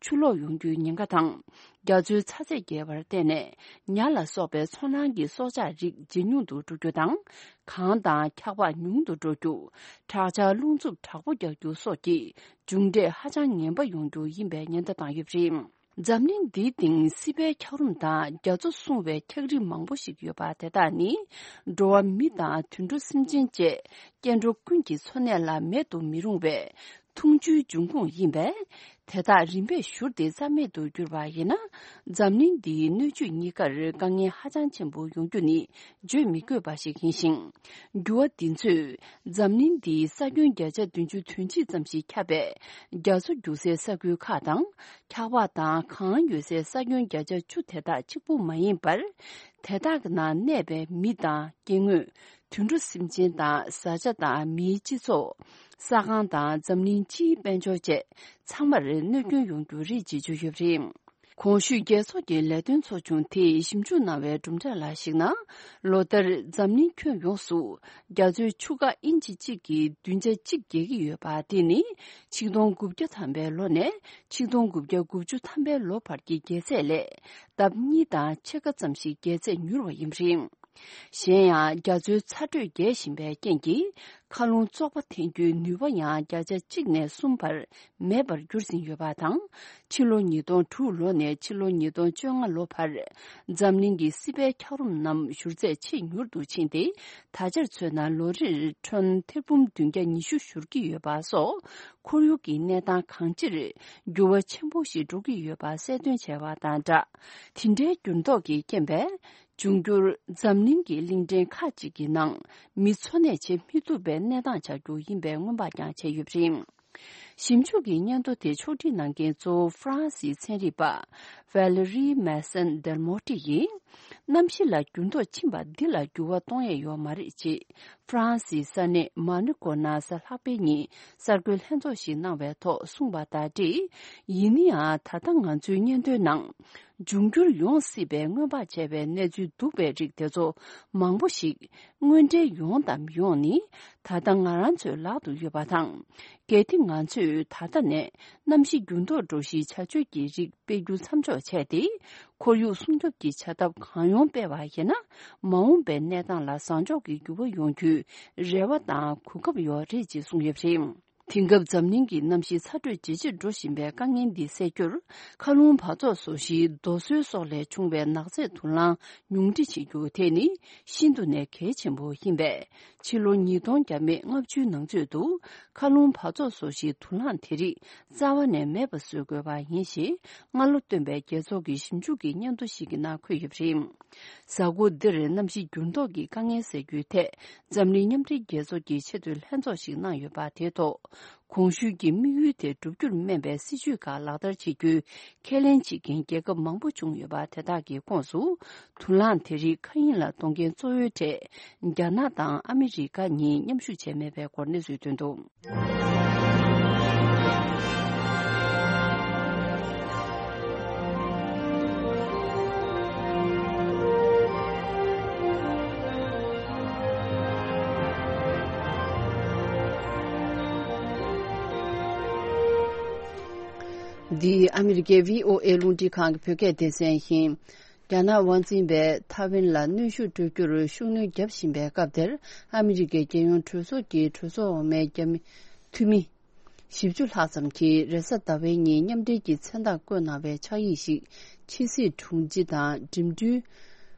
ཆུ་ལོག་ཡོང་རྒྱུའི་ཉེན་ཁ་དང་། རྒྱ་མཚོའི་ཚ་ཚད་རྒྱས་པར་བརྟེན་ནས་ཉ་ལ་སོགས་པའི་མཚོ་ནང་གི་སྲོག་ཆགས་རིགས་ཇེ་ཉུང་དུ་འགྲོ་རྒྱུ་དང་། གངས་དང་འཁྱགས་པ་ཉུང་དུ་འགྲོ་རྒྱུ། དྲག་ཆར་རླུང་འཚུབ་དྲག་པོ་རྒྱག་རྒྱུ་སོགས་ཀྱི་མཇུག་འབྲས་ཧ་ཅང་ངན་པ་ཡོང་རྒྱུ་ཡིན་པའི་ཉེན་བརྡ་བཏང་ཡོད་པ་རེད། འཛམ་གླིང་འདིའི་སྟེང་སྲིད་པའི་འཁྱགས་རོམ་དང་རྒྱ་མཚོ་སྲུང་བའི་འཁྱགས་རི་མང་པོ་ཞིག་ཡོད་པ་དེ་དག་ནི། འགྲོ་བ་མི་དང་དུད་འགྲོ་སེམས་ཅན་བཅས་སྐྱེ་འགྲོ་ཀུན་གྱི་འཚོ་གནས་ལ་མེད་དུ་མི་རུང་བའི་འཐུང་ཆུའི་འབྱུང་ཁུངས་ཡིན་པས། དེ་དག་རིམ་པས་བཞུར་ཏེ་རྩ་མེད་དུ་གྱུར་པ་ཡིན་ན། འཛམ་གླིང་འདིའི་སྣོད་བཅུད་གཉིས་ཀར་དཀའ་ངལ་ཧ་ཅང་ཆེན་པོ་ཡོང་རྒྱུ་ནི་བརྗོད་མི་དགོས་པ་ཞིག་ཡིན་ཞིང་། འགྱུར་བ་འདི་ཚོས་འཛམ་གླིང་འདིའི་ས་ཁྱོན་བརྒྱ་ཆ་བདུན་ཅུ་དོན་གཅིག་ཙམ་ཞིག་ཁྱབ་པའི་རྒྱ་མཚོ་རྒྱུག་སའི་ས་ཁུལ་ཁག་དང་། འཁྱགས་པ་དང་གངས་ཡོད་སའི་ས་ཁྱོན་བརྒྱ་ཆ་བཅུ་དེ་དག་གཅིག་པུ་མ་ཡིན་པར། དེ་དག་གི་ནང་གནས་པའི་མི་དང་སྐྱེ་དངོས། དུད་འགྲོ་སེམས་ཅན་དང་བཟའ་བཅའ་དང་མིའི་སྤྱི་ཚོགས། ས་ཁང་དང་འཛམ་གླིང་སྤྱིའི་དཔལ་འབྱོར་བཅས་ཚང་མར་གནོད་སྐྱོན་ཡོང་རྒྱུ་རེད་ཅེས་བརྗོད་ཡོད་པ་རེད། གོང་ཞུས་རྒྱལ་ཚོགས་ཀྱི་ལས་དོན་ཚོགས་ཆུང་དེས་ཞིབ་འཇུག་གནང་བའི་གྲུབ་འབྲས་ལ་གཞིགས་ན། ལོ་ལྟར་འཛམ་གླིང་ཁྱོན་ཡོངས་སུ་རྒྱ་མཚོའི་ཆུ་ཁ་ཨིན་ཅི་གཅིག་གི་བདུན་ཆ་གཅིག་རྒྱས་ཀྱི་ཡོད་པ་དེ་ནི་ཆིག་སྟོང་དགུ་བརྒྱ་ཐམ་པའི་ལོ་ནས་ཆིག་སྟོང་དགུ་བརྒྱ་དགུ་བཅུ་ཐམ་པའི་ལོ་བར་གྱི་རྒྱལ་ཚད་ལས་ལྡབ་གཉིས་དང་ཕྱེད་ཀ་ཙམ་ཞིག་རྒྱལ་ཚད་མྱུར་བ་ཡིན་པ་རེད། གཞན་ཡང་རྒྱ་མཚོའི་ཚ་དྲོད་རྒྱས་བཞིན་པའི་རྐྱེན་གྱིས། མཁའ་རླུང་བཙོག་པ་འཐེན་རྒྱུའི་ནུས་པ་ཡང་བརྒྱ་ཆ་གཅིག་ནས་གསུམ་བར་མེད་པར་འགྱུར་ཟིན་ཡོད་པ་དང་། ཕྱི་ལོ་ཉིས་སྟོང་དྲུག་ལོ་ནས་ཕྱི་ལོ་ཉིས་སྟོང་བཅོ་ལྔ་ལོ་བར། འཛམ་གླིང་གི་སྲིད་པའི་འཁྱགས་རོམ་རྣམས་བཞུར་ཚད་ཆེས་མྱུར་དུ་ཕྱིན་ཏེ། ད་ཆར་མཚོན་ན་ལོ་རེར་ཁྲོན་ཐེར་འབུམ་བདུན་བརྒྱ་ཉི་ཤུ་བཞུར་གྱི་ཡོད་པ་སོགས། ཁོར་ཡུག་གི་གནས་སྟངས་གང་ཅིར་འགྱུར་བ་ཆེན་པོ་ཞིག་འགྲོ་གི་ཡོད་པ་གསལ་སྟོན་བྱས་པ་དང་སྦྲགས། དེ་འདྲའི་འགྱུར་ལྡོག་གི་རྐྱེན་པས། འབྱུང་འགྱུར་འཛམ་གླིང་གི་གླིང་ཕྲན་ཁག་ཅིག་གི་ནང་མི་འཚོ་གནས་བྱེད་མི་ཐུབ་པའི་གནས་སྟངས་ཆགས་རྒྱུ་ཡིན་པའི་སྔོན་དཔག་ཀྱང་བྱས་ཡོད་པ་རེད། ཞིབ་འཇུག་གི་སྙན་ཐོ་དེ་ཕྱོགས་སྒྲིག་གནང་མཁན་གཙོ་བོ་ཧྥ་རན་སིའི་ཚན་རིག་པ་Valérie Masson Delmotte ཡིས། གནམ་གཤིས་ལ་འགྱུར་ལྡོག་ཕྱིན་པ་འདི་ལ་འགྱུར་བ་གཏོང་ཡས་ཡོད་མ་རེད་ཅེས་ཧྥ་རན་སིའི་ས་གནས་མ་ནི་ཀོ་ནང་གཟའ་ལྷག་པའི་ཉིན་གསར་འགོད་ལྷན་ཚོགས་ཤིག་གནང་བའི་ཐོག་གསུངས་པ་དང་འབྲེལ། ཡིན་ན་ཡང་ད་ལྟ་ང་ཚོའི་སྙན་ཐོའི་ནང་། འབྱུང་འགྱུར་ཡོང་སྲིད་པའི་སྔོན་དཔག་བྱས་པའི་གནས་ཚུལ་འདུག་པའི་རིགས་དེ་ཚོ་མང་པོ་ཞིག་དངོས་འབྲེལ་ཡོང་དང་མི་ཡོང་ནི་ད་ལྟ་ང་རང་ཚོའི་ལག་ཏུ་ཡོད་པ་དང་། གལ་ཏེ་ང་ཚོས་ད་ལྟ་ནས་གནམ་གཤིས་འགྱུར་ལྡོག་འགྲོ་གཞིའི་བྱ་སྤྱོད་ཀྱི་རིགས་སྤེལ་རྒྱུ་མཚམས་འཇོག་བྱས་ཏེ། ཁོར་ཡུག་སྲུང་སྐྱོབ་ཀྱི་བྱ་ཐབས་གང་ཡོང་སྤེལ་བ་ཡིན་ན། མ་འོངས་པའི་གནས་སྟངས་ལ་བཟང་ཕྱོགས་ཀྱི་འགྱུར་བ་ཡོང་རྒྱུའི་རེ་བ་དང་གོ་སྐབས་ཡོད་རེད་ཅེས་གསུངས་ཡོད་པ་རེད། དེང་སྐབས་འཛམ་གླིང་གི་གནམ་གཤིས་ཚ་དྲོད་ཇེ་ཆེར་འགྲོ་བཞིན་པའི་དཀའ་ངལ་འདི་སེལ་རྒྱུར། མཁའ་རླུང་འབག་བཙོག་བཟོ་གཞིའི་རྡོ་སོལ་སོགས་ལས་བྱུང་བའི་ནག་རྫས་དུག་རླངས་ཉུང་འཕྲི་བྱེད་རྒྱུ་དེ་ནི་ཤིན་ཏུ་ནས་གལ་ཆེན་པོ་ཡིན་པས། ཕྱི་ལོ་ཉིས་སྟོང་བརྒྱ་མེད་ལྔ་བཅུའི་ནང་ཚུད་དུ། མཁའ་རླུང་འབག་བཙོག་བཟོ་གཞིའི་དུག་རླངས་དེ་རིགས་རྩ་བ་ནས་མེད་པ་བཟོ་དགོས་པ་ཡིན་ཞེས། སྔ་ལོ་བཏོན་པའི་རྒྱལ་ཚོགས་ཀྱི་ཞིབ་འཇུག་གི་སྙན་ཐོ་ཞིག་གི་ནང་འཁོད་ཡོད་པ་རེད། གཟའ་འཁོར་འདིར་གནམ་གཤིས་འགྱུར་ལྡོག་གི་དཀའ་ངལ་སེལ་རྒྱུའི་ཐད། འཛམ་གླིང་མཉམ་འབྲེལ་རྒྱལ་ཚོགས་ཀྱི་ཆེས་མཐོའི་ལྷན་ཚོགས་ཤིག་གནང་ཡོད་པ་དེའི་ཐོག་གོང་ཞུས་ཀྱི་དམིགས་ཡུལ་དེ་བསྒྲུབ་རྒྱུར་སྨན་པའི་སྲིད་ཇུས་ཁག་ལག་བསྟར་བྱེད་རྒྱུའི་ཁས་ལེན་བྱེད་མཁན་རྒྱལ་ཁབ་མང་པོ་བྱུང་ཡོད་པ་དེ་དག་གི་ཁོངས་སུ། དུག་རླངས་དེ་རིགས་མཁའ་དབྱིངས་ལ་གཏོང་མཁན་གཙོ་བོའི་གྲས། རྒྱ་ནག་དང་ཨ་མི་རི་ཀ་གཉིས་མཉམ་ཞུགས་བྱས་མེད་པའི་སྐོར་གནས་ཚུལ་ཐོན་འདུག་འདི་ཨ་མི་རི་ཀའི་བྷི་ཨོ་ཨེ་རླུང་འཕྲིན་ཁང་གི་བོད་སྐད་སྡེ་ཚན་ཡིན། རྒྱ་ནག་དབང་འཛིན་པས་ཐའེ་ཝན་ལ་གནོན་ཤུགས་སྤྲོད་རྒྱུར་ཤུགས་སྣོན་བརྒྱབ་བཞིན་པའི་སྐབས་དེར། ཨ་མི་རི་ཀའི་རྒྱལ་ཡོངས་གྲོས་ཚོགས་ཀྱི་གྲོས་ཚོགས་འོག་མའི་རྒྱ་མི་འཐུས་མི་བཞི་བཅུ་ལྷག་ཙམ་གྱིས་རེས་གཟའ་ཟླ་བའི་ཉིན་མཉམ་འབྲེལ་གྱི་མཚན་རྟགས་བཀོད་གནང་བའི་ཕྱག་ཡིག་ཞིག་ཕྱི་སྲིད་དྲུང་ཆེ་དང་འགྲིམ་འགྲུལ་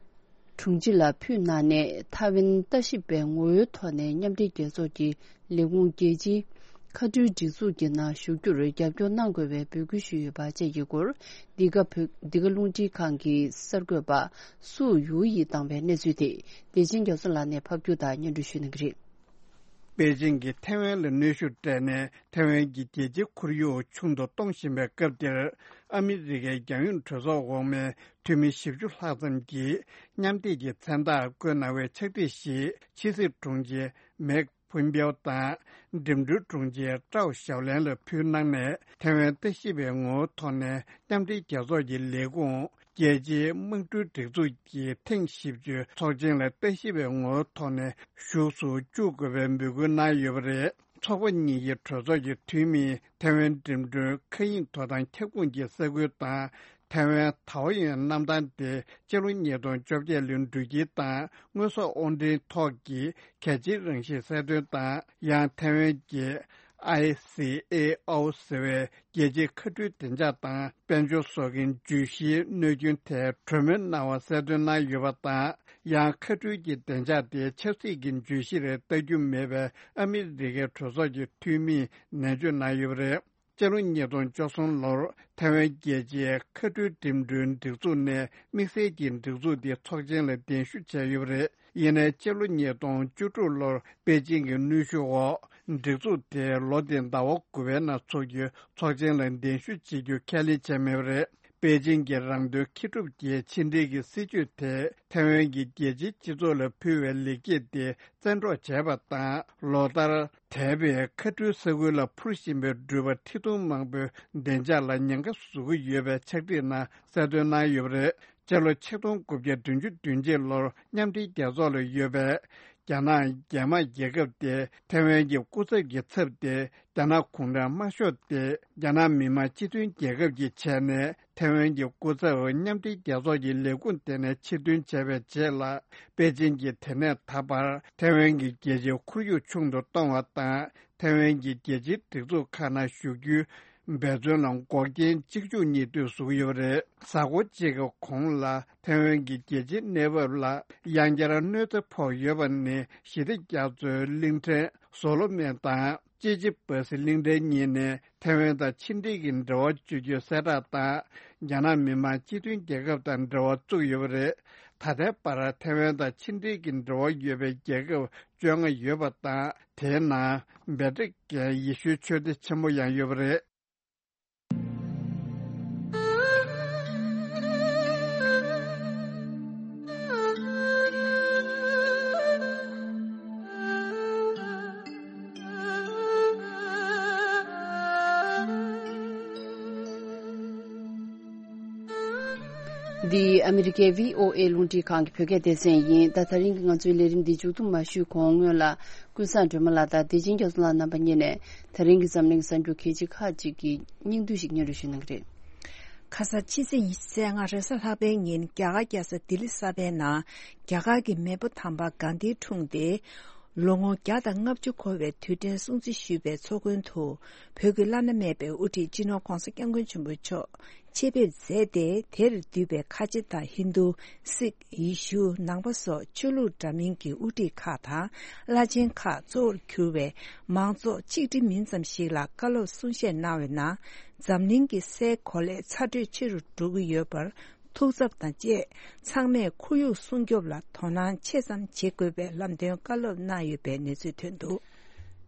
དྲུང་ཆེ་ལ་ཕུལ་གནང་ནས། ཐའེ་ཝན་ལྟ་ཞིབ་པའི་ངོ་བོའི་ཐོག་ནས་མཉམ་འབྲེལ་རྒྱལ་ཚོགས་ཀྱི་ལས་ཁུངས་རྒྱལ་སྤྱིའི་མཁའ་འགྲུལ་སྒྲིག་འཛུགས་ཀྱི་ནང་ཞུགས་རྒྱུར་རྒྱབ་སྐྱོར་གནང་དགོས་པའི་འབོད་སྐུལ་ཞུས་ཡོད་པ་བཅས་ཀྱི་སྐོར། འདི་ག་བོད། འདི་ག་རླུང་འཕྲིན་ཁང་གི་གསར་འགོད་པ་སུའུ་ཡུའུ་ཡིས་བཏང་བའི་གནས་ཚུལ་དེ། བདེ་ཆེན་རྒྱ་མཚོ་ལགས་ནས་ཕབ་སྒྱུར་དང་སྙན་སྒྲོན་ཞུ་གནང་གི་རེད། པེ་ཅིང་གིས་ཐའེ་ཝན་ལ་གནོན་ཤུགས་སྤྲད་ནས། ཐའེ་ཝན་གྱི་རྒྱལ་སྤྱིའི་ཁོར་ཡུག་ཆུང་དུ་གཏོང་བཞིན་པའི་སྐབས་འདིར། ཨ་མི་རི་ཀའི་རྒྱལ་ཡོངས་གྲོས་ཚོགས་འོག་མའི་འཐུས་མི་བཞི་བཅུ་ལྷག་ཙམ་གྱིས་མཉམ་འདེགས་ཀྱི་མཚན་རྟགས་བཀོད་གནང་བའི་ཕྱག་བྲིས་ཤིག་ཕྱི་སྲིད་དྲུང་ཆེ་མེག་ཕུན་པེའོ་དང་། འགྲིམ་འགྲུལ་དྲུང་ཆེ་ཀྲའོ་ཞའོ་ལན་ལ་ཕུལ་གནང་ནས། ཐའེ་ཝན་ལྟ་ཞིབ་པའི་ངོ་བོའི་ཐོག་ནས་མཉམ་འབྲེལ་རྒྱལ་ཚོགས་ཀྱི་ལས་ཁུངས། རྒྱལ་སྤྱིའི་དམག་གྲུའི་སྒྲིག་འཛུགས་ཀྱི་ཐེངས་བཞི་བཅུའི་ཚོགས་ཆེན་ལ་ལྟ་ཞིབ་པའི་ངོ་བོའི་ཐོག་ནས་བཞུགས་སུ་བཅུག་དགོས་པའི་འབོད་སྐུལ་གནང་ཡོད་པ་རེད། ཚོགས་པ་གཉིས་ཀྱི་གྲོས་ཚོགས་ཀྱི་འཐུས་མིས་ཐའེ་ཝན་འགྲིམ་འགྲུལ་མཁའ་དབྱིངས་དོ་དམ་ཁྱབ་ཁོངས་ཀྱི་ས་ཁུལ་དང་། ཐའེ་ཝན་ཐའོ་ཡོན་གནམ་ཐང་དེ་སྤྱི་ལོ་ཉིས་སྟོང་བཅོ་བརྒྱད་ལོའི་འགྲུལ་སྐྱེལ་དང་དངོས་ཟོག་དབོར་འདྲེན་ཐོག་གི་གལ་ཆེའི་རང་བཞིན་གསལ་སྟོན་དང་། ཡང་ཐའེ་ཝན་གྱི་ཨའི་སི་ཨེ་ཨོ་ཟེར་བའི་རྒྱལ་སྤྱིའི་མཁའ་འགྲུལ་བདེ་འཇགས་དང་དཔལ་འབྱོར་སོགས་ཀྱི་བརྗོད་གཞིའི་གནོད་སྐྱོན་ཐད་གྲོས་མོལ་གནང་བ་གསལ་སྟོན་གནང་ཡོད་པ་དང་། ཡང་མཁའ་འགྲུལ་གྱི་བདེ་འཇགས་དེ་ཆབ་སྲིད་ཀྱི་བརྗོད་གཞི་རེད་ལྟ་རྒྱུ་མེད་པའི་ཨ་མི་རི་ཀའི་གྲོས་ཚོགས་ཀྱི་འཐུས་མིས་ནན་བརྗོད་གནང་ཡོད་པ་རེད། སྤྱི་ལོ་ཉིས་སྟོང་བཅུ་གསུམ་ལོར་ཐའེ་ཝན་རྒྱལ་སྤྱིའི་མཁའ་འགྲུལ་འགྲིམ་འགྲུལ་སྒྲིག་འཛུགས་ནས་དམིགས་བསལ་གྱི་སྒྲིག་འཛུགས་དེ་ཚོགས་ཆེན་ལ་གདན་ཞུ་བྱས་ཡོད་པ་རེད། ཡིན་ནའི་སྤྱི་ལོ་ཉིས་སྟོང་བཅུ་དྲུག་ལོར་པེ་ཅིང་གི་གནོན་ཤུགས་འོག་སྒྲིག་འཛུགས་དེ་ལོ་འདིའི་ཟླ་བ་དགུ་པའི་ནང་འཚོགས་རྒྱུའི་ཚོགས་ཆེན་ལ་གདན་ཞུ་བྱེད་རྒྱུ་ཁས་ལེན་བྱས་མེད་པ་རེད། པེ་ཅིང་གི་རང་དོན་ཁེ་སྒྲུབ་ཀྱི་ཕྱི་འབྲེལ་གྱི་སྲིད་ཇུས་དེས་ཐའེ་ཝན་གྱི་རྒྱལ་སྤྱིའི་སྤྱི་ཚོགས་ལ་ཕུལ་བའི་ལེགས་སྐྱེས་དེ་བཙན་འཕྲོག་བྱས་པ་དང་། ལོ་ལྟར་དེད་པའི་མཁའ་འགྲུལ་ས་ཁུལ་ལ་འཕུར་བཞིན་པའི་འགྲུལ་པ་ཁྲི་སྟོང་མང་པོའི་བདེ་འཇགས་ལ་ཉེན་ཁ་བཟོ་གི་ཡོད་པའི་ཕྱག་བྲིས་ནང་གསལ་སྟོན་གནང་ཡོད་པ་རེད། སྤྱི་ལོ་ཆིག་སྟོང་དགུ་བརྒྱ་བདུན་ཅུ་དོན་གཅིག་ལོར་མཉམ་འབྲེལ་རྒྱལ་ཚོགས་ལ་ཡོད་པའི་རྒྱ་ནག་རྒྱལ་དམངས་རྒྱལ་ཁབ་དེ་ཐའེ་ཝན་གྱི་སྐུ་ཚབ་ཀྱི་ཚབ་སྟེ། རྒྱ་ནག་གུང་ཁྲན་དམར་ཤོག་དེ་རྒྱ་ནག་མི་དམངས་སྤྱི་མཐུན་རྒྱལ་ཁབ་ཀྱི་ཆ་ནས་ཐའེ་ཝན་གྱི་སྐུ་ཚབ་མཉམ་འབྲེལ་རྒྱལ་ཚོགས་ཀྱི་ལས་ཁུངས་དེ་ནས་ཕྱིར་འདོན་བྱས་པའི་རྗེས་ལ། པེ་ཅིང་གིས་དེ་ནས་ད་བར་ཐའེ་ཝན་གྱི་རྒྱལ་སྤྱིའི་ཁོར་ཡུག་ཆུང་དུ་གཏོང་བ་དང་། ཐའེ་ཝན་གྱི་རྒྱལ་སྤྱིའི་སྒྲིག་འཛུགས་ཁག་ནང་ཞུགས་རྒྱུའི་འབད་བརྩོན་ལ་འགོག་རྐྱེན་གཅིག་མཇུག་གཉིས་མཐུད་བཟོ་གི་ཡོད་པ་རེད། གཟའ་འཁོར་གཅིག་གི་གོང་ལ་ཐའེ་ཝན་གྱི་རྒྱལ་སྤྱིའི་གནས་བབ་ལ་ཡང་བསྐྱར་གནོད་འཚེ་ཕོག་ཡོད་པ་ནི་ཞི་བདེ་རྒྱ་མཚོའི་གླིང་ཕྲན་སོ་ལོ་མོན་དང་ཅི་ཅི་པ་སི་གླིང་ཕྲན་གཉིས་ནས་ཐའེ་ཝན་དང་ཕྱི་འབྲེལ་གྱི་འབྲེལ་བ་གཅོད་རྒྱུའི་གསལ་བསྒྲགས་དང་། རྒྱ་ནག་མི་དམངས་སྤྱི་མཐུན་རྒྱལ་ཁབ་དང་འབྲེལ་བ་བཙུགས་ཡོད་པ་རེད། ད་ལྟའི་བར་ཐའེ་ཝན་དང་ཕྱི་འབྲེལ་གྱི་འབྲེལ་བ་ཡོད་པའི་རྒྱལ་ཁབ་བཅོ་ལྔ་ཡོད་པ་དང་། དེའི་ནང་བྷེ་ཏི་རི་ཀན་ཡེ་ཤུའི་ཆོས་སྡེ་ཆེན་མོ་ཡང་ཡོད་པ་རེད། འདི་ཨ་མི་རི་ཀའི་བྷི་ཨོ་ཨེ་རླུང་འཕྲིན་ཁང་གི་བོད་སྐད་སྡེ་ཚན་ཡིན། ད་ད་རིང་གི་ང་ཚོའི་ལས་རིམ་འདི་མཇུག་བསྡོམས་མ་ཞུས་གོང་སྔོན་ལ་ཀུན་བཟང་སྒྲོལ་མ་ལགས་དང་བདེ་ཆེན་རྒྱ་མཚོ་ལགས་རྣམ་པ་གཉིས་ནས་ད་རིང་གི་འཛམ་གླིང་གི་གསར་འགྱུར་གལ་ཆེ་ཁག་ཅིག་གི་སྙིང་བསྡུས་ཤིག་སྙན་སྒྲོན་ཞུ་གནང་གི་རེད། ཁ་ས་ཕྱི་ཚེས་ཉི་ཤུ་རྩ་ལྔ་རེས་གཟའ་ལྷག་པའི་ཉིན་རྒྱ་གར་རྒྱལ་ས་ལྡི་ལི་གསར་པའི་ནང་རྒྱ་གར་གྱི་མེས་པོ་དམ་པ་གྷན་དྷི་འཁྲུངས་ཏེ། ལོ་ངོ་བརྒྱ་དང་ལྔ་བཅུ་འཁོར་བའི་དུས་དྲན་སྲུང་བརྩི་ཞུས་པའི་ཚོགས་མགོན་དུ་བོད་ཀྱི་བླ་ན་མེད་པའི་དབུ་ཁྲིད་སྤྱི་ནོར་༧གོང་ས་༧སྐྱབས་མགོན་ཆེན་པོ་མཆོག་ཆེད་ཕེབས་མཛད་དེ། དེར་འདུས་པའི་ཁ་ཆེ་དང་ཧིན་རྡུ། སིག་ཡེ་ཤུ། ནང་པ་སོགས་ཆོས་ལུགས་འདྲ་མིན་གྱི་དབུ་ཁྲིད་ཁག་དང་བླ་ཆེན་ཁག་གཙོ་བོར་གྱུར་བའི་མང་ཚོགས་ཆིག་ཁྲི་མིན་ཙམ་ཞིག་ལ་བཀའ་སློབ་གསུང་བཤད་གནང་བའི་ནང་། འཛམ་གླིང་གི་སའི་གོ་ལའི་ཚ་དྲོད་ཆེ་རུ་འགྲོ་གི་ཡོད་པར། ཐུགས་འཚབ་དང་བཅས། ཚང་མས་ཁོར་ཡུག་སྲུང་སྐྱོབ་ལ་དོ་སྣང་ཆེ་ཙམ་བྱེད་དགོས་པའི་ལམ་སྟོན་བཀའ་སློབ་གནང་ཡོད་པའི་གནས་ཚུལ་ཐོན་འདུག།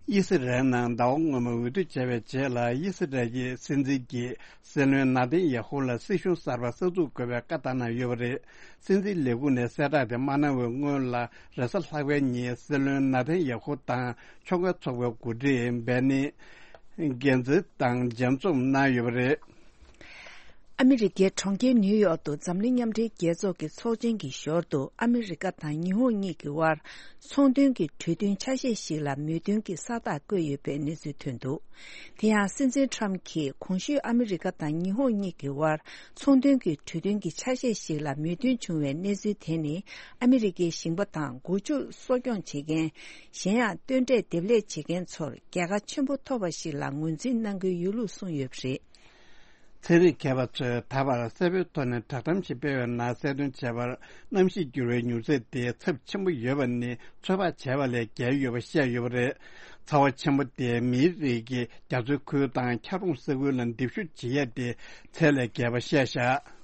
དབྱི་སི་རལ་ནང་ཟླ་བ་སྔོན་མ་འོས་བསྡུ་བྱས་པའི་རྗེས་ལ། དབྱི་སི་རལ་གྱི་སྲིད་འཛིན་གྱིས་སྲིད་བློན་ན་ཐན་ཡ་ཧུ་ལ་སྲིད་གཞུང་གསར་པ་གསར་འཛུགས་དགོས་པའི་བཀའ་བཏང་གནང་ཡོད་པ་རེད། སྲིད་འཛིན་ལས་ཁུངས་ནས་གསལ་བསྒྲགས་དེ་མ་གནང་བའི་སྔོན་ལ། རེས་གཟའ་ལྷག་པའི་ཉིན་སྲིད་བློན་ན་ཐན་ཡ་ཧུ་དང་ཕྱོགས་འགལ་ཚོགས་པའི་འགོ་ཁྲིད་བེ་ནི། གན་ཛི་དང་མཇལ་འཛོམས་གནང་ཡོད་པ་རེད། ཨ་མི་རི་ཀའི་གྲོང་ཁྱེར་ནིའུ་ཡོག་ཏུ་འཛམ་གླིང་མཉམ་འབྲེལ་རྒྱལ་ཚོགས་ཀྱི་ཚོགས་ཆེན་གྱི་ཞོར་དུ་ཨ་མི་རི་ཀ་དང་ཉི་ཧོང་གཉིས་ཀྱི་དབར་ཚོང་དོན་གྱི་གྲོས་མཐུན་ཆ་ཤས་ཤིག་ལ་མོས་མཐུན་གྱི་ས་རྟགས་བཀོད་ཡོད་པའི་གནས་ཚུལ་ཐོན་འདུག། དེ་ཡང་སྲིད་འཛིན་ཊམ་གྱིས་གོང་ཞུས་ཨ་མི་རི་ཀ་དང་ཉི་ཧོང་གཉིས་ཀྱི་དབར་ཚོང་དོན་གྱི་གྲོས་མཐུན་གྱི་ཆ་ཤས་ཤིག་ལ་མོས་མཐུན་བྱུང་བའི་གནས་ཚུལ་དེ་ནི་ཨ་མི་རི་ཀའི་ཞིང་པ་དང་སྒོ་ཕྱུགས་གསོ་སྐྱོང་བྱེད་མཁན། གཞན་ཡང་སྟོན་འབྲས་འདེབས་ལས་བྱེད་མཁན་ཚོར་རྒྱལ་ཁ་ཆེན་པོ་ཐོབ་པ་ཞིག་ལ་ངོས་འཛིན་གནང་གི་ཡོད་ལུགས་གསུངས་ཡོད་པ་རེད། ཚན་རིག་མཁས་པ་ཚོས་ད་བར་གསལ་པོའི་ཐོག་ནས་བསྒྲགས་གཏམ་ཞིག་སྤེལ་བའི་ནང་གསལ་སྟོན་བྱས་པར། གནམ་གཤིས་འགྱུར་བའི་མྱུར་ཚད་དེ་ཚབས་ཆེན་པོ་ཡོད་པ་ནི་ཚོད་དཔག་བྱས་པ་ལས་བརྒལ་ཡོད་པ་བཤད་ཡོད་པ་རེད། ཚ་བ་ཆེན་པོ་དེས་མིའི་རིགས་ཀྱི་རྒྱ་མཚོའི་ཁུལ་དང་འཁྱགས་རོམ་ས་ཁུལ་ལ་འདེབས་ཤུགས་བྱེད་ཡས་དེ་ཚད་ལས་བརྒལ་བ་བཤད་བཞག།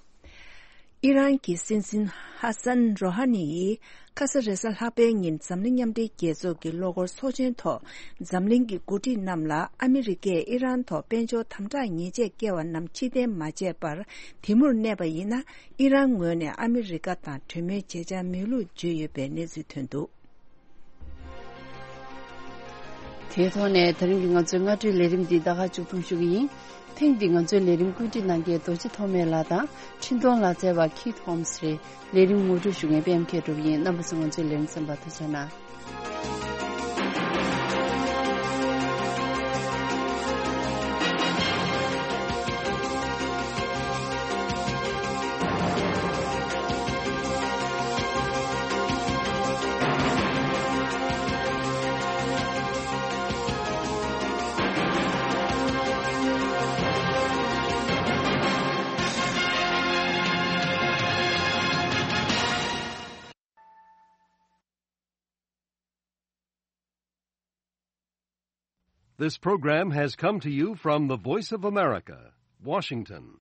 ཨི་རན་གྱི་སྲིད་འཛིན་ཧ་སན་རོ་ཧ་ནི་ཡིས་ཁ་ས་རེས་གཟའ་ལྷག་པའི་ཉིན་འཛམ་གླིང་མཉམ་འབྲེལ་རྒྱལ་ཚོགས་ཀྱི་གློག་འཁོར་ཚོགས་ཆེན་ཐོག་འཛམ་གླིང་གི་འགོ་ཁྲིད་རྣམས་ལ་ཨ་མི་རི་ཀས་ཨི་རན་ཐོག་དཔལ་འབྱོར་དམ་དྲག་ཉེས་ཆད་བཀལ་བ་རྣམས་ཕྱིར་འཐེན་མ་བྱས་པར་དེ་མུར་གནས་པ་ཡིན་ན། ཨི་རན་ངོས་ནས་ཨ་མི་རི་ཀ་དང་གྲོས་མོལ་བྱེད་འཆར་མེད་ལུགས་བརྗོད་ཡོད་པའི་གནས་ཚུལ་ཐོན་འདུག། དེའི་ཐོག་ནས་ད་རིང་གི་ང་ཚོའི་སྔ་དྲོའི་ལས་རིམ་འདི་ད་ག་མཇུག་སྡོམ་ཞུ་གི་ཡིན། ཐེངས་འདིའི་ང་ཚོའི་ལས་རིམ་བཀོད་སྒྲིག་གནང་མཁན་རྡོ་རྗེ་ཐོགས་མེད་ལགས་དང་འཕྲིན་གཏོང་ལག་རྩལ་བ་ཁི་ཐོམ་སི་རེད། ལས་རིམ་ངོ་སྤྲོད་ཞུ་མཁན་པད་མ་མཁས་གྲུབ་ཡིན། རྣམ་པ་ཚོ་ང་ཚོའི་ལས་རིམ་གསན་པར་ཐུགས་རྗེ་གནང་། This program has come to you from the Voice of America, Washington.